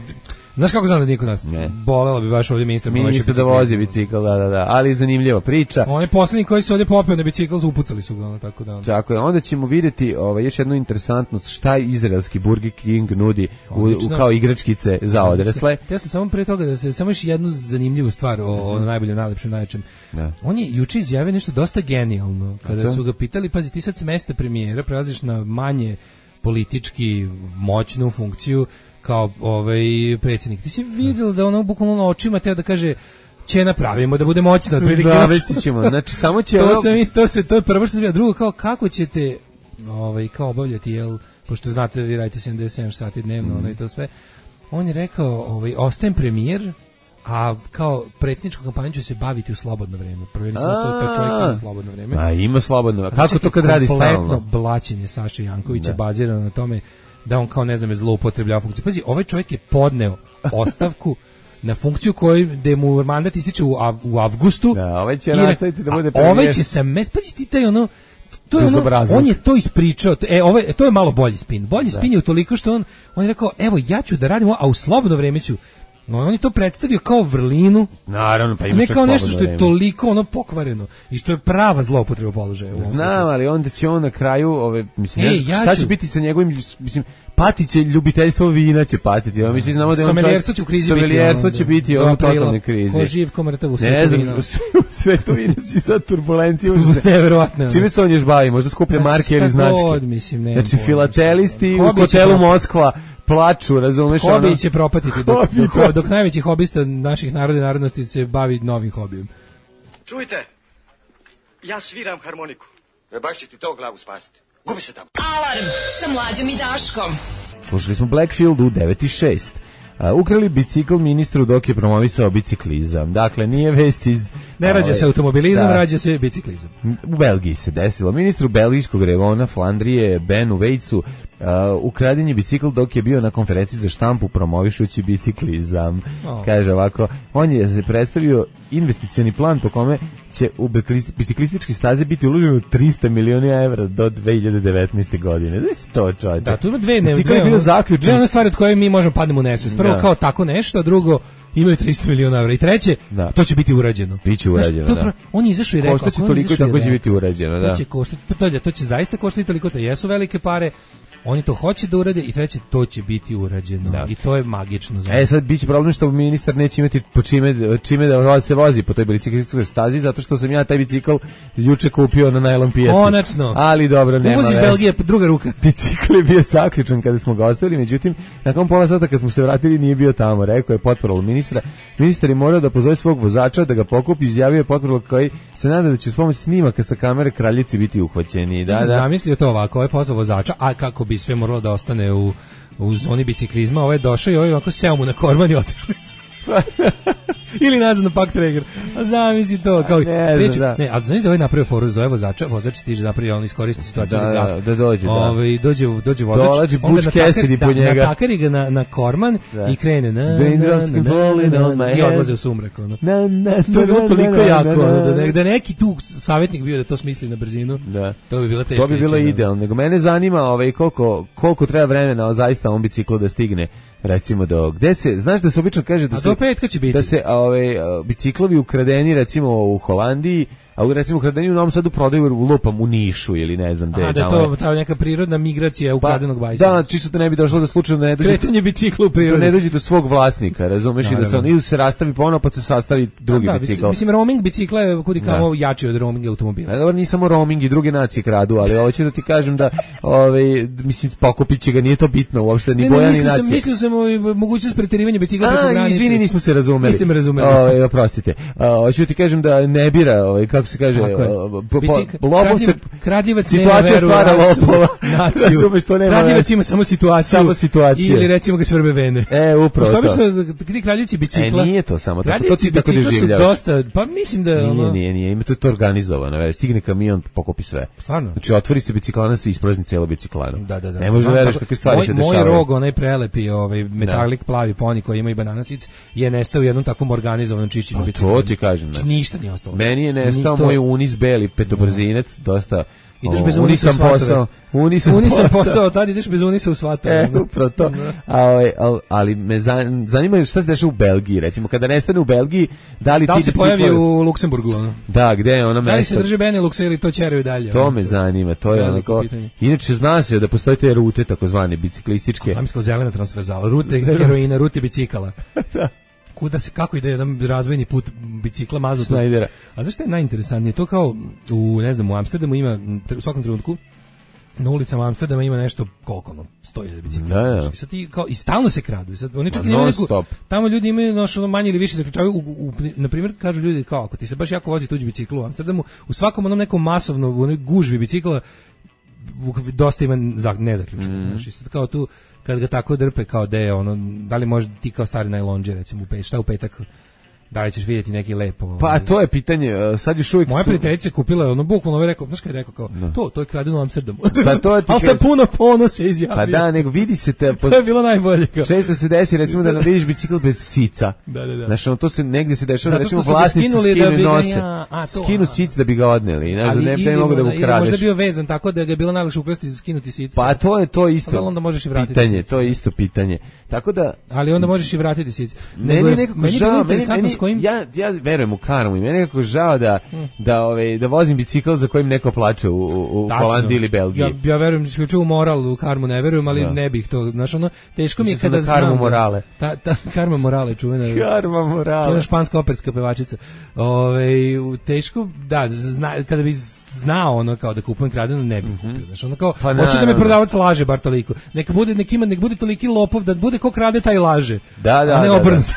Znaš kako znam da nije kod nas? Ne. Bolelo bi baš ovdje ministar.
Ministar da vozi bicikl, da, da, da. Ali zanimljiva priča.
On je posljednji koji se ovdje popeo na bicikl, upucali su ga, ono, tako da.
Tako je, onda ćemo vidjeti ovaj, još jednu interesantnost, šta izraelski Burger King nudi u, u, kao igračkice za odrasle.
Ja sam samo pre toga da se, samo još jednu zanimljivu stvar o, o najboljem, najlepšem, najčem. Da. On je juče izjavio nešto dosta genijalno. Kada su ga pitali, pazi, ti sad s mesta premijera prelaziš na manje politički moćnu funkciju kao ovaj predsjednik. Ti si vidio da ono bukvalno očima teo da kaže će napravimo da bude moćna otprilike.
Da, ćemo. Znači samo će
to, ono... sam, to se to je prvo što sam vidio, drugo kao kako ćete ovaj kao obavljati, jel, pošto znate vi radite sedamdeset sedam sati dnevno, mm. ono i to sve. On je rekao, ovaj ostajem premijer, a kao predsjedničku kampanju će se baviti u slobodno vreme. Provjerili sam to, to čovjek ima slobodno vreme.
A ima slobodno. Kako to kad radi stalno?
Kompletno blaćenje Saše Jankovića da. bazirano na tome da on kao ne znam je zloupotrebljava funkciju. Pazi, ovaj čovjek je podneo ostavku na funkciju koju gde mu mandat ističe u, av, u avgustu.
Da, ovaj će nastaviti da bude
premijer. Ovaj će se mes, pazi ti taj ono to je ono, on je to ispričao. E, ovo to je malo bolji spin. Bolji da. spin je utoliko što on on je rekao, evo ja ću da radim, a u slobodno vreme ću. No, on je to predstavio kao vrlinu.
Naravno, pa ima
ne kao nešto što je vreme. Toliko ono pokvareno i što je prava zloupotreba položaja.
Znam, ali onda će on na kraju, ove, mislim, Ej, ja šta ću... će biti sa njegovim, mislim, patiće ljubiteljstvo vina će patiti. Ja mislim znamo da je on
someljerstvo će u krizi biti.
Someljerstvo će biti on u totalnoj krizi.
Ko živ, ko mrtav u
svetu vina. U svetu vina si sad turbulencija.
Neverovatno.
Čime se on još bavi? Možda skuplja marke ili značke. Znači, filatelisti u hotelu Moskva plaču, razumeš?
Hobi ono? Će propatiti dok, dok, dok najveći hobista naših naroda i narodnosti se bavi novim hobijem.
Čujte, ja sviram harmoniku. E baš će ti to glavu spasiti. Gubi se tamo.
Alarm sa Mlađom i Daškom.
Slušali smo Blackfield u devet i šest. Uh, ukrali bicikl ministru dok je promovisao biciklizam. Dakle, nije vest iz...
Ne rađa se automobilizam, da. rađa se biciklizam.
U Belgiji se desilo. Ministru belgijskog revona Flandrije, Benu Vejcu, uh, ukraden je bicikl dok je bio na konferenciji za štampu promovišući biciklizam. Oh. Kaže ovako, on je se predstavio investicioni plan po kome će u biciklističke staze biti uloženo trista miliona evra do dve hiljade devetnaeste. godine. Da je to čovječe.
Da, tu ima dve, ne,
bicikl je bio zaključen.
Dve one stvari od koje mi možemo padnemo u nesvest. Prvo da. kao tako nešto, a drugo imaju trista miliona evra. I treće, da. to će biti urađeno.
Biće urađeno,
Znaš, to,
da.
On je izašao i rekao...
Košta će toliko i tako će biti urađeno, da.
To će, koštati, to, to će zaista koštati toliko, to jesu velike pare. Oni to hoće da urade i treće, to će biti urađeno. Da. I to je magično. Znači.
E sad biće problem što ministar neće imati po čime, čime da se vozi po toj biciklističkoj stazi, zato što sam ja taj bicikl juče kupio na najlon pijaci.
Konačno.
Ali dobro, nema
Uvoziš Belgije, druga ruka.
Bicikl je bio zaključan kada smo ga ostavili, međutim, nakon pola sata kad smo se vratili nije bio tamo. Rekao je potparol ministra. Ministar je morao da pozove svog vozača da ga pokupi, izjavio je potparol koji se nada da će s pomoć snimaka sa kamere kraljici biti uhvaćeni. Da, da.
Zamislio to ovako, ovaj posao vozača, a kako bi sve moralo da ostane u, u zoni biciklizma, ovaj je došao i ovaj ovako seo mu na korman i otišli su. Ili nazad na Pak Traeger. A zamisli to kao
ne,
reći,
da.
ne, a znaš da ovaj napravio foru zove vozača, vozač stiže napravi, on iskoristi situaciju
da,
za gaf.
Da, da dođe, da.
Ovaj dođe dođe vozač,
dolazi Butch Cassidy po njega.
Da, natakari ga na, na korman da. i krene na, na, na, na i odlaze u sumrak ono. Na, na, to je bilo toliko jako, ono, da, da neki tu savjetnik bio da to smisli na brzinu. Da. To bi bilo teško.
To bi bilo idealno. Nego mene zanima ovaj koliko koliko treba vremena zaista on bicikl da stigne. Recimo do gde se, znaš da se obično kaže da
a
se
do petka će biti.
Da se ove biciklovi ukradeni recimo u Holandiji, a recimo ukradeni u Novom Sadu prodaju u lupam u Nišu ili ne znam gde.
A da je to ta neka prirodna migracija ukradenog
pa,
bajsa.
Da, čisto da ne bi došlo da slučajno ne dođe
kretanje bicikla u prirodi.
Da ne dođe do svog vlasnika, razumeš, i da se on ili se rastavi ponovo pa se sastavi drugi da, bicikl.
Mislim roaming bicikla je kudi kao jači od roaming automobila.
A dobro, nije samo roaming i druge nacije kradu, ali hoću da ti kažem da ovaj mislim pokupiće ga, nije to bitno uopšte ni boja ni nacije.
Sam mislio sam o mogućnost preterivanja bicikla preko granice.
Izvini, nismo se razumeli.
Niste me razumeli.
Ovaj, oprostite. Hoću ti kažem da ne bira, ovaj kako se kaže, lopov se
kradljivac nema veru
stvara lopova.
Kradljivac ima samo situaciju.
Samo situaciju.
Ili recimo ga svrbe vene.
E, upravo to.
Obično ti kradljivaci bicikla.
E, nije to samo tako. To ti tako doživljavaš.
Dosta, pa mislim da
nije, ono... nije, nije, ima to, to organizovano. Već stigne kamion, pokupi sve.
Stvarno.
Znači otvori se biciklana, se isprazni celo biciklano.
Da, da, da.
Ne može veruješ kakve stvari
moj,
se dešavaju.
Moj rog, onaj prelepi, ovaj metalik plavi poni koji ima i bananasic, je nestao u jednom takvom organizovanom čišćenju bicikla.
To ti kažem.
Ništa nije ostalo.
Meni je nestao moj Unis beli petobrzinac, dosta.
Ideš bez unisa u
posao. Unisam,
unisam posao. posao, tad ideš bez unisa u svatove.
E, upravo to. A, ali, ali me zanima šta se dešava u Belgiji, recimo, kada nestane u Belgiji, da li
da
ti
se pojavi u Luksemburgu, ono?
Da, gde je ono mesto?
Da li se drži Benelux ili to čeraju dalje?
To me zanima, to je onako. Inače, zna se da postoje te rute, takozvane biciklističke.
A sam iskao zelena transverzala, rute heroina, rute bicikala. Da. Kuda se, kako ide jedan razvojni put bicikla mazotu.
Snajdera.
A znaš što je najinteresantnije? To kao, u, ne znam, u Amsterdamu ima, u svakom trenutku, na ulicama Amsterdama ima nešto, koliko ono, sto hiljada bicikla.
Da, da.
I sad ti, kao, i stalno se kradu. I sad, oni čak i nemaju neku, tamo ljudi imaju noš, ono, manje ili više zaključavaju, u, u, na primjer, kažu ljudi, kao, ako ti se baš jako vozi tuđi bicikl u Amsterdamu, u svakom onom nekom masovno, u onoj gužvi bicikla, dosta ima nezaključeno. Mm. Znači, sad kao tu, kad ga tako drpe, kao da je ono, da li može ti kao stari najlonđe, recimo, u pet, šta u petak, da li ćeš vidjeti neki lepo.
Pa to je pitanje, sad još uvijek
moja
su...
prijateljica kupila je ono bukvalno je rekao, znaš kad je rekao kao,
da.
to, to je kradeno u Amsterdamu.
Pa to ti
ali sa puno ponosa izjavio.
Pa da, nego vidi se te...
To je bilo najbolje. Kao.
Često se desi, recimo, da vidiš bicikl bez sica.
Da, da, da.
Znaš, ono, to se negdje se dešava,
zato
recimo,
vlasnici
skinu
da bi
nose.
Ja, a, to,
skinu sic da bi ga odneli. Znaš, da ne, ne mogu da ga ukradeš.
Možda bio vezan tako da ga je bilo najlakše ukrasti i skinuti sic.
Pa to je to isto.
Ali onda možeš i vratiti
pitanje,
sic.
to je isto pitanje. Tako da...
Ali onda možeš i vratiti sic.
Meni je nekako žao, meni, meni,
s kojim...
ja, ja verujem u karmu i meni je nekako žao da, hmm. da, ove, da vozim bicikl za kojim neko plače u, u, u Holandiji ili Belgiji.
Ja, ja verujem isključivo u moral, u karmu ne verujem, ali da. ne bih to, znaš ono, teško mi je kada znam...
Karmu morale.
Ta, ta, karma morale, čuvena.
Karma morale.
Čuvena španska operska pevačica. Ove, teško, da, zna, kada bi znao ono kao da kupujem kradeno, ne bih mm-hmm. kupio. Znaš ono kao, pa hoću da me prodavac laže bar toliko. Neka bude, nek ima, nek bude toliki lopov, da bude ko krade taj laže.
Da, da,
a ne
da,
obrnuto.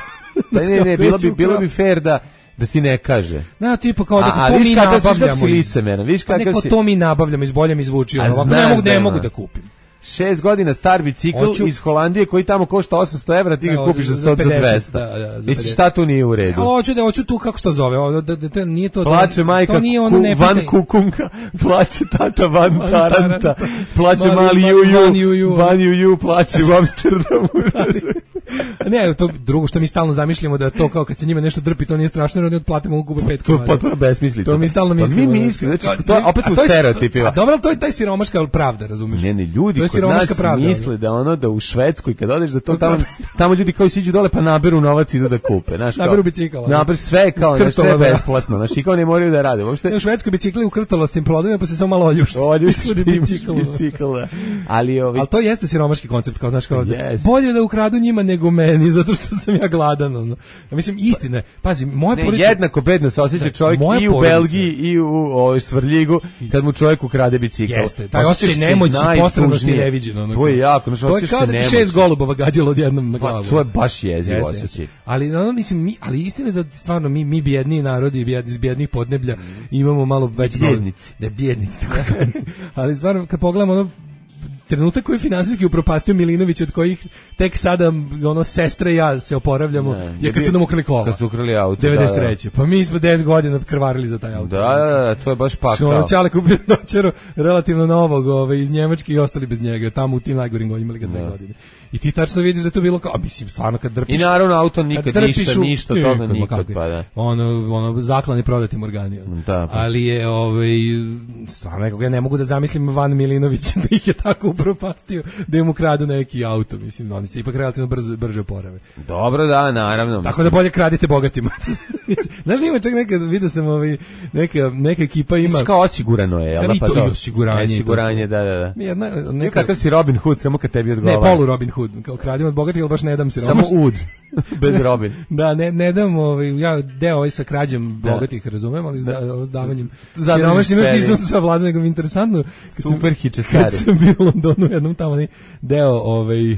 Da. Ne, ne, ne, bilo bi, bilo bi fair da da ti ne kaže.
Na tipa kao da
a,
to mi nabavljamo.
Si licemeran, viš kakav
neko
si...
to mi nabavljamo, iz bolje mi zvuči. Ovako ne mogu, ne mogu da kupim.
Šest godina star bicikl Oću... iz Holandije koji tamo košta osamsto evra, ti ga kupiš za sto do dvesta. Da, da, Misliš šta tu nije u redu?
Ali hoću da hoću tu kako što zove, o, da, da, da, nije to
plače
da,
majka
to nije ono
ku,
ne
van kukunka, plače tata van taranta, plače mali juju, van juju, plače u Amsterdamu.
Ne, to drugo što mi stalno zamišljamo da to kao kad se njima nešto drpi, to nije strašno, jer oni otplatimo gube pet komada.
To je potpuno besmislica.
To mi stalno mislimo.
Pa mi mislimo, znači to je opet u stereotipima.
Dobro, to je taj siromaška pravda, razumiješ?
Ne, ne, ljudi kod nas pravda, misle da ono da u Švedskoj kad odeš da to tamo tamo ljudi koji siđu dole pa naberu novac i idu da kupe, znaš,
naberu bicikl.
Naberu sve kao na sve besplatno, znači kao ne moraju da rade. Uopšte
u Švedskoj bicikli u krtolastim plodovima pa se samo malo oljušti.
Oljušti bicikl. Ali ovi
Al to jeste siromaški koncept, kao znaš kao bolje da ukradu njima nego meni zato što sam ja gladan, ono. Ja mislim istina, pazi, moja
porodica jednako bedno se osjeća čovjek i u Belgiji i u ovoj Svrljigu kad mu čovjek ukrade bicikl.
Jeste, taj osjećaj nemoći, posrednosti neviđeno.
To je jako, znači
osjećaš se nemoćno. To je kao da šest golubova gađalo odjednom na glavu.
Pa, to je baš jezivo osjećaj.
Ali ono mislim mi, ali istina da stvarno mi mi bijedni narodi iz bijednih podneblja imamo malo veći
bjednici.
Ne bjednici tako su. Ali stvarno kad pogledamo ono trenutak koji je finansijski upropastio Milinović, od kojih tek sada ono sestra i ja se oporavljamo, ne, je kad su nam ukrali kola.
Kad su ukrali auto.
devedeset treće. Pa mi smo deset godina krvarili za taj auto.
Da, da, da, to je baš pakao.
Ono Čale kupio dočero relativno novog ove, iz Njemačke i ostali bez njega. Tamo u tim najgorim godinama imali ga dve godine. I ti tačno vidiš da to bilo kao, a mislim, stvarno kad drpiš...
I naravno auto nikad, ništa,
u,
ništa, toga nikad, pa da.
Ono, ono, zaklani prodati organi.
Da, pa.
Ali je, ovaj, stvarno nekog, ja ne mogu da zamislim Van Milinović da ih je tako upropastio, da im ukradu neki auto, mislim, oni se ipak relativno brzo, brže oporave.
Dobro, da, naravno.
Tako mislim. Da bolje kradite bogatima. Znaš, ima čak nekad, vidio sam, ovaj, neka, neka ekipa ima...
Mislim, kao osigurano je, ali
pa to? I osiguranje.
Osiguranje, da, da, da.
Jedna, neka...
Kakav si Robin Hood, samo kad tebi odgovara.
Ne, polu Robin Hood, kao kradim od bogatih, ali baš ne dam siromašni.
Samo ud, bez Robin.
Da, ne, ne dam, ovaj, ja deo ovaj sa krađem da. Bogatih, razumem, ali s da, davanjem siromašnim još nisam sa vladom, nego mi interesantno.
Super hiče stari.
Kad sam bio u Londonu, jednom tamo deo, ovaj,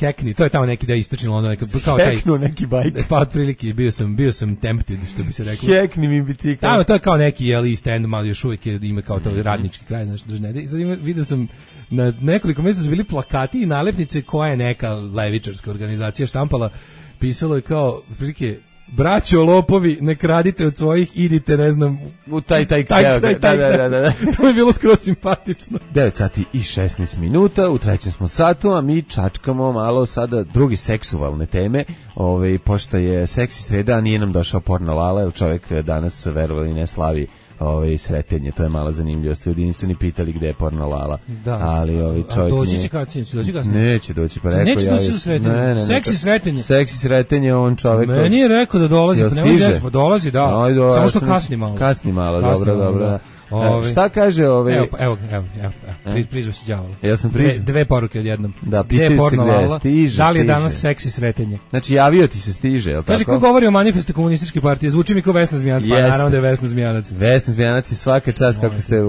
Hackney, to je tamo neki da istočni London, neka kao taj
Hacknu neki bajk.
Pa otprilike bio sam bio sam tempted, što bi se reklo.
Hackni mi bicikl.
Tamo to je kao neki jeli stand, malo još uvijek je, ima kao to radnički kraj, znači držne. I sad ima, vidio sam na nekoliko mjesta su bili plakati i nalepnice koja je neka levičarska organizacija štampala, pisalo je kao otprilike braćo lopovi, ne kradite od svojih, idite, ne znam,
u taj, taj, taj, taj, taj, taj, da, da, da, da.
To je bilo skroz simpatično.
devet sati i šesnaest minuta, u trećem smo satu, a mi čačkamo malo sada drugi seksualne teme, ove, pošto je seksi sreda, a nije nam došao porno Lala, jer čovjek danas verovali ne slavi ovaj sretenje, to je mala zanimljivost. Ljudi nisu ni pitali gde je porno Lala.
Da.
Ali ovaj čovjek
doći će kasnije, će doći kasnije.
Neće doći, pa rekao
neće
ja.
Neće doći za sretenje. Ne, ne, seksi sretenje.
Seksi sretenje, on čovjek.
Meni je rekao da dolazi, pa nema zesmo, dolazi, da. No, do, Samo što kasni malo.
Kasni malo, kasni dobro, malo, dobro. Da.
Ove,
šta kaže ovaj?
Evo, evo, evo, evo, evo prizvao se đavolo.
Ja sam prizvao.
Dve, dve poruke odjednom.
Da, pitaju se gde stiže.
Da li je danas seksi sretenje?
Znači, javio ti se stiže, je li tako?
Kaže, ko govori o manifestu komunističke partije, zvuči mi kao Vesna Zmijanac, pa naravno da je Vesna Zmijanac.
Vesna Zmijanac i svaka čast kako ste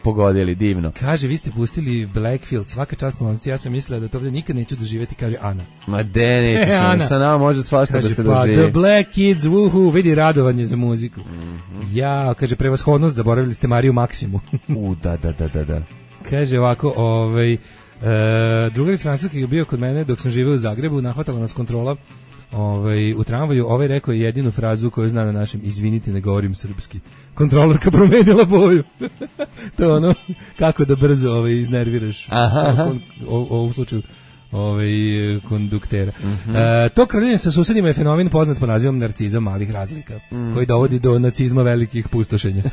pogodili, divno.
Kaže, vi ste pustili Blackfield, svaka čast momci, ja sam mislila da to ovdje nikad neću doživjeti, kaže Ana.
Ma de, nećeš, e, sa nama može svašta kaže, da se
pa,
doživi.
The Black Kids, wuhu, vidi radovanje za muziku. Mm-hmm. Ja, kaže, prevashodnost, zaboravili ste Mariju Maksimu.
U, da, da, da, da, da.
Kaže ovako, ovaj, e, drugar iz Francuske je bio kod mene dok sam živeo u Zagrebu, nahvatala nas kontrola Ovaj, u tramvaju ovaj rekao je jedinu frazu koju zna na našem: izvinite, ne govorim srpski. Kontrolorka promenila boju. To je ono, kako da brzo ovaj, iznerviraš.
Aha, aha.
O, o, u slučaju ovaj, konduktera.
Mm-hmm.
E, to kraljenje sa susedima je fenomen poznat po nazivom narcizam malih razlika, mm. koji dovodi do nacizma velikih pustošenja.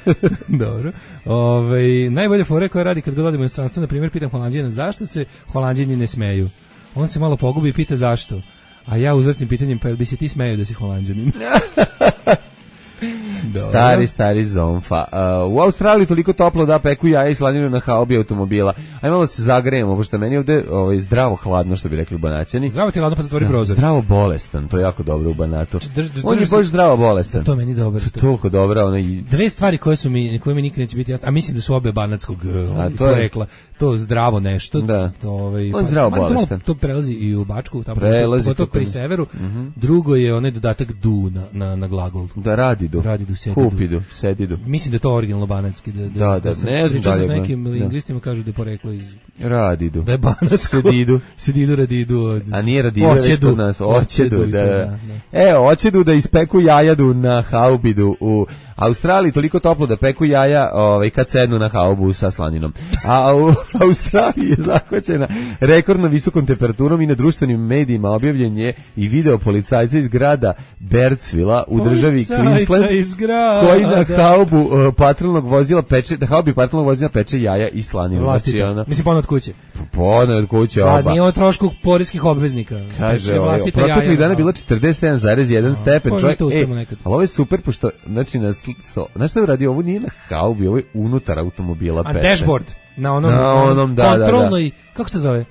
Dobro. Ovaj, najbolje fore koje radi kad god odemo u inostranstvo, na primjer, pitam Holanđana zašto se Holanđani ne smeju. On se malo pogubi i pita zašto. A ja uzvrtim pitanjem, pa jel bi se ti smeju da si Holanđanin?
Stari, stari zomfa. Uh, u Australiji toliko toplo da peku jaja i slaninu na haubi automobila. Aj malo se zagrejemo, pošto meni ovde ovaj, zdravo hladno, što bi rekli Banaćani.
Zdravo ti hladno, pa zatvori prozor.
Zdravo bolestan, to je jako dobro u Banatu.
Drž, drž,
On je baš zdravo bolestan.
Da, to meni dobro.
To je toliko dobro. Ono i...
Dve stvari koje su mi, koje mi nikad neće biti jasne, a mislim da su obe banatskog
a, to
porekla. To zdravo nešto.
Da.
To, ovaj,
On je zdravo
pa,
bolestan.
To, to prelazi i u Bačku, tamo
prelazi
to pri severu.
Mm-hmm.
Drugo je onaj dodatak du na, na, na glagol.
Da radi du.
Radi du, sedi
Kupidu, sedidu.
Mislim da je to originalno banatski. Da, da,
da, da,
da sam
ne znam
da
je.
S nekim lingvistima kažu da je poreklo iz...
Radidu.
Da je banatsko.
Sedidu.
Sedidu, radidu. Od...
A nije radidu, već kod nas. Oćedu, da. da, da. E, oćedu da ispeku jajadu na haubidu u Australiji, toliko toplo da peku jaja ovaj, kad sednu na haubu sa slaninom. A u Australiji je zahvaćena rekordno visokom temperaturom i na društvenim medijima objavljen je i video policajca iz grada Bertsvilla u državi Queensland koji na haubu uh, patrolnog vozila peče, da haubi patrolnog vozila peče jaja i slaninu.
Znači, ona, mislim, ponad kuće.
Ponad kuće oba.
Da, nije o trošku poreskih obveznika.
Kaže, ovaj, proteklih dana bilo četrdeset sedam zarez jedan stepen. Čovjek, ej, ali ovo je super, pošto, znači, na So, znaš šta je uradio? Ovo nije na haubi, ovo je unutar automobila.
A peče. Dashboard? Na onom,
na onom da,
kontrolnoj,
da, da.
Kako se zove?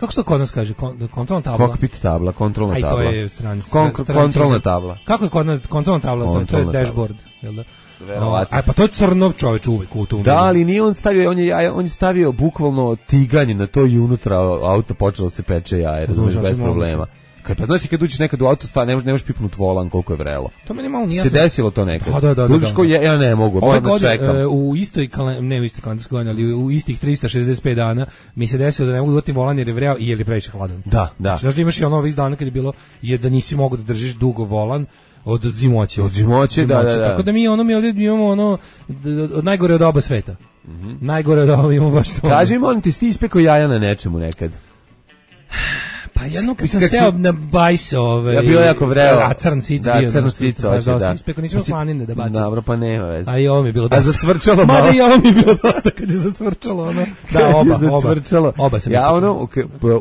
Kako se to kod nas kaže? Kon, kontrolna tabla?
Cockpit tabla, kontrolna tabla.
Aj, to je strani,
Kon, kontrolna tabla.
Kako je kod nas kontrolna tabla?
Kontrolna
to je dashboard, jel da?
Verovatno.
Aj, pa to je crnov čoveč uvek u tom.
Da, ali nije on stavio, on je, on je stavio bukvalno tiganje na to i unutra auto počelo se peče jaje, razumiješ, bez problema. Kad pa znači kad uđeš nekad u auto sta ne možeš ne možeš pipnut volan koliko je vrelo.
To meni malo nije.
Se desilo to nekad.
Da, da, da. da, da.
Ja, ja ne mogu, moram da čekam.
E, u istoj ne u istoj kalendarskoj godini, ali u istih trista šezdeset pet dana mi se desilo da ne mogu da uvatim volan jer je vreo i jer je previše hladan.
Da, da.
Znači da imaš i ono ovih dana kad je bilo je da nisi mogao da držiš dugo volan od zimoće.
Od zimoće, da, da, da.
Tako da mi ono mi ovdje imamo ono od najgore od oba sveta. Mm-hmm. Najgore od oba imamo baš to.
Kaži mi, on ti sti ispekao jaja na nečemu nekad?
Pa jedno kad sam seo na bajs, ovaj,
ja bilo jako vreo.
A crn sic
da,
bio.
Crn sic, hoće, da.
Ispeko nisam slanine da bacim.
Dobro, pa nema veze.
A i ovo mi je bilo dosta.
A zacvrčalo malo.
Mada i ovo mi je bilo dosta kad je zacvrčalo, ono. Da, oba,
zacvrčalo.
oba. Oba sam
ja ono,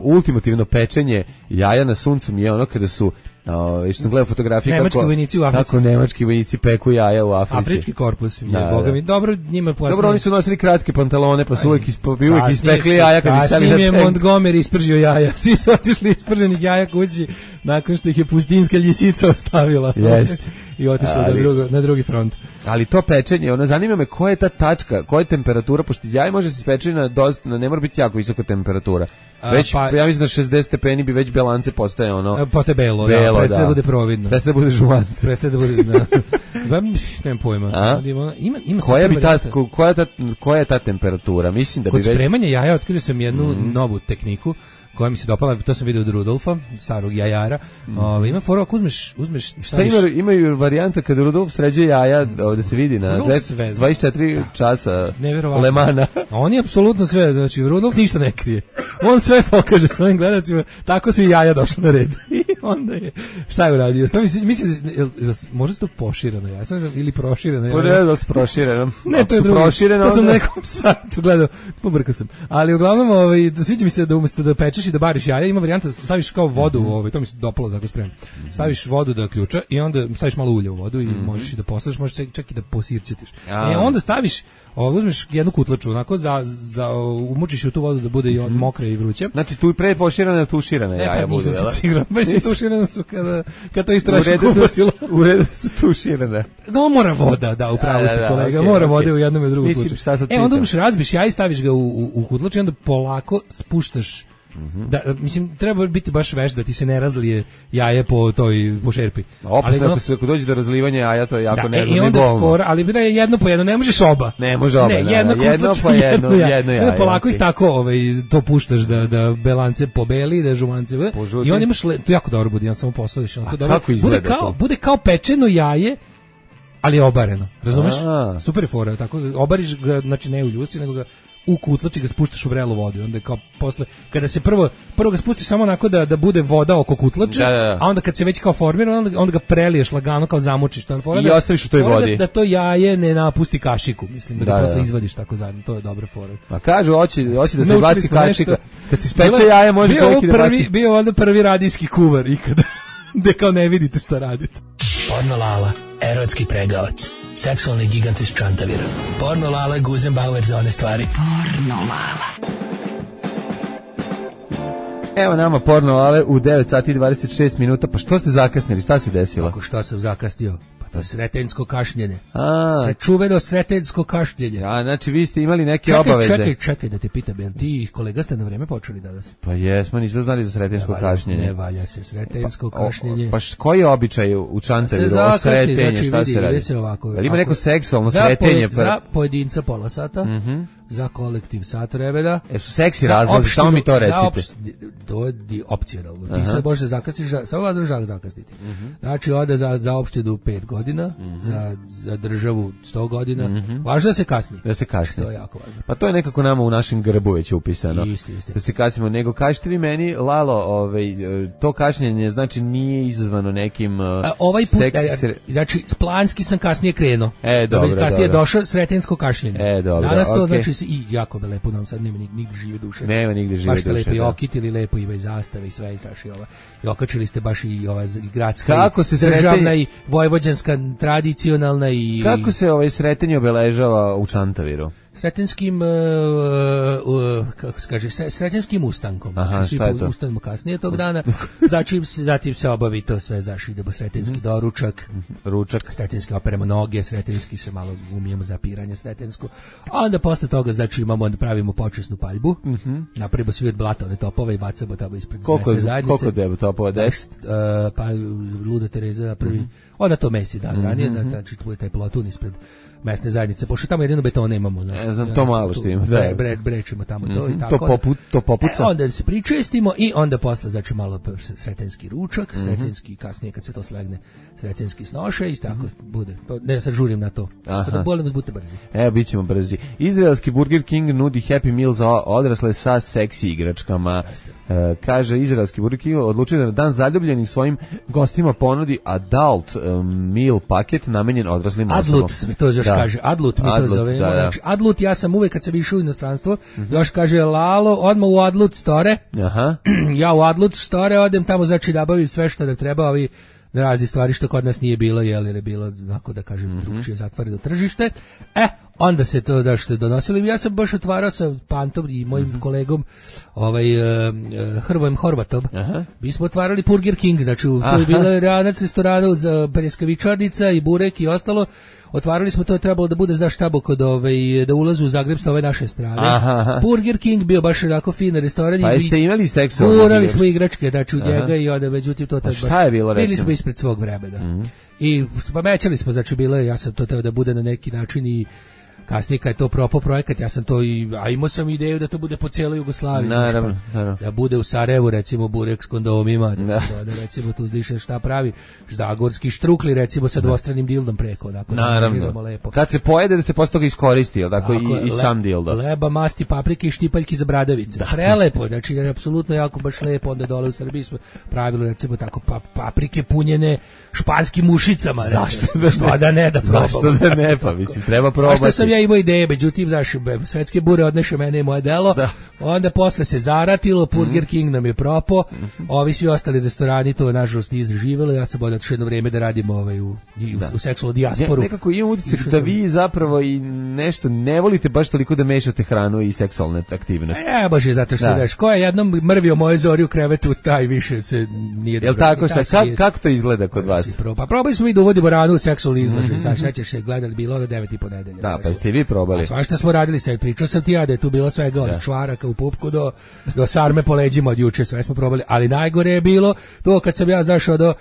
ultimativno pečenje jaja na suncu mi je ono kada su Uh, što sam gledao fotografije
nemački
kako,
vojnici u Africi.
kako nemački vojnici peku jaja u Africi.
Afrički korpus, je,
da,
boga
da.
mi. Dobro, njima pojasno.
Dobro, oni su nosili kratke pantalone, pa su uvijek, ispe, uvijek ispekli jaja kad bi stali na
tank. Je Montgomery ispržio jaja. Svi su otišli isprženih jaja kući nakon što ih je pustinska ljisica ostavila.
Jest.
I otišli na, drugo, na drugi front.
Ali to pečenje, ono, zanima me koja je ta tačka, koja je temperatura, pošto jaje može se speći na, dosta, na ne mora biti jako visoka temperatura. Već,
A, pa,
ja mislim da šezdeset stepeni bi već belance postaje ono...
Postaje belo,
belo
da, prestaje
da
da bude providno.
Prestaje da bude žumance.
Prestaje da bude, da. Nemam pojma.
A?
Ima, ima
koja, bi ta, koja, je ta, koja je ta temperatura? Mislim da
Kod
bi već...
Kod spremanja jaja otkrio sam jednu mm. novu tehniku koja mi se dopala, to sam vidio od Rudolfa, starog jajara. Mm. Ove, ima fora, ako uzmeš... uzmeš
šta ima, imaju varijanta kada Rudolf sređe jaja, ovdje se vidi na dvadeset četiri časa Lemana.
On je apsolutno sve, znači Rudolf ništa ne krije. On sve pokaže svojim gledacima, tako su i jaja došli na red. I onda je, šta je uradio? Mislim, mislim možda se to poširano jaja, sam ili proširano jaja.
Pa ne da se prošireno.
Ne, to je drugo. To sam na nekom sajtu gledao, pobrkao sam. Ali uglavnom, ovaj, sviđa mi se da umjesto da pečeš i da bariš jaja, ima varijanta staviš kao vodu, mm-hmm. ovaj, to mi se dopalo da ga spremam. Mm-hmm. Staviš vodu da ključa i onda staviš malo ulja u vodu i mm-hmm. možeš i da poslaš, možeš čak, čak i da posirčetiš. E onda staviš, ovaj, uzmeš jednu kutlaču, onako za za umučiš u tu vodu da bude i mm-hmm. mokra i vruća.
Znači tu je pre poširana, tuširana jaja
e, pa,
budu,
jel? Sigurno, baš je tuširana su kada kad to istraši kupasilo.
U redu su tuširane.
No, mora voda, da, upravo ste kolega, okay, mora okay. vode u jednom i drugom slučaju. E onda uzmeš, razbiš jaja i staviš ga u u, u kutlaču i onda polako spuštaš
Mm-hmm.
Da, mislim, treba biti baš veš da ti se ne razlije jaje po toj po šerpi.
Opet ako se ako dođe do razlivanja jaja, to je jako
da,
nezgodno.
I onda fora, ali bre jedno po jedno, ne možeš oba.
Ne može oba.
Ne,
da,
jedno,
jedno po jedno, jedno, jedno jaje.
Onda polako
okay.
ih tako ovaj, to puštaš da, da belance pobeli, da žumance
Požuti.
i onda imaš, le, to jako dobro bude, on samo posadiš.
A dobro, kako izgleda
bude kao,
to?
bude kao pečeno jaje, ali je obareno, razumeš?
A.
Super je fora, tako, obariš ga, znači ne u ljusci, nego ga u kutlač i ga spuštaš u vrelu vodu. Onda kao posle, kada se prvo, prvo ga spustiš samo onako da, da bude voda oko kutlača,
da, da, da.
a onda kad se već kao formira, onda, onda ga preliješ lagano, kao zamučiš. To,
I da, ostaviš u toj vodi.
Da, da to jaje ne napusti kašiku, mislim, da, da ga posle da. izvadiš tako zajedno, to je dobra fora.
A kažu, hoće, hoće da se baci kašika, kad se speče jaje, može čovjek i da baci.
Bio onda prvi radijski kuvar ikada, gde kao ne vidite šta radite.
Porno Lala, erotski pregavac. Seksualni gigant iz Čantavira. Porno Lala, Guzenbauer za one stvari.
Porno Lala.
Evo nama Porno Lale u devet sati i dvadeset šest minuta. Pa što ste zakasnili? Šta se desilo?
Kako što sam zakasnio? Pa to je sretenjsko kašnjenje.
A.
Sve čuveno sretenjsko kašnjenje.
Ja, znači vi ste imali neke
čekaj,
obaveze.
Čekaj, čekaj da te pitam, jel ti i kolega ste na vreme počeli danas?
Pa jesmo, nismo znali za sretenjsko kašnjenje.
Ne valja se sretenjsko
pa,
kašnjenje.
O, pa š, koji je običaj u Čantaviru? O sretenje, znači, šta
vidi,
se radi?
Se ovako,
jel ima neko seksualno
za
sretenje?
Poje, za pojedinca pola sata.
Mm-hmm.
Za kolektiv sat vremena.
E su seksi razlozi, samo mi to recite.
Opšt, to je opcionalno. Ti sad možeš zakasniti, samo vas država zakasniti. Mm-hmm. Znači, ode za, za opštedu pet godina, mm-hmm. za, za državu sto godina. Mm-hmm. Važno da se kasni.
Da se kasni.
To je jako važno.
Pa to je nekako nama u našem grbu već upisano.
Isti, isti.
Da se kasnimo. Nego kažete vi meni, Lalo, ovaj, to kašnjenje znači nije izazvano nekim
A, ovaj put,
seks...
ja, znači, planski sam kasnije krenuo.
E, dobro, dobro.
Kasnije je došlo sretenjsko kašnjenje.
E, dobro,
danas to
okay.
znači i jako me lepo nam sad nema nigde žive duše.
Nema nigde žive
baš
duše.
Baš lepo
da.
i okitili, lepo i bez zastave i sve i taš i ova. I okačili ste baš i ova i gradska
kako
i
se
državna
sretenje...
i vojvođanska tradicionalna i
kako se ovaj sretenje obeležava u Čantaviru?
Sretenskim uh, uh, kako se kaže sretenskim ustankom.
Aha,
svi ustanemo kasnije tog dana. Zatim se zatim se obavi to sve, znaš, idemo sretenski mm-hmm. doručak,
ručak,
sretenski operemo noge, sretenski se malo umijemo zapiranje sretensko. A onda posle toga znači imamo da pravimo počasnu paljbu.
Mm-hmm.
Napravimo svi od blatovne topove i bacamo tamo ispred
koliko,
mesne zajednice.
Koliko debo topova? deset?
Uh, pa Luda Tereza napravi. Mm-hmm. Onda to mesi dan mm-hmm. ranije, da znači bude taj plotun ispred mesne zajednice, pošto tamo jedino betona imamo. Znači,
ne znam, to malo što ima.
Bre, bre, brečimo tamo to
mm-hmm.
i tako.
To, poput, to popuca.
E, onda se pričestimo i onda posle, znači malo sretenski ručak, mm-hmm. sretenski kasnije kad se to slegne, sretenski snoše i tako mm-hmm. bude. Ne, sad žurim na to. Kada bolim vas, budite brzi.
Evo, bit ćemo brzi. Izraelski Burger King nudi Happy Meal za odrasle sa seksi igračkama. E, kaže, izraelski Burger King odlučio da na dan zaljubljenih svojim gostima ponudi adult um, meal paket namenjen odraslim osobama.
Adlut se mi to još da. kaže. Adlut mi
Adlut,
to zove.
Da, da.
Znači, Adlut, ja sam uvek kad sam išao u inostranstvo, mm-hmm. još kaže Lalo, odmah u Adlut store.
Aha.
Ja u Adlut store odem tamo, znači da bavim sve što da treba, ovi razni stvari što kod nas nije bilo, jel, jer je bilo, onako da kažem, mm-hmm. drugčije zatvoreno tržište. E, onda se to da što donosili. Ja sam baš otvarao sa Pantom i mojim mm-hmm. kolegom ovaj, uh, Hrvojem Horvatom. Aha. Mi smo otvarali Burger King, znači u to je bila ranac restorana za pljeskavičarnica i burek i ostalo. Otvarali smo to, je trebalo da bude znaš tamo kod ovaj, da ulazu u Zagreb sa ove naše strane. Aha. Burger King bio baš onako fin restoran.
Pa jeste imali seksualno?
Urali smo igračke, znači u njega i onda, međutim to tad
šta je bilo,
bili smo ispred svog vremena. Mm-hmm. I pamećali smo, znači bilo je, ja sam to teo da bude na neki način i kasnije kad je to propao projekat, ja sam to i, a imao sam ideju da to bude po cijeloj Jugoslaviji.
Naravno,
znaš, pa,
naravno.
Da bude u Sarajevu, recimo, burek s kondomima,
da,
da, da recimo tu zdiše šta pravi, ždagorski štrukli, recimo sa dvostranim dildom preko, onako,
naravno.
Da lepo.
Kad se pojede da se posle toga iskoristi, jel tako, tako i, i sam dildo.
Leba, masti, paprike i štipaljki za bradavice. Da. Prelepo, znači, je apsolutno jako baš lepo, onda dole u Srbiji smo pravili, recimo, tako, pa, paprike punjene španskim mušicama.
Zašto da,
što da ne da probamo?
Zašto da ne, pa mislim, treba probati.
Zašto sam ja imao ideje, međutim, znaš, svetske bure odneše mene i moje delo, da. Onda posle se zaratilo, Burger mm. King nam je propao, mm-hmm. ovi svi ostali restorani to nažalost nije zaživjelo, ja sam odao jedno vreme da radim ovaj, u, u, u seksualnu dijasporu.
Ne, nekako imam utisak da sam... vi zapravo i nešto ne volite baš toliko da mešate hranu i seksualne aktivnosti.
E, baš je zato što, da. Znaš, ko je jednom mrvio moje zori u krevetu, taj više se nije dobro.
Jel tako, šta, kak, kako to izgleda kod vas?
Pa probali smo i da uvodimo ranu u seksualni izlažaj, mm-hmm. znaš, nećeš se gledali bilo do devet i po nedelje.
Da, pa Jeste i vi probali?
A svašta smo radili, sad pričao sam ti ja da je tu bilo svega od čvaraka u pupku do, do sarme po leđima od juče, sve smo probali, ali najgore je bilo to kad sam ja zašao do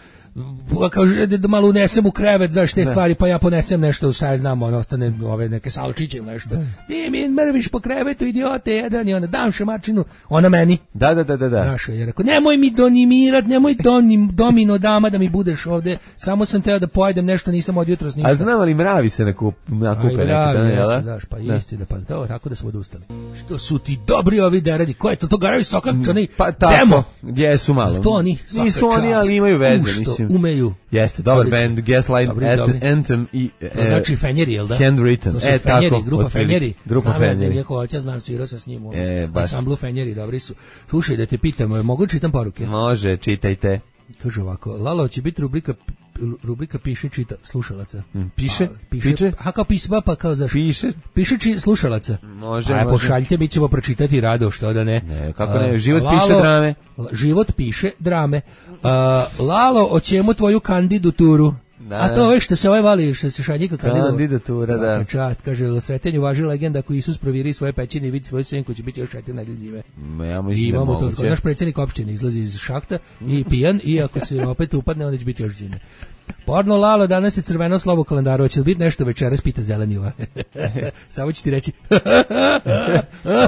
kao da malo unesem u krevet, znaš te stvari, pa ja ponesem nešto, šta ja znam, ono, ostane ove neke salčiće ili nešto. Ti mi mrviš po krevetu, idiote, jedan i onda dam šamačinu, ona meni.
Da, da, da, da. da.
Znaš, je rekao, nemoj mi donimirat, nemoj donim, domino dama da mi budeš ovde, samo sam teo da pojedem nešto, nisam od jutros ništa.
A znam ali mravi se na, kup, na kupe neki dan,
jel da? Znaš, pa
da.
isti da, pa to, tako da smo odustali. Što su ti dobri ovi deradi, ko je to, to garavi sokačani,
pa, tako,
demo.
Jesu malo.
To oni,
nisu oni, ali imaju veze, mislim.
Umeju.
Jeste, dobar band, Gaslight, Anthem i
to znači Fenjeri, jel da?
Handwritten.
To su e, Fenjeri,
tako,
grupa Fenjeri.
Grupa Fenjeri.
Njeko oća znam, svirao sam s njim.
E,
Ansamblu Fenjeri, dobri su. Slušaj, da te pitam, mogu čitam poruke?
Može, čitajte.
Kaže ovako, Lalo, će biti rubrika rubrika piše čita slušalaca.
Mm, piše?
Pa, piše? Piše? A kao pisma, pa kao zašto?
Piše?
Piše či slušalaca.
Može,
Aj,
može.
pošaljite, mi ćemo pročitati rado, što da ne.
Ne, kako ne, život
Lalo,
piše drame.
Život piše drame. Uh, Lalo, o čemu tvoju kandidaturu? Da. A to je što se ovaj vali, što se Šanjika kandidovao.
Kandidatura, da.
Svaka čast, kaže, u Sretenju važi legenda ako Isus proviri svoje pećine i vidi svoju senku, će biti još četiri nedelje žive.
Ja mislim
I imamo
da
to, naš predsjednik opštine izlazi iz šahta i pijan, i ako se opet upadne, onda će biti još zime. Porno Lalo, danas je crveno slovo u kalendaru, će li biti nešto večeras, pita Zeleniva. Samo ću ti reći.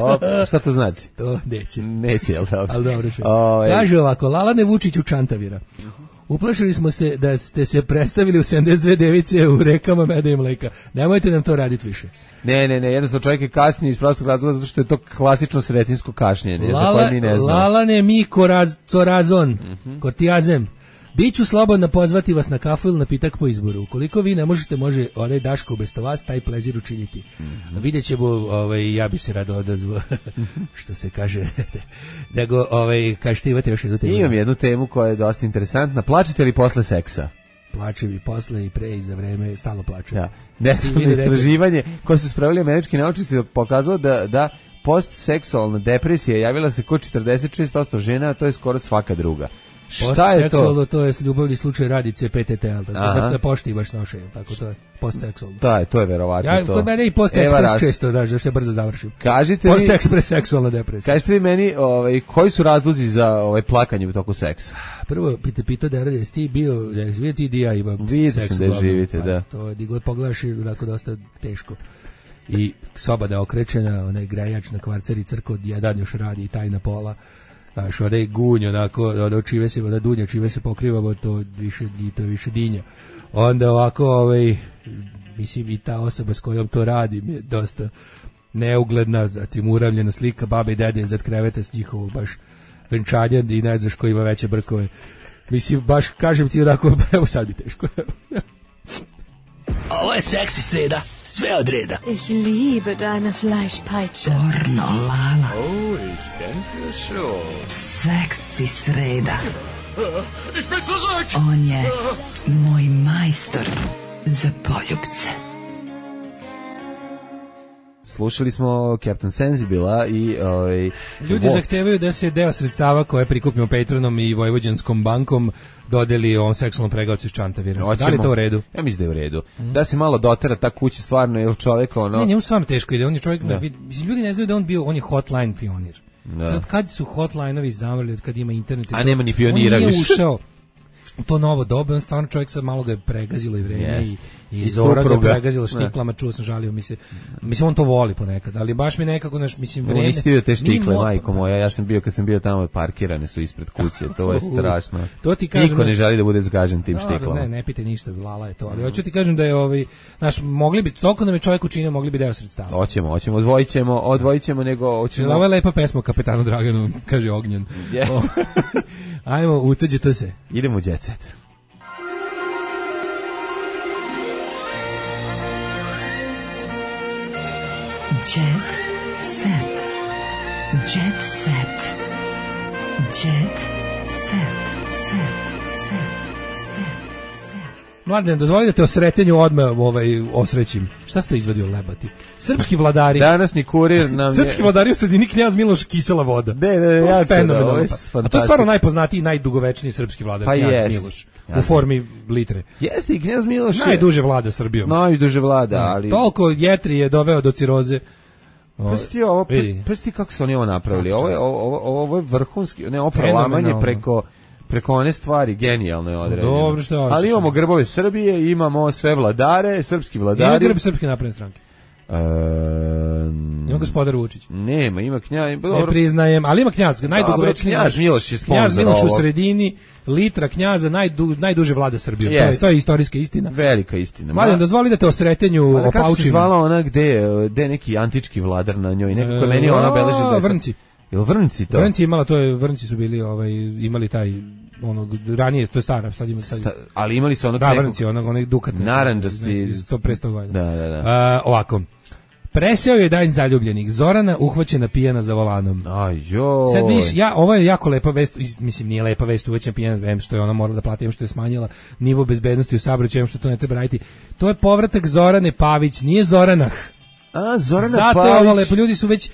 O, šta to znači?
To neće.
Neće, jel dobro?
Ali dobro še. Kaže ovako, Lalane Vučiću Čantavira. Uplašili smo se da ste se predstavili u sedamdeset dve device u rekama meda i mleka. Nemojte nam to raditi više.
Ne, ne, ne, jednostavno čovjek je kasnije iz prostog razloga zato što je to klasično sretinsko kašnjenje, za koje mi ne znamo.
Lalane mi koraz, corazon,
mm-hmm.
kortijazem. Biću slobodno pozvati vas na kafu ili na pitak po izboru. Ukoliko vi ne možete, može onaj Daško umesto vas taj plezir učiniti. Mm-hmm. Vidjet ćemo, ovaj, ja bi se rado odazvao, što se kaže, nego, ovaj, kažete, imate još jednu temu?
Imam jednu temu koja je dosta interesantna. Plačete li posle seksa?
Plače bi posle i pre i za vreme, stalo plače.
Ja. Nestavno istraživanje koje su spravili američki naučnici pokazalo da, da postseksualna depresija javila se kod četrdeset šest posto žena, a to je skoro svaka druga. Šta je to?
To je ljubavni slučaj Radice P T T, al tako da pošti baš noše, tako to je postseksualno.
Da, je, to je verovatno
ja,
to.
Ja kod mene i postekspres često, da, da što brzo završim.
Kažite
vi postekspres seksualna depresija.
Kažite vi meni, ovaj koji su razlozi za ovaj plakanje u toku seksa?
Prvo pita pita da radi ti bio, da živi ti di ja ima
seks. Da živite, da.
To je diglo pogledaš i tako dosta teško. I soba da okrečena, onaj grejač na kvarceri crko jedan još radi i tajna pola. Znaš, onda je gunj, onako, onda čive se, onda dunja, čive se pokrivamo, to više, to je više dinja. Onda ovako, ovaj, mislim, i ta osoba s kojom to radim je dosta neugledna, zatim uravljena slika babe i dede iznad kreveta s njihovog baš venčanja i ne znaš ko ima veće brkove. Mislim, baš, kažem ti onako, evo sad bi teško.
Ovo je seksi sreda, sve od reda.
Ich liebe deine Fleischpeitsche.
Porno Lala.
Oh, ich denke schon.
Seksi sreda.
Ich bin zurück.
On je moj majstor za poljubce.
Slušali smo Captain Sensibila i ovaj
ljudi zahtevaju da se deo sredstava koje prikupimo Patronom i Vojvođanskom bankom dodeli ovom seksualnom pregavcu iz Čantavira. Da li to u redu?
Ja mislim da je u redu. Mm. Da se malo dotera ta kuća stvarno jer čovjek ono.
Ne, njemu stvarno teško ide. On je čovjek, mislim ljudi ne znaju da on bio, on je hotline pionir. Da. Sad kad su hotline-ovi zamrli, od kad ima internet,
a nema ni pionira više.
On nije ušao u to novo doba, on stvarno čovjek sad malo ga je pregazilo i vreme yes. i I Zora ga pregazila štiklama, čuo sam, žalio mi se. Mislim, on to voli ponekad, ali baš mi nekako, naš, mislim, vreme...
Nisi vidio te štikle, majko moja, ja sam bio, kad sam bio tamo, parkirane su ispred kuće, to je strašno.
To ti kažem,
niko ne želi da bude zgažen tim štiklama.
Ne, ne pite ništa, Lala je to, ali hoću ti kažem da je, ovaj, naš, mogli bi, toliko nam je čovjek učinio, mogli bi deo sredstava.
Hoćemo, hoćemo, odvojit ćemo, odvojit ćemo, nego... Hoćemo...
Ovo je lepa pesma Kapetanu Draganu, kaže Ognjen. Yeah. Ajmo, utuđite se.
Idemo u Jet Set.
Jet set. Jet set. Jet set. Set. Set. Set. Set.
Mladen, dozvoli da te o sretenju odmah ovaj, osrećim. Šta ste izvadio lebati? Srpski vladari.
Današnji kurir nam je...
Srpski vladari u sredini Knjaz Miloš kisela voda.
Ne, ne, ne, ja
fenomenalno. A to je stvarno najpoznatiji i najdugovečniji srpski vladar, pa Knjaz jest. Miloš. U formi litre.
Jeste i Knjaz Miloš je...
Najduže vlada Srbijom.
Najduže vlada, ali...
Toliko jetri je doveo do ciroze.
Prsti ovo, prsti kako su oni ovo napravili. Ovo je, ovo, ovo je vrhunski, ne, ovo prelamanje preko... preko one stvari genijalno je određeno.
Dobro, što hoćeš.
Ali imamo grbove Srbije, imamo sve vladare, srpski vladari.
Ima grb Srpske napredne stranke.
E,
ima gospodar Vučić.
Nema, ima knjaz.
Ne priznajem, ali ima knjaz, najdugovečniji.
Knjaz Miloš je sponzor.
Knjaz Miloš u sredini, litra knjaza, najdu, najduže vlada Srbijom. Yes. To je, to je istorijska istina.
Velika istina.
Mladen, dozvoli da te o sretenju opaučim.
Kako se zvala ona gde, gde neki antički vladar na njoj? Nekako meni ona beleži.
Vrnci.
Jel Vrnci to?
Vrnci imala, to je, Vrnci su bili, ovaj, imali taj onog ranije, to je stara, sad ima sad.
Sta, ali imali su onog
da, Vrnci, onog onog dukat
narandžasti
sto pre sto godina.
Da, da, da.
A, ovako. Preseo je dan zaljubljenih. Zorana uhvaćena pijana za volanom.
Aj joj.
Sad vidiš, ja, ovo je jako lepa vest, mislim nije lepa vest, uhvaćena pijana, em što je ona morala da plati, em što je smanjila nivo bezbednosti u saobraćaju, em što to ne treba raditi. To je povratak Zorane Pavić, nije Zoranah.
A, Zorana
Zato
Pavić.
Zato je ovo lepo, ljudi su već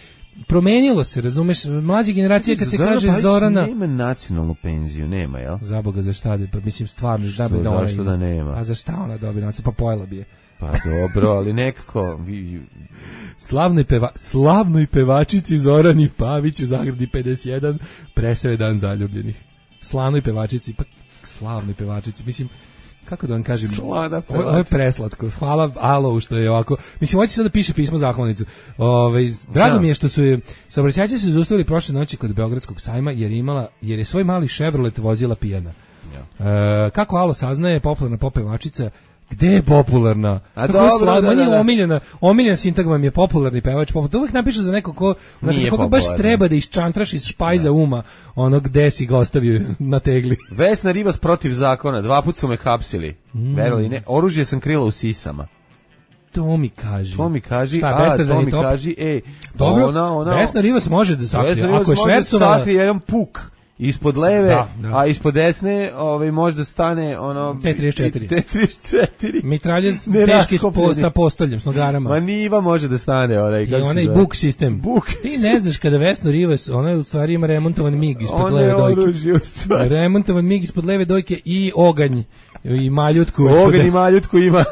promenilo se, razumeš, mlađe generacije kad se
Zorana
kaže
Pavić
Zorana
nema nacionalnu penziju, nema, jel?
Za Boga, za šta? Pa mislim stvarno,
što,
da bi da ona
zašto da nema?
A za šta ona dobije nacionalnu? Pa pojela bi je.
Pa dobro, ali nekako vi...
Slavnoj peva, slavnoj pevačici Zorani Pavić u Zagradi pedeset jedan preseo je dan zaljubljenih. Slavnoj pevačici, pa slavnoj pevačici, mislim, kako da vam kažem, ovo je preslatko. Hvala Alo što je ovako. Mislim, hoće sad da piše pismo zahvalnicu. Ove, drago da. mi je što su je saobraćajci se zaustavili prošle noći kod Beogradskog sajma jer imala jer je svoj mali Chevrolet vozila pijana. Ja. E, kako Alo saznaje, popularna popevačica. Gde je popularna?
A
kako
dobro,
je slavna,
da, da, da.
omiljena, omiljena sintagma mi je popularni pevač. To uvijek napišu za neko ko, za koga baš treba da iščantraš iz špajza da. uma ono gde si ga ostavio na tegli.
Vesna Ribas protiv zakona, dva put su me hapsili. Mm. Verovali ne, oružje sam krila u sisama.
To mi kaži.
To mi kaži,
Šta,
a to mi top? kaži, ej,
dobro,
ona, ona,
Vesna Ribas može da sakrije. Ako je
švercovala... sakrije jedan puk. Ispod leve,
da, da.
a ispod desne ovaj, možda stane ono...
T trideset četiri.
T trideset četiri.
Mitraljez teški po, sa postoljem, s nogarama.
Ma niva može da stane. Onaj,
I onaj buk sistem.
Buk
Ti ne znaš kada Vesno Rivas, ona u stvari ima remontovan mig ispod leve dojke.
Oružje,
remontovan mig ispod leve dojke i oganj. I maljutku.
Oganj i maljutku ima.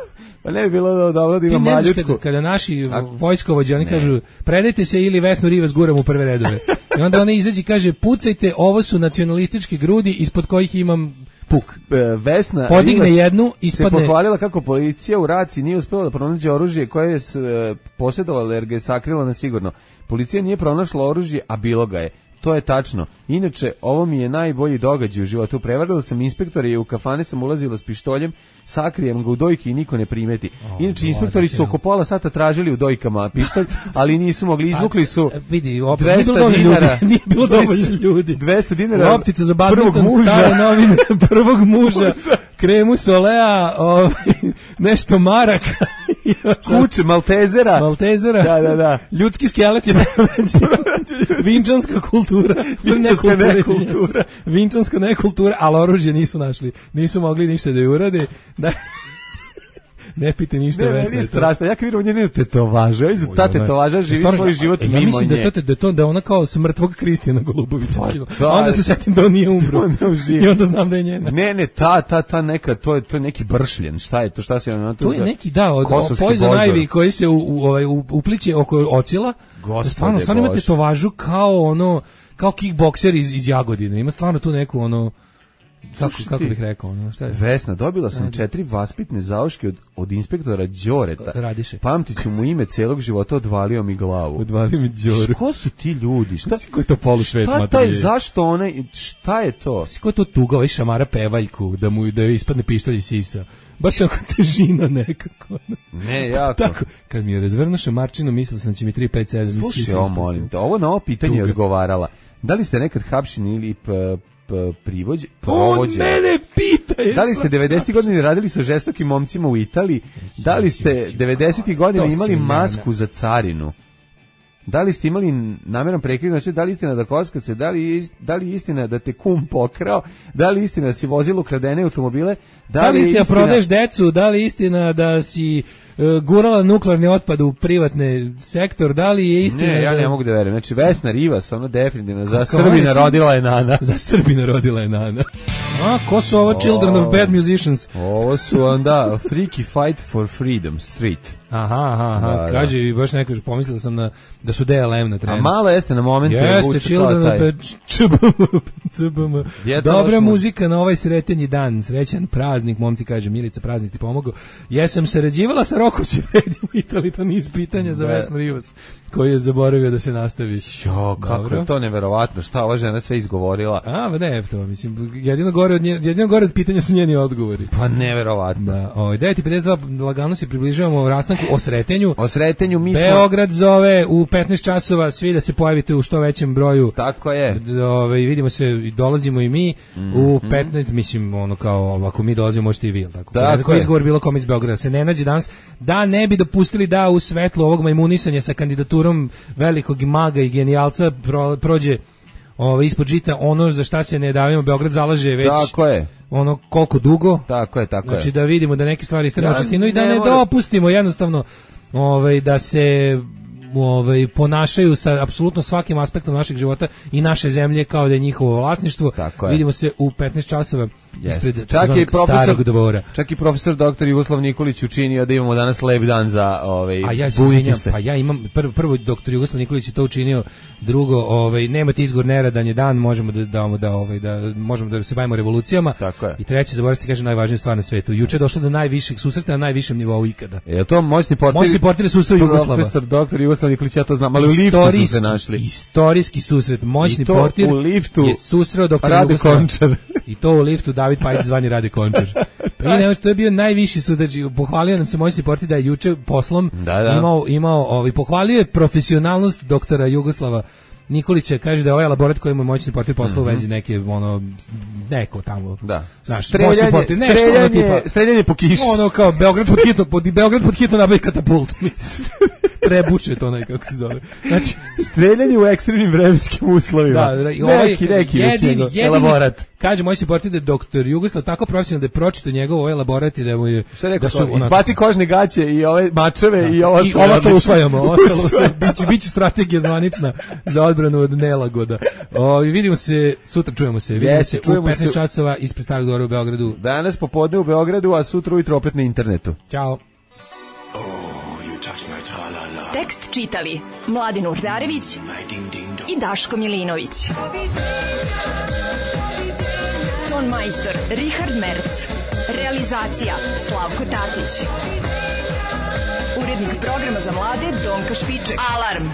Pa ne bi bilo dobro da ima maljutku.
Kada, kada naši A, vojskovođe, oni ne. kažu, predajte se ili Vesnu Rivas guram u prve redove. I onda ona izađe i kaže, pucajte, ovo su nacionalističke grudi ispod kojih imam puk.
Vesna
podigne
Rivas
jednu, ispadne...
se pohvalila kako policija u raciji nije uspela da pronađe oružje koje je posjedovala jer ga je sakrila na sigurno. Policija nije pronašla oružje, a bilo ga je. To je tačno. Inače, ovo mi je najbolji događaj u životu. Prevarila sam inspektora i u kafane sam ulazila s pištoljem, sakrijem ga u dojki i niko ne primeti.
Oh,
Inače, inspektori su oko pola sata tražili u dojkama pištolj, ali nisu mogli. Izvukli su
vidi, opet, dvesta dinara. Nije bilo dovoljno ljudi.
dvesta dinara.
Lopticu za badminton, stare novine, prvog muža, kremu solea, ovaj, nešto maraka.
Kuće, maltezera.
Maltezera.
Da, da, da.
Ljudski skelet je vinčanska kultura.
Vinčanska nekultura.
Vinčanska nekultura, ali oružje nisu našli. Nisu mogli ništa da je urade. Da... Ne pite ništa
ne,
Vesna.
Ne, ne, strašno. Ja kad vidim njenu tetovažu, ja znam, ta tetovaža živi stvarno, svoj život mimo nje.
Ja mislim da, to, da, to, da ona kao smrtvog Kristijana Golubovića skinu.
Da,
onda se setim da on nije umro. I onda znam da je njena.
Ne, ne, ta, ta, ta neka, to je, to je neki bršljen. Šta je to? Šta se ona tu?
To je neki, da, od Poison Ivy koji se u, u, ovaj, upliče oko ocila.
Gospode
stvarno, stvarno ima tetovažu kao ono, kao kickbokser iz, iz Jagodine. Ima stvarno tu neku ono... Kako, kako bih rekao, ono, šta je?
Vesna, dobila sam četiri vaspitne zauške od, od inspektora Đoreta.
Radiše.
Pamtit ću mu ime celog života, odvalio mi glavu.
Odvalio mi Đoru.
Ko su ti ljudi? Šta,
ko je to polušvet?
Šta taj, zašto one, šta je to?
Ko je to tuga, ovaj šamara pevaljku, da mu da ispadne pištolj iz sisa? Baš onako težina nekako.
Ne, jako.
Tako, kad mi je razvrnuo šamarčinu, mislila sam da će mi tri pet sedam.
Slušaj, ovo molim te, ovo na ovo pitanje je odgovarala. Da li ste nekad hapšeni ili p, p, privođe, provođe?
On mene pita!
Da li ste devedesetih godina radili sa žestokim momcima u Italiji? Da li ste devedesetih godina imali masku za carinu? Da li ste imali namjeran prekid, znači da li istina da kockace, da li, da li istina da te kum pokrao, da li istina da si vozilo kradene automobile, da,
da li istina,
istina
prodaješ decu, da li istina da si uh, gurala nuklearni otpad u privatni sektor, da li je istina
ne, ja
da...
ne mogu da verujem, znači Vesna Rivas, ono definitivno, za Srbina rodila je Nana.
Za Srbina rodila je Nana. A, ko su ovo Children of Bad Musicians?
Ovo su onda Freaky Fight for Freedom Street.
Aha, aha, aha. Da, kaže i baš neko, pomislio sam na, da su D L M na trenu.
A malo jeste na momentu.
Jeste, Children of Bad C B M. Dobra muzika na ovaj sretenji dan, srećan praznik, momci, kaže Milica, praznik ti pomogao. Jesam sarađivala sa Rokom Sifredijem u Italiji, to niz pitanja za Vesnu Rivas, koji je zaboravio da se nastavi.
Jo, kako Dobro. Je to neverovatno, šta ova žena sve izgovorila.
A, ba ne, to, mislim, jedino gore od, nje, jedino gore od pitanja su njeni odgovori.
Pa neverovatno. Da,
ovaj, devet i pedeset dva, lagano se približavamo rastanku o sretenju.
O sretenju mi smo...
Beograd zove u petnaest časova, svi da se pojavite u što većem broju.
Tako je.
Ove, vidimo se, dolazimo i mi mm-hmm. u petnaest, mislim, ono kao, ako mi dolazimo, možete i vi, tako? Tako je. Izgovor bilo kom iz Beograda, se ne nađe danas, da ne bi dopustili da u svetlu ovog majmunisanja sa kandidaturom velikog maga i genijalca pro, prođe ove, ispod žita ono za šta se ne davimo, Beograd zalaže već
tako je.
Ono koliko dugo.
Tako je, tako
znači
je.
da vidimo da neke stvari istrenu
ja,
čistinu i da ne,
ne
dopustimo jednostavno ovaj, da se ovaj, ponašaju sa apsolutno svakim aspektom našeg života i naše zemlje kao da je njihovo vlasništvo. Vidimo se u petnaest časova ispred
čak i
starog dvora.
Čak i profesor doktor Jugoslav Nikolić učinio da imamo danas lep dan za ovaj
a ja se se. Pa ja imam prvo, prvo doktor Jugoslav Nikolić je to učinio, drugo ovaj nemate izgovor neradan je dan, možemo da damo da ovaj da možemo da se bavimo revolucijama. I treće, zaboravite kaže najvažnija stvar na svetu. Juče je došlo do najvišeg susreta na najvišem nivou ikada.
Je to moćni portir?
Moćni portir susret Jugoslava.
Profesor doktor Jugoslav Nikolić, ja to znam, ali u liftu su se našli.
Istorijski susret, moćni portir
u liftu
je susreo doktor
Rade
Jugoslava.
Končar.
I to u liftu David Pajić zvani Rade Končar. Pa i ne, to je bio najviši sud, pohvalio nam se moćni portir da je juče poslom
da, da.
imao, imao ovaj, pohvalio je profesionalnost doktora Jugoslava Nikolića, kaže da je ovaj laborat koji mu je moćni portir poslao mm-hmm. u vezi neke, ono, neko tamo.
Da.
Znaš,
streljanje,
portir,
streljanje,
ono tipa,
streljanje po kiši.
Ono kao Beograd pod hitno, pod, Beograd pod hitno nabavi katapult. Trebuče to nekako se zove. Znači,
streljanje u ekstremnim vremenskim uslovima. Da, da, i ovaj, neki, neki jedini, jedini, elaborat.
Kaže moj se portir da je doktor Jugoslav tako profesionalno da je pročitao njegov ovaj elaborat i da mu je...
Šta rekao
da
su, izbaci kožne gaće i ove mačeve da. I ovo
ostalo. I ovo ostalo usvajamo, ostalo usvajamo. Biće, biće strategija zvanična za odbranu od nelagoda. O, i vidimo se, sutra čujemo se, vidimo yes, se u petnaest časova ispred Starog dvora u Beogradu.
Danas popodne u Beogradu, a sutra ujutro opet na internetu.
Ćao.
Tekst čitali Mladin Urdarević i Daško Milinović. Ton majstor Richard Merc. Realizacija Slavko Tatić. Urednik programa za mlade Donka Špiček. Alarm!